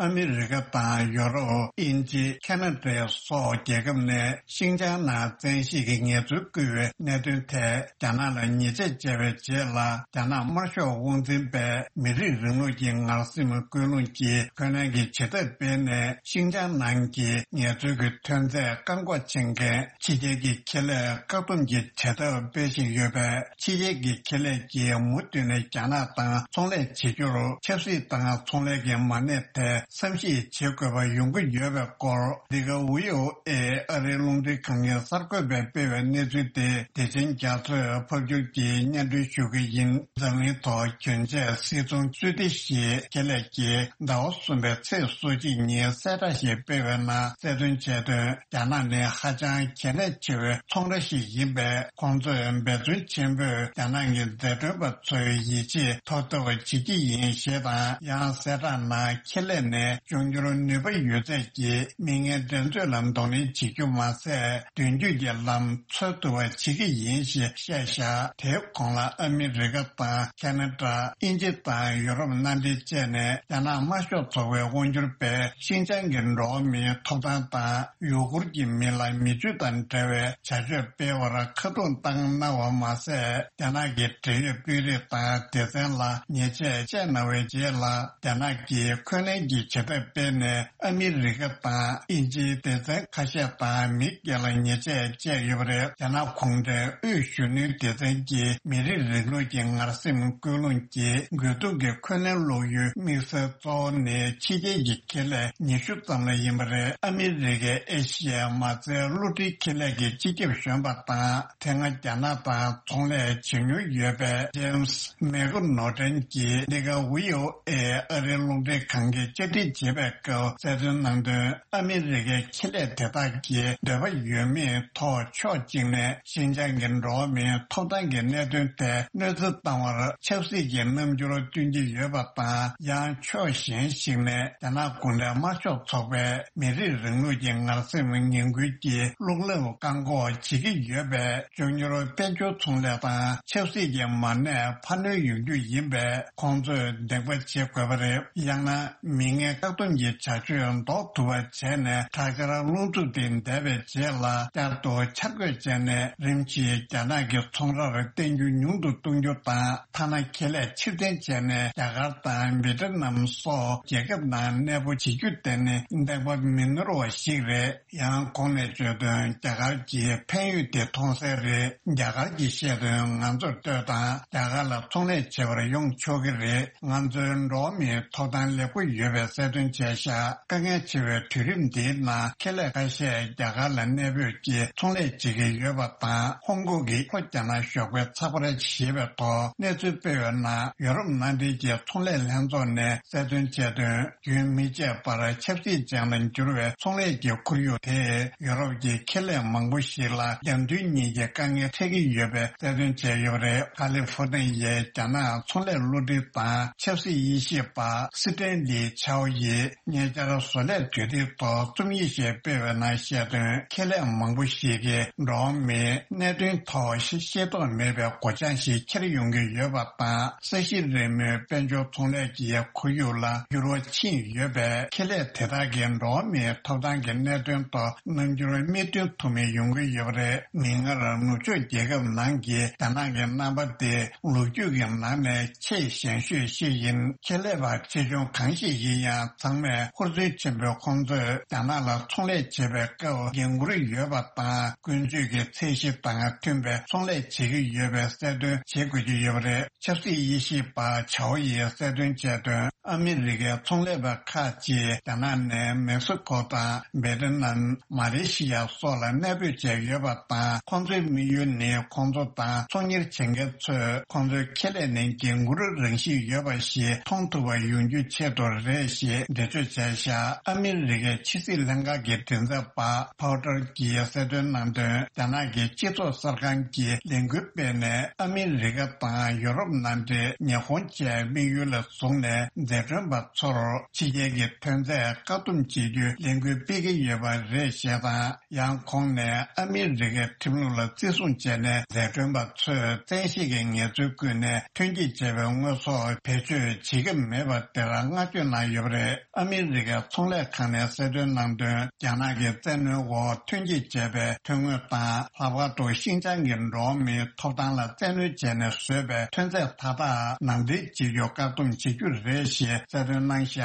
ཨ་མི་རི་ཀ་དང་ཡོ་རོབ། དབྱིན་ཇི། ཁ་ན་ཌ་སོགས་རྒྱལ་ཁབ་ནས་ཤིན་ཅང་ནང་བཙན་ཤེད་ཀྱིས་ངལ་རྩོལ་བསྐུལ་བའི་གནད་དོན་ཐད་རྒྱ་ནག་ལ་ཉེས་ཆད་བཅད་པའི་རྗེས་ལ། རྒྱ་ནག་དམར་ཤོག་དབང་འཛིན་པས་མི་རིགས་རིང་ལུགས་ཀྱི་ངར་སེམས་ཀུན་སློང་གིས་འཁོན་ལན་གྱི་བྱེད་ཐབས་སྤེལ་ནས། ཤིན་ཅང་ནང་གི་ངལ་རྩོལ་གྱི་ཐོན་རྫས་བཀག་འགོག་བྱེད་མཁན་ཕྱི་རྒྱལ་གྱི་ཁེ་ལས་བཀག་སྡོམ་གྱི་བྱེད་ཐབས་སྤེལ་བཞིན་ཡོད་པས། ཕྱི་རྒྱལ་གྱི་ཁེ་ལས་ཀྱིས་མུ་མཐུད་ནས་རྒྱ་ནག་དང་ཚོང་ལས་བྱེད་རྒྱུར་ཆབ་སྲིད་དང་ཚོང་ལས་ཀྱི་མ་གནས་ཐད་བསམ་གཞིག་བྱེད་དགོས་པ་ཡོང་གི་ཡོད་པའི་སྐོར། འདི་ག་ཝི་ཨོ་ཨེ་ཨ་རིའི་རླུང་འཕྲིན་ཁང་གི་གསར་འགོད་པས་སྤེལ་བའི་གནས་ཚུལ་དེ། བདེ་ཆེན་རྒྱ་མཚོས་ཕབ་སྒྱུར་གྱིས་སྙན་སྒྲོན་ཞུ་གི་ཡིན། འཛམ་གླིང་ཐོག་གྱོན་ཆས་སིལ་ཚོང་སུའི་ཏི་ཞེས་ཁེ་ལས་ཀྱིས་ཟླ་བ་གསུམ་པའི་ཚེས་སོ་གཅིག་ཉིན་གསལ་བསྒྲགས་ཤིག་སྤེལ་བའི་ནང་གསལ་སྟོན་བྱས་དོན། རྒྱ་ནག་ནི་ཧ་ཅང་གལ་གནད་ཆེ་བའི་ཚོང་ར་ཞིག་ཡིན་པས། ཁོང་ཚོས་འབད་བརྩོན་ཆེན་པོས་རྒྱ་ནག་གི་འཛད་གྲོན་པ་ཚོའི་ཡིད་ཆེས་ཐོབ་ཐུབ་པ་བྱེད་ཀྱི་ཡིན་ཞེས་དང་། ཡང་གསལ་བསྒྲགས་ནང་ཁེ་ལས་ནས་འབྱུང་འགྱུར་ནུས་པ་ཡོད་ཚད་ཀྱིས་མི་ངན་འགྲན་རྩོད་ལ་གདོང་ལེན་བྱེད་རྒྱུ་མ་ཟད། མདུན་སྐྱོད་ཀྱི་ལམ་འཚོལ་ཐུབ་པ་བྱེད་ཀྱི་ཡིན་ཞེས་བཤད་བཞག་དེའི་གོང་ལ་ཨ་མི་རི་ཀ་དང་ཁ་ན་ཌ། དབྱིན་ཇི་དང་ཡོ་རོབ་མནའ་འབྲེལ་བཅས་ནས། རྒྱ་ནག་དམར་ཤོག་ཚོགས་པའི་དབང་སྒྱུར་པས་ཤིན་ཅང་གི་འགྲོ་བ་མིའི་ཐོབ་ཐང་དང་ཡུ་གུར་གྱི་མི་ལ་མི་སྤྱོད་དང་འབྲེལ་བའི་བྱ་སྤྱོད་སྤེལ་བར་ཁ་རྡུང་བཏང་གནང་བ་མ་ཟད། རྒྱ་ནག་གི་འབྲེལ་ཡོད་དཔོན་རིགས་དང་སྡེ་ཚན་ལ་ཉེས་ཆད་བཅད་གནང་བའི་རྗེས་ལ། རྒྱ་ནག་གིས་འཁོན་ལན་གྱི་ བྱེད་ཐབས་སྤེལ་ནས་ཨ་མི་རི་ཀ་དང་དབྱིན་ཇིའི་སྡེ་ཚན་ཁ་ཤས་དང་མི་སྒེར་ལ་ཉེས་ཆད་བཅད་ཡོད་པ་རེད། རྒྱ་ནག་གུང་ཁྲན་དབུས་གཞོན་ནུའི་སྡེ་ཚན་གྱིས་མི་རིགས་རིང་ལུགས་ཀྱི་ངར་སེམས་ཀུན་སློང་གིས་དགོས་གཏུག་གི་འཁོན་ལན་སློག་ཡུལ་དམིགས་བསལ་གཙོ་བོ་ནི་ཕྱི་རྒྱལ་གྱི་ཁེ་ལས་ཉི་ཤུ་ཙམ་ལ་ཡིན་པ་རེད། ཨ་མི་རི་ཀའི་ཨེ་ཤི་ཡའི་མ་རྩའི་བསླུ་བྲིད་ཁེ་ལས་ཀྱི་སྤྱི་ཁྱབ་གཞོན་པ་དང་། དེ་སྔ་རྒྱ་ནག་དང་ཚོང་ལས་བྱེད་མྱོང་ཡོད་པའི་ཇེམ་སི་མེག་ནོ་ཏན་གྱིས་འདི་ག་བྷི་ཨོ་ཨེ་ཨ་རིའི་རླུང་འཕྲིན་ཁང་གིས་བཅར་འདྲི་བྱེད་པའི་སྐབས་གསལ་སྟོན་གནང་དོན། ཨ་མི་རི་ཀའི་ཁེ་ལས་དེ་དག་གིས་འདོད་པ་ཡོད་མེད་ཐོག་ཕྱོགས་གཅིག་ནས་ཤིན་ཅང་གི་འགྲོ་བ་མིའི་ཐོབ་ཐང་གི་གནད་དོན་ཐད་གནོད་འཚེ་བཏང་བར་ཆབ་སྲིད་ཀྱི་རྣམ་འགྱུར་སྟོན་གྱི་ཡོད་པ་དང་། ཡང་ཕྱོགས་གཞན་ཞིག་ནས་རྒྱ་ནག་གུང་ཁྲན་དམར་ཤོག་ཚོགས་པས་མི་རིགས་རིང་ལུགས་ཀྱི་ངར་སེམས་ངན་སྐུལ་གྱི་བླུག་ལམ་བཀག་འགོག་བྱེད་ཀྱི་ཡོད་པས། མགྱོགས་མྱུར་དཔལ་འབྱོར་ཚོང་ལས་དང་ཆབ་སྲིད་ཀྱི་མ་གནས་འཕར་སྣོན་ཡོང་རྒྱུ་ཡིན་པས། ཁོང་ཚོས་འདེགས་པ་བྱེད་དགོས་པ་རེད། ཡང་ན་མི་ངན་བཀག་སྡོམ་གྱི་བྱ་སྤྱོད་ཟློག་ཐུབ་པ་བྱས་ནས། དྲག་ཆར་རླུང་འཚུབ་དེ་འདས་པའི་རྗེས་ལ་བསྐྱར་དུ་འཆར་འགོད་བྱས་ནས། རིམ་གྱིས་རྒྱ་ནག་གི་ཚོང་རར་བརྟེན་རྒྱུ་ཉུང་དུ་གཏོང་རྒྱུ་དང་། ཐ་ན་ཁེ་ལས་ཕྱིར་འཐེན་བྱས་ནས་རྒྱ་གར་དང་བྷི་ཏི་ནམ་སོགས་རྒྱལ་ཁབ་ནང་གནས་སྤོ་བྱེད་རྒྱུ་དེ་ནི་འདེགས་པ་མི་ནོར་བ་ཞིག་རེད། ཡང་གོང་ནས་བརྗོད་དོན། རྒྱ་གར་གྱི་ཕན་ཡོན་དེ་མཐོང་གསལ་རེད། རྒྱ་གར་གྱིས་བཤད་དོན་ང་ཚོར་ལྟོས་དང་། རྒྱ་གར་ལ་ཚོང་ལས་བྱེད་པར་ཡོང་ཆོག་གི་རེད། ང་ཚོའི་འགྲོ་བ་མིའི་ཐོབ་ཐང་ལེགས་པོ་ཡོད་པའི་གསལ་སྟོན་བྱས་ཤག་དཀའ་ངལ་ཆེ་བའི་དུས་རིམ་འདིའི་ནང་ཁེ་ལས་ཁ་ཤས་རྒྱ་གར་ལ་གནས་སྤོས་ཀྱིས་ཚོང་ལས་བྱེད་ཀྱི་ཡོད་པ་དང་། ཧོང་ཀོང་གི་ལྷོ་རྒྱ་ནག་ཞོགས་པའི་ཚགས་པར་ཞེས་པའི་ཐོག་གནས་ཚུལ་སྤེལ་བའི་ནང་། ཡོ་རོབ་མནའ་འབྲེལ་གྱི་ཚོང་ལས་ལྷན་ཚོགས་ནས་གསལ་སྟོན་བྱས་དོན། རྒྱུན་མི་ཆད་པར་ཆབ་སྲིད་ཅན་ལ་འགྱུར་བའི་ཚོང་ལས་ཀྱི་ཁོར་ཡུག་དེས་ཡོ་རོབ་ཀྱི་ཁེ་ལས་མང་པོ་ཞིག་ལ་རྒྱབ་མདུན་གཉིས་ཀྱི་དཀའ་ངལ་འཕྲད་ཀྱི་ཡོད་པའི་གསལ་སྟོན་བྱས་ཡོད་པ་རེད། ཁ་ལི་ཧྥོ་ནི་ཡའི་རྒྱ་ནག་ཚོང་ལས་བློ་འདྲི་དང་ཆབ་སྲིད་དབྱེ་ཞིབ་པ་སི་ཏན་ལི་ཆའོ་ཡིས་ཉེ་ཆར་བཟོ་ལས་དུས་དེབ་ཐོག་རྩོམ་ཡིག་ཞིག་སྤེལ་བའི་ནང་བཤད་དོན། ཁེ་ལས་མང་པོ་ཞིག་གིས་འགྲོ་བ་མིའི་གནད་དོན་ཐོག་ཤེས་རྟོགས་མེད་པའི་སྒོ་བྱང་ཞིག་འཁྱེར་ཡོང་གི་ཡོད་པ་དང་། ས་གཞི་རིལ་མོའི་དཔལ་འབྱོར་ཚོང་ལས་ཀྱི་ཁོར་ཡུག་ལ་འགྱུར་བ་ཕྱིན་ཡོད་པས། ཁེ་ལས་དེ་དག་གིས་འགྲོ་བ་མིའི་ཐོབ་ཐང་གི་གནད་དོན་ཐོག་རྣམ་འགྱུར་མིག་མཐུན་ཐུབ་མེད་ཡོང་གི་ཡོད་པ་རེད། མིག་སྔར་ནུབ་ཕྱོགས་རྒྱལ་ཁབ་ནང་གི་རྒྱ་ནག་གི་རྣམ་པ་དེ་ལོ་རྒྱུས་ཀྱི་ནང་ནས་ཆེས་ཞན་ཤོས་ཤིག་ཡིན། ཁེ་ལས་པ་ཆེ་ཆུང་གང་ཞིག་ཡིན་ཡང་། ཚང་མས་ཧུར་བརྩོན་ཆེན་པོས་ཁོང་ཚོས་རྒྱ་ནག་ལ་ཚོང་ལས་བྱེད་པའི་སྐབས་འགན་འཁུར་ཡོད་པ་དང་། ཀུན་སྤྱོད་ཀྱི་ཚད་གཞི་དང་མཐུན་པའི་ཚོང་ལས་བྱེད་ཀྱི་ཡོད་པའི་གསལ་སྟོན་བྱེད་དགོས་ཀྱི་ཡོད་པ་རེད། ཆབ་སྲིད་དབྱེ་ཞིབ་པ་ཆའོ་ཡིས་གསལ་སྟོན་བྱས་དོན། ཨ་མི་རི་ཀའི་ཚོང་ལས་པ་ཁག་ཅིག་རྒྱ་ནག་ནས་མེག་སི་ཀོ་དང་བེ་ཏི་ནམ། མ་ལེ་ཤི་ཡ་སོགས་ལ་གནས་སྤོས་བྱས་ཡོད་པ་དང་། ཁོང་ཚོའི་དམིགས་ཡུལ་ནི་ཁོང་ཚོ་དང་ཚོང་གཉེར་བྱེད་མཁན་ཚོས་ཁོང་ཚོའི་ཁེ་ལས་ནི་འགན་འཁུར་རང་བཞིན་ཡོད་པ་ཞིག་མཐོང་ཐུབ་པ་ཡོང་རྒྱུའི་ཆེད་དུ་རེད་ཞེས་འགྲེལ་བརྗོད་བྱས་བཞག་ཨ་མི་རི་ཀའི་ཕྱི་སྲིད་ལྷན་ཁང་གི་མགྲིན་ཚབ་པ་ཕའོ་ཏར་གྱིས་གསལ་སྟོན་གནང་དོན། རྒྱ་ནག་གི་སྤྱི་ཚོགས་གསར་ཁང་གིས་ལས་འགུལ་སྤེལ་ནས། ཨ་མི་རི་ཀ་དང་ཡོ་རོབ་མནའ་འབྲེལ། ཉི་ཧོང་བཅས་དམིགས་ཡུལ་ལ་བཟུང་ནས། འཛད་གྲོན་པ་ཚོར་ཕྱི་རྒྱལ་གྱི་ཐོན་རྫས་བཀག་སྡོམ་བྱེད་རྒྱུའི་ལས་འགུལ་སྤེལ་གྱི་ཡོད་པ་རེད་ཞེས་དང་། ཡང་ཁོང་ནས་ཨ་མི་རི་ཀའི་ཁྲིམས་ལུགས་ལ་བརྩི་སྲུང་བྱས་ནས། འཛད་གྲོན་པ་ཚོས་བཙན་ཤེད་ཀྱི་ངལ་རྩོལ་བསྐུལ་ནས་ཐོན་སྐྱེད་བྱས་པའི་དངོས་ཟོག་བེད་སྤྱོད་བྱེད་ཀྱི་མེད་པ་དེར་བསྔགས་བརྗོད་གནང་ཡོད་པ་རེད། ཨ་མི་རི་ཀའི་ཚོང་ལས་ཁང་ནས་གསལ་སྟོན་གནང་དོན། རྒྱ་ནག་གི་བཙན་གནོན་འོག་ཐོན་སྐྱེད་བྱས་པའི་ཐོན་དངོས་དང་། ལྷག་པར་དུ་ཤིན་ཅང་གི་འགྲོ་བ་མིའི་ཐོབ་ཐང་ལ་བཙན་གནོན་བྱས་ནས་བཟོས་པའི་ཐོན་རྫས་མཐའ་དག་ནང་འདྲེན་བྱེད་རྒྱུ་བཀག་སྡོམ་བྱེད་རྒྱུ་རེད་ཞེས་གསལ་སྟོན་གནང་བཞག་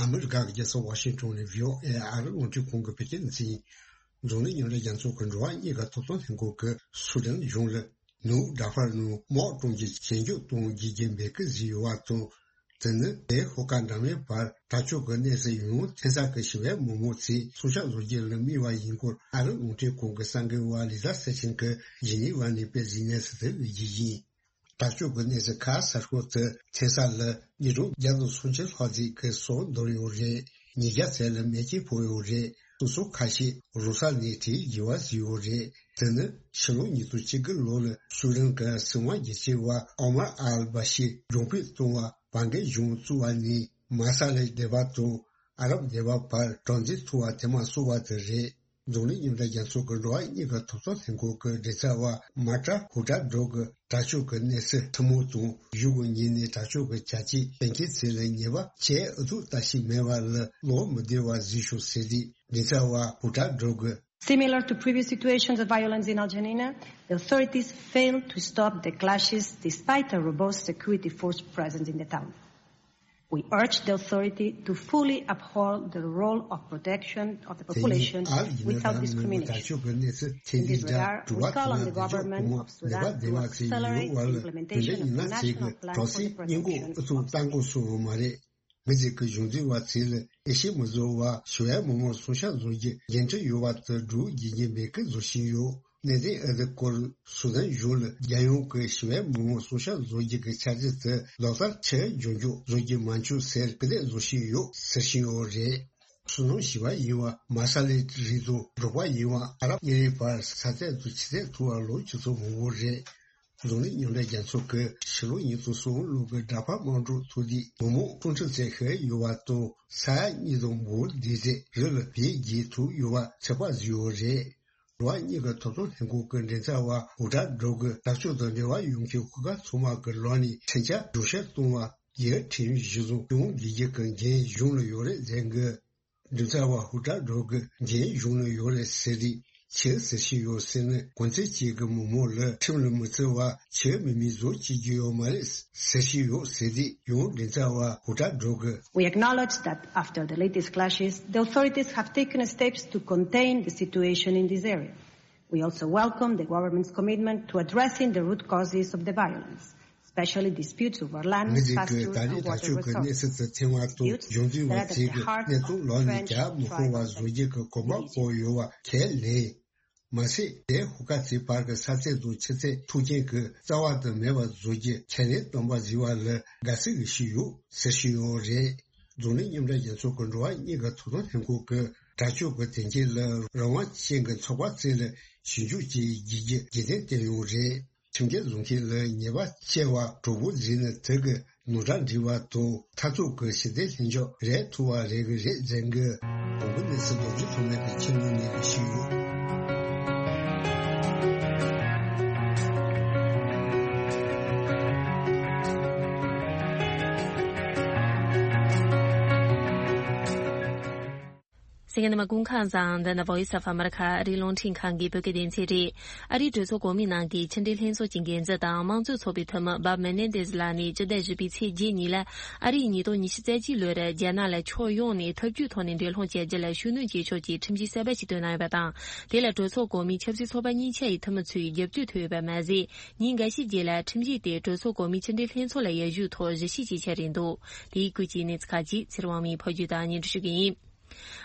ཨ་མི་རི་ཀ་གི་རྒྱལ་ས་ཝ་ཤིང་ཊོན་ནས་བྷི་ཨོ་ཨེ་ཨ་རི་རླུང་འཕྲིན་ཁང་གི་བོད་སྐད་སྡེ་ཚན། འཛམ་གླིང་མཉམ་འབྲེལ་རྒྱལ་ཚོགས་ཀྱི་འགྲོ་བ་མིའི་ཐོབ་ཐང་ལྷན་ཁང་གིས་སུ་དཱན་གཞུང་ལ་ནུབ་ཌར་ཧྥར་ནང་དམག་དཀྲུག་རྒྱུ་ཞི་འཇགས་གཏོང་རྒྱུའི་འབོད་སྐུལ་བཟོས་ཡོད་པ་དང་། དེ་ནི་དེའི་ཤོག་ཁག་འདྲ་མིན་བར་དྲག་སྤྱོད་ཀྱི་གནས་ཚུལ་ཡང་ཐོན་ས་ཀྱི་ཞི་བའི་མི་མང་ཚོས་སྲོག་ཆགས་བཟོ་རྒྱུ་ལ་དམིགས་པ་ཡིན་སྐོར་ཨ་རི་རླུང་འཕྲིན་ཁང་གི་གསར་འགོད་པ་ལི་ཟ་སེ་ཆིན་གྱིས་ཇི་ནི་ཝ་ནས་སྤེལ་གཟིགས་གནས་ཚུལ་དེ་འོད་བརྒྱུད་ཡིན། དྲག་སྤྱོད་ཀྱི་གནས་ཚུལ་ཁག་གསར་ཤོག་དེ་ཐོན་ས་ལ་ཉིས་སྟོང་བརྒྱ་དང་སུམ་ཅུ་ལྷག་ཙམ་གྱི་སྲོག་འདོར་ཡོད་རེད། ཉིས་བརྒྱ་ཙམ་ལ་མེ་ལྕེ་ཕོག་ཡོད་རེད། སོ་སོ་ཁ་ཤས་རུ་སར་ནས་བྲོས་རྒྱུ་བ་བཟོས་ཡོད་རེད། དེ་ནི་ཕྱི་ལོ་ཉིས་སྟོང་བཅུ་དགུ་ལོ་ལ་སུ་དཱན་གྱི་སྲིད་དབང་སྒེར་གཅོད་པ་ཨོ་མར་ཨལ་བྷ་ཤིར་རྒྱང་འཕུད་བཏང་བ་བར་བརྒལ་གཞུང་བཙུགས་པ་ནས་མ་ས་ལའི་སྡེ་བ་དང་ཨ་རབ་སྡེ་བ་བར་དྲག་འཛིང་ཐུག་པ་དེ་མ་སོང་བ་དེ་རེད། འཛམ་གླིང་མཉམ་འབྲེལ་རྒྱལ་ཚོགས་ཀྱི་འགྲོ་བ་མིའི་ཐོབ་ཐང་ལྷན་ཁང་གི་མགྲིན་ཚབ་པ་མཱ་ཀྲ་ཧུ་ཀྲ་ཌོ་གིས་དྲག་སྤྱོད་ཀྱི་གནས་ཚུལ་ཐུན་མོང་དང་གཞུག་གི་ཉིན་ནས་དྲག་སྤྱོད་ཀྱི་བྱ་སྤྱོད་གཏན་འཁེལ་ཚུལ་ལ་ཉེས་པ་བྱས་ཨུ་ཚུགས་ལྟ་ཞིག་མེད་པ་ལ་བློ་མི་བདེ་བ་བཟོས་བྱུང་ཟེར་ཏེ། མགྲིན་ཚབ་པ་ཧུ་ཀྲ་ཌོ་གིས་ Similar to previous situations of violence in Al Janina, the authorities failed to stop the clashes despite a robust security force presence in the town. We urge the authority to fully uphold the role of protection of the population without discrimination. In this regard, we call on the government of Sudan to accelerate the implementation of the national plan for the protection of མི་རིགས་ཀྱི་གཞུང་འཛིན་པ་ཚོས་ལ་ཨེ་ཤི་མི་བཟོ་བར་ཞི་བའི་མི་མང་སྲུང་སྐྱོབ་བཟོ་རྒྱུ་འགན་འཁྲི་ཡོད་པ་དེ་སྒྲུབ་བྱེད་ཀྱི་མེད་སྐད་བཟོ་བཞིན་ཡོད། གནད་དོན་འདི་སྐོར་སུ་དན་གཞུང་ལ་རྒྱལ་ཡོངས་ཀྱི་ཞི་བའི་མི་མང་སྲུང་སྐྱོབ་བཟོ་རྒྱུ་གི་འཆར་གཞི་དེ་ལག་བསྟར་ཆེད་འཇོན་འཇུག་བཟོ་རྒྱུ་མ་འཁྱོལ་ཟེར་སྐུལ་འདེད་བཟོ་བཞིན་ཡོད་ཟེར་བཞིན་ཡོད་རེད། བསོད་ནམས་ཞི་བ་ཡིན་པ་མ་ས་ལའི་རི་དང་འབྲོག་པ་ཡིན་པ་ཨ་རབ་གཉིས་ཀྱི་བར་ས་ཚད་དུ་ཆུ་ཚད་མཐོ་བ་ལོ་བཅུ་ཚོ་མང་པོ་རེད། འཛམ་གླིང་མཉམ་འབྲེལ་རྒྱལ་ཚོགས་ཀྱི་ཕྱི་ལོ་ཉིས་སྟོང་སོ་ལོ་གི་འདྲ་པར་དམངས་ཁྲོད་ཐུགས་འདུན་མི་མང་སྟོང་ཁྲི་ཙམ་ཞིག་ཡོད་པ་དང་ས་ཡ་གཉིས་དང་འབུམ་བདུན་ཙམ་རི་ལ་བེད་སྤྱད་ཐུབ་ཡོད་པ་ཚོད་དཔག་བཟོས་ཡོད་རེད། འགྲོ་བ་མིའི་ཐོབ་ཐང་ལྷན་ཁང་གི་མགྲིན་ཚབ་པ་ཧུ་ཀྲ་ཌོ་གིས་དྲག་སྤྱོད་དང་འབྲེལ་བ་ཡོད་མཁན་ཤོག་ཁག་ཚང་མ་གི་ལག་ནས་འཕྲིན་བཅར་སྒྲོག་བཤེར་གཏོང་བར་རྒྱལ་ཁྲིམས་གཞི་བཟུང་སྐྱོང་དགོས་རྒྱུ་གི་འགན་གཞུང་ལ་ཡོད་རེད་ཟེར་གི། མགྲིན་ཚབ་པ་ཧུ་ཀྲ་ཌོ་གིས་འགན་གཞུང་ལ་ཡོད་རེད་ཟེར་དུས་ཆི་ཟེར་བཞིན་ཡོད་ཟེར་ན། གོང་ཚད་ཅིག་གི་མི་མང་ལ་ཁྲིམས་ལ་མི་བརྩི་བ་ཆོས་མི་མི་བཟོ་བྱེད་རྒྱུ་ཡོད་མ་རེད་ཟེར་བཞིན་ཡོད་ཟེར་དུས་ཡང་མགྲིན་ཚབ་པ་ཧུ་ཀྲ་ཌོ་གིས། We acknowledge that after the latest clashes, the authorities have taken steps to contain the situation in this area. We also welcome the government's commitment to addressing the root causes of the violence, especially disputes over land, pasture, and water resources. མི་རིགས་ཀྱི་ད་རེས་དྲག་སྤྱོད་ཀྱི་གནས་ཚུལ་དེ་ཐེངས་མ་གཏོགས་གཞུང་འཛིན་པ་ཚོས་ཀྱི་གནས་སྟངས་ལག་ནས་རྒྱག་མི་ཁོམ་པ་བཟོ་རྒྱུ་གི་གོམ་པ་སྤོས་ཡོད་པ་ཁས་ལེན། མ་ཟད་དེ་ཧུ་ཀ་ཚེ་བར་གྱི་ས་ཚད་དང་ཆུ་ཚད་མཐོ་རྐྱེན་གྱི་རྩ་བ་དུ་མེད་པར་བཟོ་རྒྱུ་ཁས་ལེན་གཏོང་པ་ཟེར་བ་ལ་དགའ་བསུ་ཞུས་ཡོད་ཟེར་བཞིན་ཡོད་རེད། འཛམ་གླིང་མཉམ་འབྲེལ་རྒྱལ་ཚོགས་ཀྱི་འགྲོ་བ་མིའི་ཐོབ་ཐང་ལྷན་ཁང་གིས་དྲག་སྤྱོད་ཀྱི་དོན་རྐྱེན་ལ་རང་དབང་ཅན་གྱི་ཚོགས་པ་རྩལ་ལ་ཞིབ་འཇུག་བྱེད་རྒྱུའི་རྒྱུ་རྐྱེན་བསྟན་ཡོད་རེད། ཁྲིམས་འགལ་བཟོ་མཁན་ལ་ཉེས་པ་བཅལ་བ་གྲོགས་པོ་འཛིན་ནི་དེ་གི་ནོར་འཁྲུལ་འགྲིག་པ་དང་མཐར་ཐུག་གི་ཞི་བདེ་ལྷིང་འཇགས་རེད་ཐུབ་པ་རེད་གི་རེད་ཟེར་གི། གོང་གི་གནས་ཚུལ་རྡོ་རྗེ་ཐོགས་མེད་ཀྱིས་ཁྱེར་ནས་ནས་གི་ཞུས་ཡོད། གསན་མཁན་རྣམ་པ་སྐུ་ཁམས་བཟང་། འདི་ནི་Voice of America ཨ་རིའི་རླུང་འཕྲིན་ཁང་གི་བོད་སྐད་སྡེ་ཚན་རེད། ཨ་རིའི་གྲོས་ཚོགས་གོང་མའི་ནང་གི་ཕྱི་འབྲེལ་ལྷན་ཚོགས་ཀྱི་འགན་འཛིན་དང་དམངས་གཙོའི་ཚོགས་པའི་འཐུས་མི་སྦ་མེ་ནེ་ཏེས་ལགས་ནས་སྤྱི་ཟླ་བཞི་པའི་ཚེས་བརྒྱད་ཉིན་ལ་ཨ་རིས་ཉིས་སྟོང་ཉི་ཤུ་རྩ་གཅིག་ལོར་རྒྱ་ནག་ལ་ཕྱོགས་ཡོངས་ནས་འཐབ་ཇུས་ཐོག་ནས་འགྲན་སློང་བྱ་རྒྱུ་ལ་ཤུགས་སྣོན་བྱེད་ཕྱོགས་ཀྱི་ཁྲིམས་གཞི་གསར་པ་ཞིག་བཏོན་གནང་ཡོད་པ་དང་། དེ་ལ་གྲོས་ཚོགས་གོང་མའི་ཆབ་སྲིད་ཚོགས་པ་གཉིས་ཆ་ཡི་འཐུས་མི་ཚོའི་རྒྱབ་སྐྱོར་ཐོབ་ཡོད་པ་མ་ཟད། ཉིན་འགའ་ཤས་རྗེས་ལ་ཁྲིམས་གཞི་དེ་གྲོས་ཚོགས་གོང་མའི་ཕྱི་འབྲེལ་ལྷན་ཚོགས་ལ་ཡར་ཞུ་ཐོག་གཞི་བྱས་བྱས་ཆགས་རེད་འདུག་དེའི་སྐོར་གྱི་གནས་ཚུལ་ཁག་ཅིག་ཚེ་རིང་དབང་མོས་ཕབ་སྒྱུར་དང་སྙན་སྒྲོན་ཞུ་གི་ཡིན།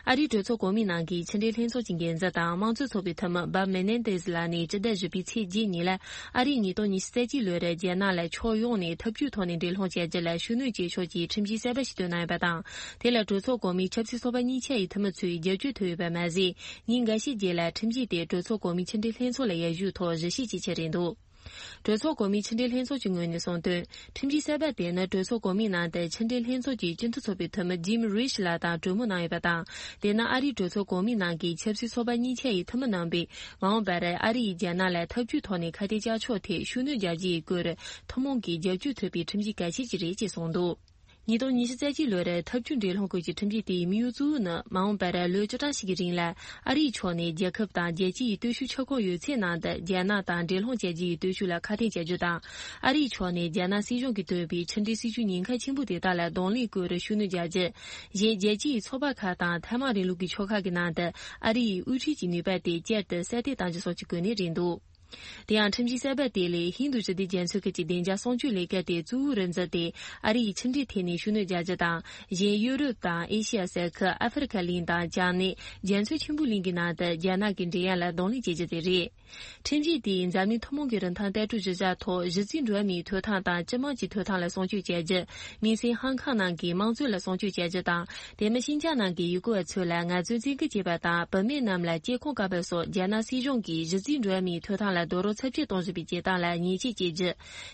ཨ་རིའི་གྲོས་ཚོགས་གོང་མའི་ནང་གི་ཕྱི་འབྲེལ་ལྷན་ཚོགས་ཀྱི་འགན་འཛིན་དང་དམངས་གཙོའི་ཚོགས་པའི་འཐུས་མི་སྦ་མེ་ནེ་ཏེས་ལགས་ནས་སྤྱི་ཟླ་བཞི་པའི་ཚེས་བརྒྱད་ཉིན་ལ་ཨ་རིས་ཉིས་སྟོང་ཉི་ཤུ་རྩ་གཅིག་ལོར་རྒྱ་ནག་ལ་ཕྱོགས་ཡོངས་ནས་འཐབ་ཇུས་ཐོག་ནས་འགྲན་སློང་བྱ་རྒྱུ་ལ་ཤུགས་སྣོན་བྱེད་ཕྱོགས་ཀྱི་ཁྲིམས་གཞི་གསར་པ་ཞིག་བཏོན་གནང་ཡོད་པ་དང་། དེ་ལ་གྲོས་ཚོགས་གོང་མའི་ཆབ་སྲིད་ཚོགས་པ་གཉིས་ཆ་ཡི་འཐུས་མི་ཚོའི་རྒྱབ་སྐྱོར་ཐོབ་ཡོད་པ་མ་ཟད། ཉིན་འགའ་ཤས་རྗེས་ལ་ཁྲིམས་གཞི་དེ་གྲོས་ཚོགས་གོང་མའི་ཕྱི་འབྲེལ་ལྷན་ཚོགས་ལ་ཡར་ཞུ་ཐོག་གཞི་བྱས་བྱས་ཆགས་རེད་འདུག་གྲོས་ཚོགས་གོང་མའི་ཕྱི་འབྲེལ་ལྷན་ཚོགས་ཀྱི་ངོས་ནས་གསུངས་དོན། ཁྲིམས་གཞི་གསར་པ་དེ་ནི་གྲོས་ཚོགས་གོང་མའི་ནང་དུ་ཕྱི་འབྲེལ་ལྷན་ཚོགས་ཀྱི་སྤྱི་འཐུས་ཚོགས་པའི་འཐུས་མི་ཇིམ་རིཆ་ལགས་དང་གྲོས་མོལ་གནང་ཡོད་པ་དང་། དེ་ནི་ཨ་རིའི་གྲོས་ཚོགས་གོང་མའི་ནང་གི་ཆབ་སྲིད་ཚོགས་པ་གཉིས་ཆ་ཡི་འཐུས་མི་རྣམ་པས་མ་འོངས་པར་ཨ་རི་ཡིས་རྒྱ་ནག་ལ་འཐབ་ཇུས་ཐོག་ནས་ཁ་གཏད་བཅག་ཕྱོགས་ཐད་ཤུགས་སྣོན་རྒྱག་རྒྱུའི་སྐོར་ཐུན་མོང་གི་རྒྱབ་སྐྱོར་ཐོབ་པའི་ཁྲིམས་གཞི་གལ་ཆེ་ཞིག་རེད་ཅེས་གསུངས་འདུག་ཉིས་སྟོང་ཉི་ཤུ་རྩ་གཅིག་ལོར་འཐབ་ཇུས་འགྲན་སློང་སྐོར་གྱི་ཁྲིམས་གཞི་དེའི་དམིགས་ཡུལ་གཙོ་བོ་ནི་མ་འོངས་པར་ལོ་བཅུ་གྲངས་ཤིག་གི་རིང་ལ་ཨ་རིའི་ཕྱོགས་ནས་རྒྱལ་ཁབ་དང་རྒྱལ་སྤྱིའི་སྟོབས་ཤུགས་ཆག་སྒོ་ཡོད་ཚད་ནང་དུ་རྒྱ་ནག་དང་འགྲན་སློང་བྱ་རྒྱུ་ཡི་སྟོབས་ཤུགས་ལ་ཁ་གཏད་བྱ་རྒྱུ་དང་། ཨ་རིའི་ཕྱོགས་ནས་རྒྱ་ནག་སྲིད་གཞུང་གིས་བཏོན་པའི་ཕྱི་འབྲེལ་སྲིད་ཇུས་ཉེན་ཁ་ཆེན་པོ་དེ་དག་ལ་གདོང་ལེན་སྐོར་ཤུགས་སྣོན་རྒྱག་རྒྱུ། གཞན་རྒྱལ་སྤྱིའི་ཚོགས་པ་ཁག་དང་ཐའེ་ཝན་རིང་ལུགས་ཀྱི་ཕྱོགས་ཁག་གི་ནང་དུ་ཨ་རིའི་དབུ་ཁྲིད་ཀྱི་ནུས་པ་དེ་བསྐྱར་དུ་གསལ་སྟོན་གཏང་རྒྱུ་སོགས་ཀྱི་སྐོར་ནས་རེད་འདུག་དེ་ཡང་ཁྲིམས་གཞི་གསར་པ་དེ་ལས་ཧིན་རྡུ་ཞི་བདེ་རྒྱ་མཚོའི་ཁུལ་གྱི་བདེ་འཇགས་སྲུང་སྐྱོབ་ལས་ཀ་དེ་གཙོ་བོར་འཛིན་ཏེ་ཨ་རི་ཡི་ཕྱི་འབྲེལ་ཐད་ནས་ཤུགས་སྣོན་རྒྱག་རྒྱུ་དང་། གཞན་ཡུ་རོབ་དང་ཨེ་ཤི་ཡ་ས་ཁུལ་ཨ་ཧྥེ་རི་ཁ་གླིང་དང་བྱང་སྣེ་རྒྱ་མཚོ་ཆེན་པོའི་གླིང་གི་ནང་དུ་རྒྱ་ནག་གི་འགྲན་ཡ་ལ་གདོང་ལེན་བྱེད་རྒྱུ་དེ་རེད། ཁྲིམས་གཞི་དེས་འཛམ་གླིང་ཐུན་མོང་གི་རིན་ཐང་ལྟ་གྲུབ་གཞི་བཞག་ཐོག་གཞི་རྩའི་འགྲོ་བ་མིའི་ཐོབ་ཐང་དང་སྤྱི་དམངས་ཀྱི་ཐོབ་ཐང་ལ་སྲུང་སྐྱོབ་བྱ་རྒྱུ། དམིགས་བསལ་ཧང་ཁང་ནང་གི་དམངས་གཙོ་ལ་སྲུང་སྐྱོབ་བྱ་རྒྱུ་དང་། དེ་མིན་ཤིན་ཅང་ནང་གི་ཡུལ་སྐོར་བ་ཚོ་ལ་ངལ་རྩོལ་བཙན་སྐུལ་བྱེད་པ་དང་བུད་མེད་རྣམས་ལ་སྐྱེ་ཁུངས་བཀག་པ་སོགས་རྒྱ་ནག་སྲིད་གཞུང་གིས་གཞི་རྩའི་འགྲོ་བ་མིའི་ཐོབ་ཐང་ལ་རྡོག་རོལ་ཚབས་ཆེ་གཏོང་བཞིན་པའི་བྱེད་སྟངས་ལ་ཉེས་ཆད་བཅད་རྒྱུ།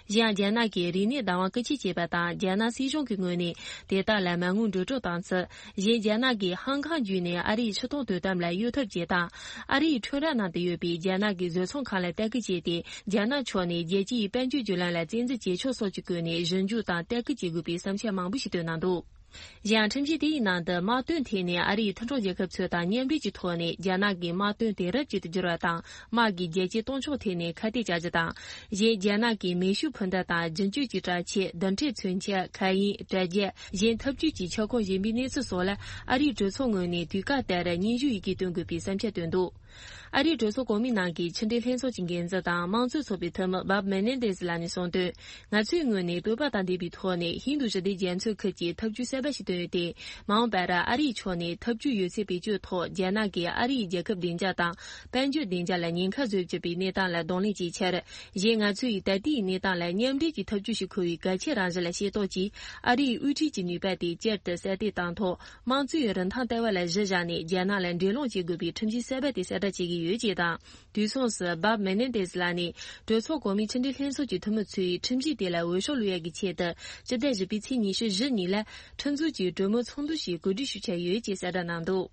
གཞན་ཡང་རྒྱ་ནག་གིས་རིག་གནས་བདག་དབང་རྐུ་འཁྱེར་བྱས་པ་དང་རྒྱ་ནག་སྲིད་གཞུང་གི་ངོས་ནས་དེ་དག་ལ་མ་དངུལ་འགྲོ་སྒྲོལ་བཏང་ཚུལ། གཞན་རྒྱ་ནག་གིས་ཧང་ཁང་བརྒྱུད་ནས་ཨ་རིའི་ཕྱི་གཏོང་དོ་དམ་ལ་གཡོལ་ཐབས་བྱེད་སྟངས། ཨ་རིའི་ཁྲོམ་ར་ནང་དུ་ཡོད་པའི་རྒྱ་ནག་གི་བཟོ་ཚོང་ཁང་ལ་ལྟ་སྐུལ་བྱས་ཏེ། རྒྱ་ནག་ཕྱོགས་ནས་རྒྱལ་སྤྱིའི་དཔལ་འབྱོར་བརྒྱུད་ལམ་ལ་བཙན་འཛུལ་བྱེད་ཕྱོགས་སོགས་ཀྱི་སྐོར་ནས་ཞིབ་འཇུག་དང་ལྟ་སྐུལ་བྱེད་དགོས་པའི་བསམ་འཆར་མང་པོ་ཞིག་བཏོན་གནང་འདུག་གཞན་ཡང་ཁྲིམས་གཞི་དེའི་ནང་དུ་དམག་དོན་ཐད་ནས་ཨ་རིའི་མཐུན་གྲོགས་རྒྱལ་ཁབ་ཚོ་དང་མཉམ་འབྲེལ་གྱི་ཐོག་ནས་རྒྱ་ནག་གི་དམག་དོན་དེང་རབས་ཅན་དུ་འགྱུར་བ་དང་། དམག་གི་རྒྱལ་གཅེས་སྟོབས་འབྱོར་ཐད་ནས་ཁ་གཏད་བཅག་རྒྱུ་དང་། གཞན་རྒྱ་ནག་གི་མེ་ཤུགས་འཕུར་མདའ་དང་རྒྱུན་སྤྱོད་ཀྱི་དྲག་ཆས། རྡུལ་ཕྲན་མཚོན་ཆ། མཁའ་དབྱིངས། དྲ་རྒྱ། གཞན་འཐབ་ཇུས་ཀྱི་ཁྱབ་ཁོངས་གཞན་པའི་གནས་ཚུལ་སོགས་ལ་ཨ་རིའི་གྲོས་ཚོགས་ངོས་ནས་དུས་བཀག་ལྟར་སྙན་ཞུ་ཡི་གེ་བཏོན་དགོས་པའི་བསམ་འཆར་བཏོན་འདུག་ཨ་རིའི་གྲོས་ཚོགས་གོང་མའི་ནང་གི་ཕྱི་འབྲེལ་ལྷན་ཚོགས་ཀྱི་འགན་འཛིན་དང་དམངས་གཙོའི་ཚོགས་པའི་འཐུས་མི་Bob Menendez ལགས་ནས་གསུངས་དོན། ང་ཚོའི་ངོས་ནས་དོགས་པ་དང་ལྡན་པའི་ཐོག་ནས་ཧིན་རྡུ་ཞི་བདེ་རྒྱ་མཚོའི་ཁུལ་གྱི་འཐབ་ཇུས་གསར་པ་ཞིག་བཏོན་ཡོད་དེ། མ་འོངས་པར་ཨ་རིའི་ཕྱོགས་ནས་འཐབ་ཇུས་ཡོད་ཚད་བེད་སྤྱོད་ཐོག་རྒྱ་ནག་གིས་ཨ་རིའི་རྒྱལ་ཁབ་བདེ་འཇགས་དང་། དཔལ་འབྱོར་བདེ་འཇགས་ལ་ཉེན་ཁ་བཟོ་བཅུག་པའི་གནས་སྟངས་ལ་གདོང་ལེན་བྱེད་ཕྱིར། གཞན་ང་ཚོ་ཡིས་ད་ལྟའི་གནས་སྟངས་ལ་མཉམ་འབྲེལ་གྱི་འཐབ་ཇུས་ཤིག་འཁུར་བའི་གལ་ཆེ་རང་བཞིན་ལ་ཤེས་རྟོགས་ཀྱིས། ཨ་རིའི་དབུ་ཁྲིད་ཀྱི་ནུས་པ་དེ་བསྐྱར་དུ་གསལ་སྟོན་དང་ཐོག་དམངས་གཙོའི་རིན་ཐང་ལྟ་བ་ལ་གཞི་བཞག་ནས་རྒྱ་ནག་ལ་འགྲན་སློང་བྱེད་དགོས་པའི་ཁྲིམས་གཞི་གསར་པ་དེ་གསལ་བསྒྲགས་བྱེད་ཀྱི་ཡོད་ཅེས་དང་། དུས་མཚུངས་སུ་Bob Menendez ལགས་ནས་གྲོས་ཚོགས་གོང་མའི་ཕྱི་འབྲེལ་ལྷན་ཚོགས་ཀྱི་འཐུས་མི་ཚོས་ཁྲིམས་གཞི་དེ་ལ་འོས་ཤོག་བླུག་ཡག་གི་ཆེད་དུ། སྤྱི་ཟླ་བཞི་པའི་ཚེས་ཉི་ཤུ་བཞི་ཉིན་ལ་ཁྲིམས་འཛུགས་ཀྱི་གྲོས་མོལ་ཚོགས་འདུ་ཞིག་གོ་སྒྲིག་ཞུ་འཆར་ཡོད་ཅེས་གསལ་བསྒྲགས་གནང་འདུག་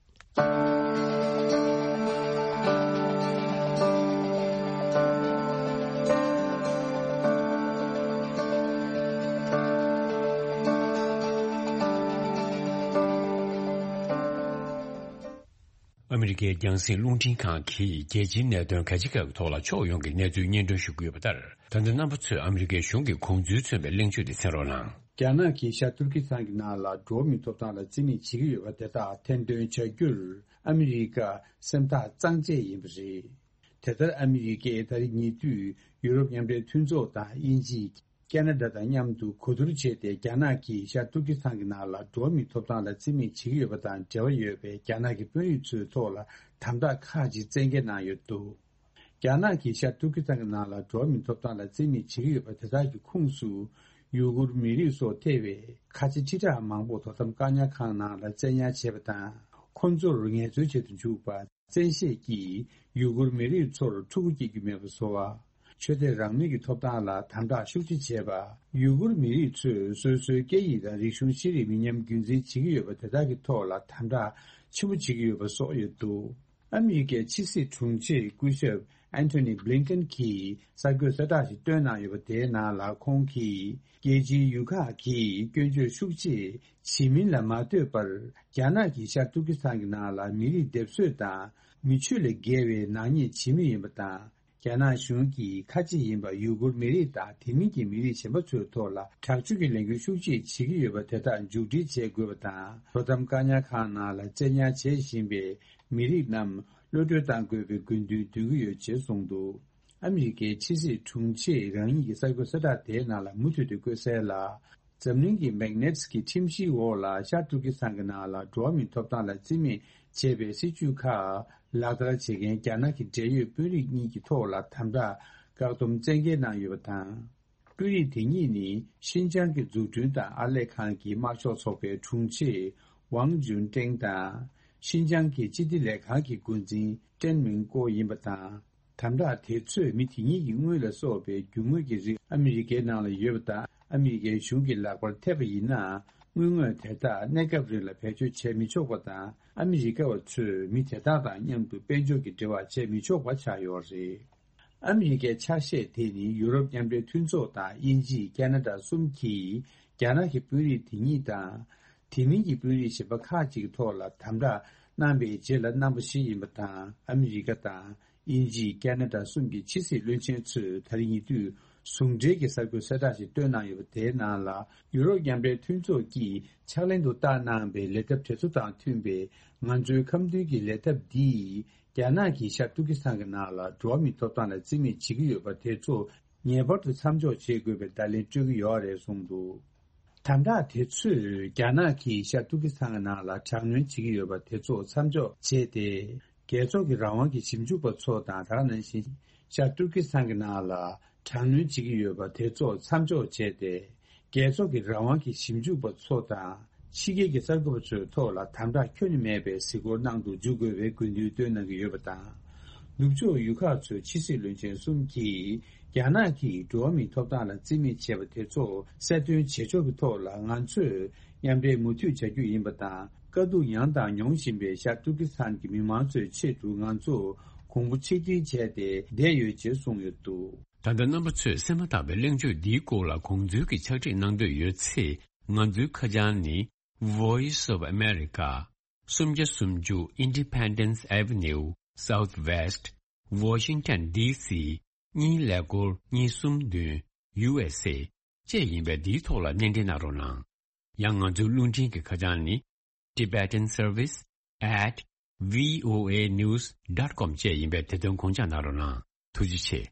ཨ་མི་རི་ཀའི་རྒྱང་སྲིང་རླུང་འཕྲིན་ཁང་གིས་རྒྱལ་སྤྱིའི་གནད་དོན་ག་ཅི་ག་གི་ཐོག་ལ་ཕྱོགས་ཡོངས་ཀྱི་གནས་ཚུལ་སྙན་སྒྲོན་ཞུ་གི་ཡོད་པ་ལྟར། ད་ལྟ་རྣམ་པ་ཚོས་ཨ་མི་རི་ཀའི་གཞུང་གི་དགོངས་ཚུལ་མཚོན་པའི་གླེང་བརྗོད་དེ་གསན་རོགས་གནང་། རྒྱ་ནག་གིས་ཤར་ཏུར་ཀི་སི་ཐན་གྱི་ནང་ལ་འགྲོ་བ་མིའི་ཐོབ་ཐང་ལ་བརྩི་མེད་བྱེད་ཀྱི་ཡོད་པ་དེ་དག་ཐེར་འདོན་བྱ་རྒྱུར་ཨ་མི་རི་ཀ་སེམས་ཐག་གཙང་བཅད་ཡིན་པ་རེད། དེ་ལྟར་ཨ་མི་རི་ཀས་ད་རེས་ཉེ་དུས་ཡུ་རོབ་མཉམ་འབྲེལ་མཐུན་ཚོགས་དང་དབྱིན་ཇི། ཁེ་ན་ཌ་དང་མཉམ་དུ་གོ་བསྡུར་བྱས་ཏེ། རྒྱ་ནག་གིས་ཤར་ཏུར་ཀི་སི་ཐན་གྱི་ནང་ལ་འགྲོ་བ་མིའི་ཐོབ་ཐང་ལ་བརྩི་མེད་བྱེད་ཀྱི་ཡོད་པ་དང་འབྲེལ་བ་ཡོད་པའི་རྒྱ་ནག་གི་དཔོན་རིགས་ཚོའི་ཐོག་ལ་དམ་དྲག་ཁག་ཅིག་བཙན་འགེལ་གནང་ཡོད་འདུག་རྒྱ་ནག་གིས་ཤར་ཏུར་ཀི་སི་ཐན་གྱི་ནང་ལ་འགྲོ་བ་མིའི་ཐོབ་ཐང་ལ་བརྩི་མེད་བྱེད་ཀྱི་ཡོད་པ་དེ་དག་གི་ཁོངས་སུ་ཡུ་གུར་མི་རིགས་སོགས་ཐེ་བའི་ཁ་ཆེ་ཁྲི་ཕྲག་མང་པོ་དོ་དམ་བཀག་ཉར་ཁང་ནང་ལ་བཙན་ཉར་བྱས་པ་དང་། ཁོ་ཚོར་ངལ་རྩོལ་བྱེད་དུ་འཇུག་པ། བཙན་ཤེད་ཀྱིས་ཡུ་གུར་མི་རིགས་ཚོར་ཕྲུ་གུ་སྐྱེ་རྒྱུ་མེད་པ་བཟོ་བ། ཆོས་དད་རང་མོས་ཀྱི་ཐོབ་ཐང་ལ་དམ་དྲག་ཤུགས་ཆེ་བྱས་པ། ཡུ་གུར་མི་རིགས་ཚོས་སོ་སོའི་སྐད་ཡིག་དང་རིག་གཞུང་ཤེས་རིག་མི་ཉམས་རྒྱུན་འཛིན་བྱེད་ཀྱི་ཡོད་པ་དེ་དག་གི་ཐོག་ལ་དམ་དྲག་ཆེན་པོ་བྱེད་ཀྱི་ཡོད་པ་སོགས་ཡོད་འདུག་ཨ་མི་རི་ཀའི་ཕྱི་སྲིད་དྲུང་ཆེ་སྐུ་ཞབས་Antony Blinken གྱིས་གསར་འགོད་གསལ་བསྒྲགས་ཤིག་བཏོན་གནང་ཡོད་པ་དེའི་ནང་ལ། ཁོང་གིས་རྒྱལ་སྤྱིའི་ཡུལ་ཁག་གིས་སྐྱོན་བརྗོད་ཤུགས་ཆེ་བྱེད་མིན་ལ་མ་ལྟོས་པར། རྒྱ་ནག་གིས་ཤར་ཏུར་ཀི་སི་ཐན་གྱི་ནང་ལ་མི་རིགས་སྡེབ་གསོད་དང་མི་ཆོས་ལས་བརྒལ་བའི་ནག་ཉེས་བྱེད་མུས་ཡིན་པ་དང་། རྒྱ་ནག་གཞུང་གིས་ཁ་ཆེ་ཡིན་པ་ཡུ་གུར་མི་རིགས་དང་དེ་མིན་གྱི་མི་རིགས་གཞན་པ་ཚོའི་ཐོག་ལ་དྲག་སྤྱོད་ཀྱི་ལས་འགུལ་ཤུགས་ཆེ་བྱེད་ཀྱི་ཡོད་པ་དེ་དག་མཇུག་སྒྲིལ་བྱེད་དགོས་པ་དང་། དོ་དམ་བཀག་ཉར་ཁང་ནང་ལ་བཙན་ཉར་བྱེད་བཞིན་པའི་མི་རིགས་རྣམས་གློད་གྲོལ་གཏང་དགོས་པའི་དགོས་འདུན་འདོན་གྱི་ཡོད་ཅེས་གསུངས་འདུག་ཨ་མི་རི་ཀའི་ཕྱི་སྲིད་དྲུང་ཆེ་རང་ཉིད་ཀྱི་གསར་འགོད་གསལ་བསྒྲགས་དེའི་ནང་ལ་མུ་མཐུད་དུ་བཀོད་གསལ་ལ། འཛམ་གླིང་གི་མེག་ནེ་ཊི་སི་གི་ཁྲིམས་གཞིའི་འོག་ལ་ཤར་ཏུར་ཀི་སི་ཐན་གྱི་ནང་ལ་འགྲོ་བ་མིའི་ཐོབ་ཐང་ལ་བརྩི་མེད་བྱས་པའི་སྲིད་བྱུས་ཁག་ལག་བསྟར་བྱེད་མཁན་རྒྱ་ནག་གི་འབྲེལ་ཡོད་དཔོན་རིགས་གཉིས་ཀྱི་ཐོག་ལ་དམ་དྲག་བཀག་སྡོམ་བཙན་འགེལ་གནང་ཡོད་པ་དང་། དཔོན་རིགས་དེ་གཉིས་ནི་ཤིན་ཅང་གི་འཛུགས་སྐྲུན་དང་ཨར་ལས་ཁང་གི་དམར་ཤོག་ཚོགས་པའི་དྲུང་ཆེ་ཝང་ཅུན་ཀྲེང་དང་། ཤིན་ཅང་གི་སྤྱི་བདེ་ལས་ཁང་གི་འགོ་འཛིན་ཀྲེན་མིང་ཀོ་ཡིན་པ་དང་། དམ་དྲག་དེ་ཚོས་མི་དེ་གཉིས་ཀྱི་དངུལ་ལ་སོགས་པའི་རྒྱུ་དངོས་ཀྱི་རིགས་ཨ་མི་རི་ཀའི་ནང་ལ་ཡོད་པ་དང་། ཨ་མི་རི་ཀའི་གཞུང་གི་ལག་པར་ཐེབས་པ་ཡིན་ན། དངུལ་དངོས་དེ་དག་གནས་སྐབས་རིང་ལ་བེད་སྤྱོད་བྱས་མི་ཆོག་པ་དང་། ཨ་མི་རི་ཀ་བ་ཚོས་མི་དེ་དག་དང་མཉམ་དུ་དཔལ་འབྱོར་གྱི་འབྲེལ་བ་བྱས་མི་ཆོག་པ་ཆགས་ཡོད་རེད། ཨ་མི་རི་ཀའི་ཆ་ཤས་དེ་ནི་ཡུ་རོབ་མཉམ་འབྲེལ་མཐུན་ཚོགས་དང་དབྱིན་ཇི། ཁེ་ན་ཌ་གསུམ་གྱིས་རྒྱ་ནག་གི་དཔོན་རིགས་དེ་གཉིས་དང་། དེ་མིན་གྱི་དཔོན་རིགས་གཞན་པ་ཁག་ཅིག་གི་ཐོག་ལ་དམ་དྲག་གནང་པའི་རྗེས་ལ་གནང་པ་ཞིག་ཡིན་པ་དང་། ཨ་མི་རི་ཀ་དང་དབྱིན་ཇི། ཁེ་ན་ཌ་གསུམ་གྱི་ཕྱི་སྲིད་བློན་ཆེན་ཚོས་ད་རེས་ཉེ་དུས་ཟུང་འབྲེལ་གྱི་གསར་འགོད་གསལ་བསྒྲགས་ཤིག་བཏོན་གནང་ཡོད་པ་དེའི་ནང་ལ། ཡུ་རོབ་མཉམ་འབྲེལ་མཐུན་ཚོགས་ཀྱིས་ཕྱག་ལེན་དུ་བསྟར་གནང་པའི་ལས་ཐབས་དེ་ཚོ་དང་མཐུན་པའི་ང་ཚོའི་ཁམས་མདུན་གྱི་ལས་ཐབས་འདིས། རྒྱ་ནག་གིས་ཤར་ཏུར་ཀི་སི་ཐན་གྱི་ནང་ལ་འགྲོ་བ་མིའི་ཐོབ་ཐང་ལ་བརྩི་མེད་བྱེད་ཀྱི་ཡོད་པ་དེ་ཚོ་ངེས་པར་དུ་མཚམས་འཇོག་བྱེད་དགོས་པའི་བརྡ་ལན་སྤྲོད་ཀྱི་ཡོད་རེད་གསུངས་འདུག་དམ་དྲག་དེ་ཚོས་རྒྱ་ནག་གིས་ཤར་ཏུར་ཀི་སི་ཐན་གྱི་ནང་ལ་དྲག་གནོན་བྱེད་ཀྱི་ཡོད་པ་དེ་ཚོ་མཚམས་འཇོག་བྱས་ཏེ། རྒྱལ་ཚོགས་ཀྱི་རང་དབང་གི་ཞིབ་འཇུག་པ་ཚོ་དང་། ད་ག་ནང་བཞིན་ཤར་ཏུར་ཀི་སི་ཐན་གྱི་ནང་ལ་དྲག་གནོན་བྱེད་ཀྱི་ཡོད་པ་དེ་ཚོ་མཚམས་འཇོག་བྱས་ཏེ། རྒྱལ་ཚོགས་ཀྱི་རང་དབང་གི་ཞིབ་འཇུག་པ་ཚོ་དང་། ཕྱི་རྒྱལ་གྱི་གསར་འགོད་པ་ཚོའི་ཐོག་ལ་དམ་དྲག་ཁྱོན་ནས་མེད་པའི་གཟིགས་སྐོར་གནང་དུ་འཇུག་དགོས་པའི་དགོས་འདུན་བཏོན་གནང་གི་ཡོད་པ་དང་། ནུབ་ཕྱོགས་ཡུལ་ཁག་ཚོའི་ཕྱི་སྲིད་བློན་ཆེན་གསུམ་གྱིས། རྒྱ་ནག་གིས་འགྲོ་བ་མིའི་ཐོབ་ཐང་ལ་བརྩི་མེད་བྱས་པ་དེ་ཚོ་གསལ་སྟོན་བྱེད་ཕྱོགས་ཀྱི་ཐོག་ལ། ང་ཚོས་མཉམ་འབྲེལ་མུ་མཐུད་བྱ་རྒྱུ་ཡིན་པ་དང་། དཀའ་སྡུག་མྱངས་དང་མྱོང་བཞིན་པའི་ཤར་ཏུར་ཀི་སི་ཐན་གྱི་མི་མང་ཚོའི་ཆེད་དུ་ང་ཚོ་གོང་བུ་ཆིག་སྒྲིལ་བྱས་ཏེ་བསྡད་ཡོད་ཅེས་གསུངས་ཡོད་འདུག་ད་ལྟ་རྣམ་པ་ཚོས་གསན་མ་ཐག་པའི་གླེང་བརྗོད་འདིའི་སྐོར་ལ་དགོངས་ཚུལ་གྱི་ཕྱག་བྲིས་གནང་འདོད་ཡོད་ཚེ། ང་ཚོའི་ཁ་བྱང་ནི། Voice of America, སུམ་བརྒྱ་སུམ་ཅུ་Independence Avenue Southwest, Washington D C གཉིས་ཀླད་ཀོར་གཉིས་གསུམ་བདུན། U S A བཅས་ཡིན་པས། འདིའི་ཐོག་ལ་སྣེ་འདྲེན་གནང་རོགས་གནང་། ཡང་ང་ཚོའི་རླུང་འཕྲིན་གྱི་ཁ་བྱང་ནི། Tibetan Service at V O A news dot com བཅས་ཡིན་པས། དེ་དོན་དགོངས་འཇགས་གནང་རོགས་གནང་། ཐུགས་རྗེ་ཆེ།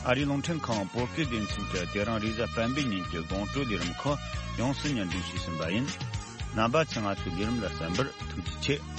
ཨ་རིའི་རླུང་འཕྲིན་ཁང་བོད་སྐད་སྡེ་ཚན་གྱིས་དེ་རིང་རེས་གཟའ་སྤེན་པའི་ཉིན་གྱི་དགོང་དྲོའི་ལས་རིམ་ཁག་ཡོངས་སུ་སྙན་སྒྲོན་ཞུས་ཟིན་པ་ཡིན། རྣམ་པ་ཚོས་ང་ཚོའི་ལས་རིམ་ལ་གསན་པར་ཐུགས་རྗེ་ཆེ།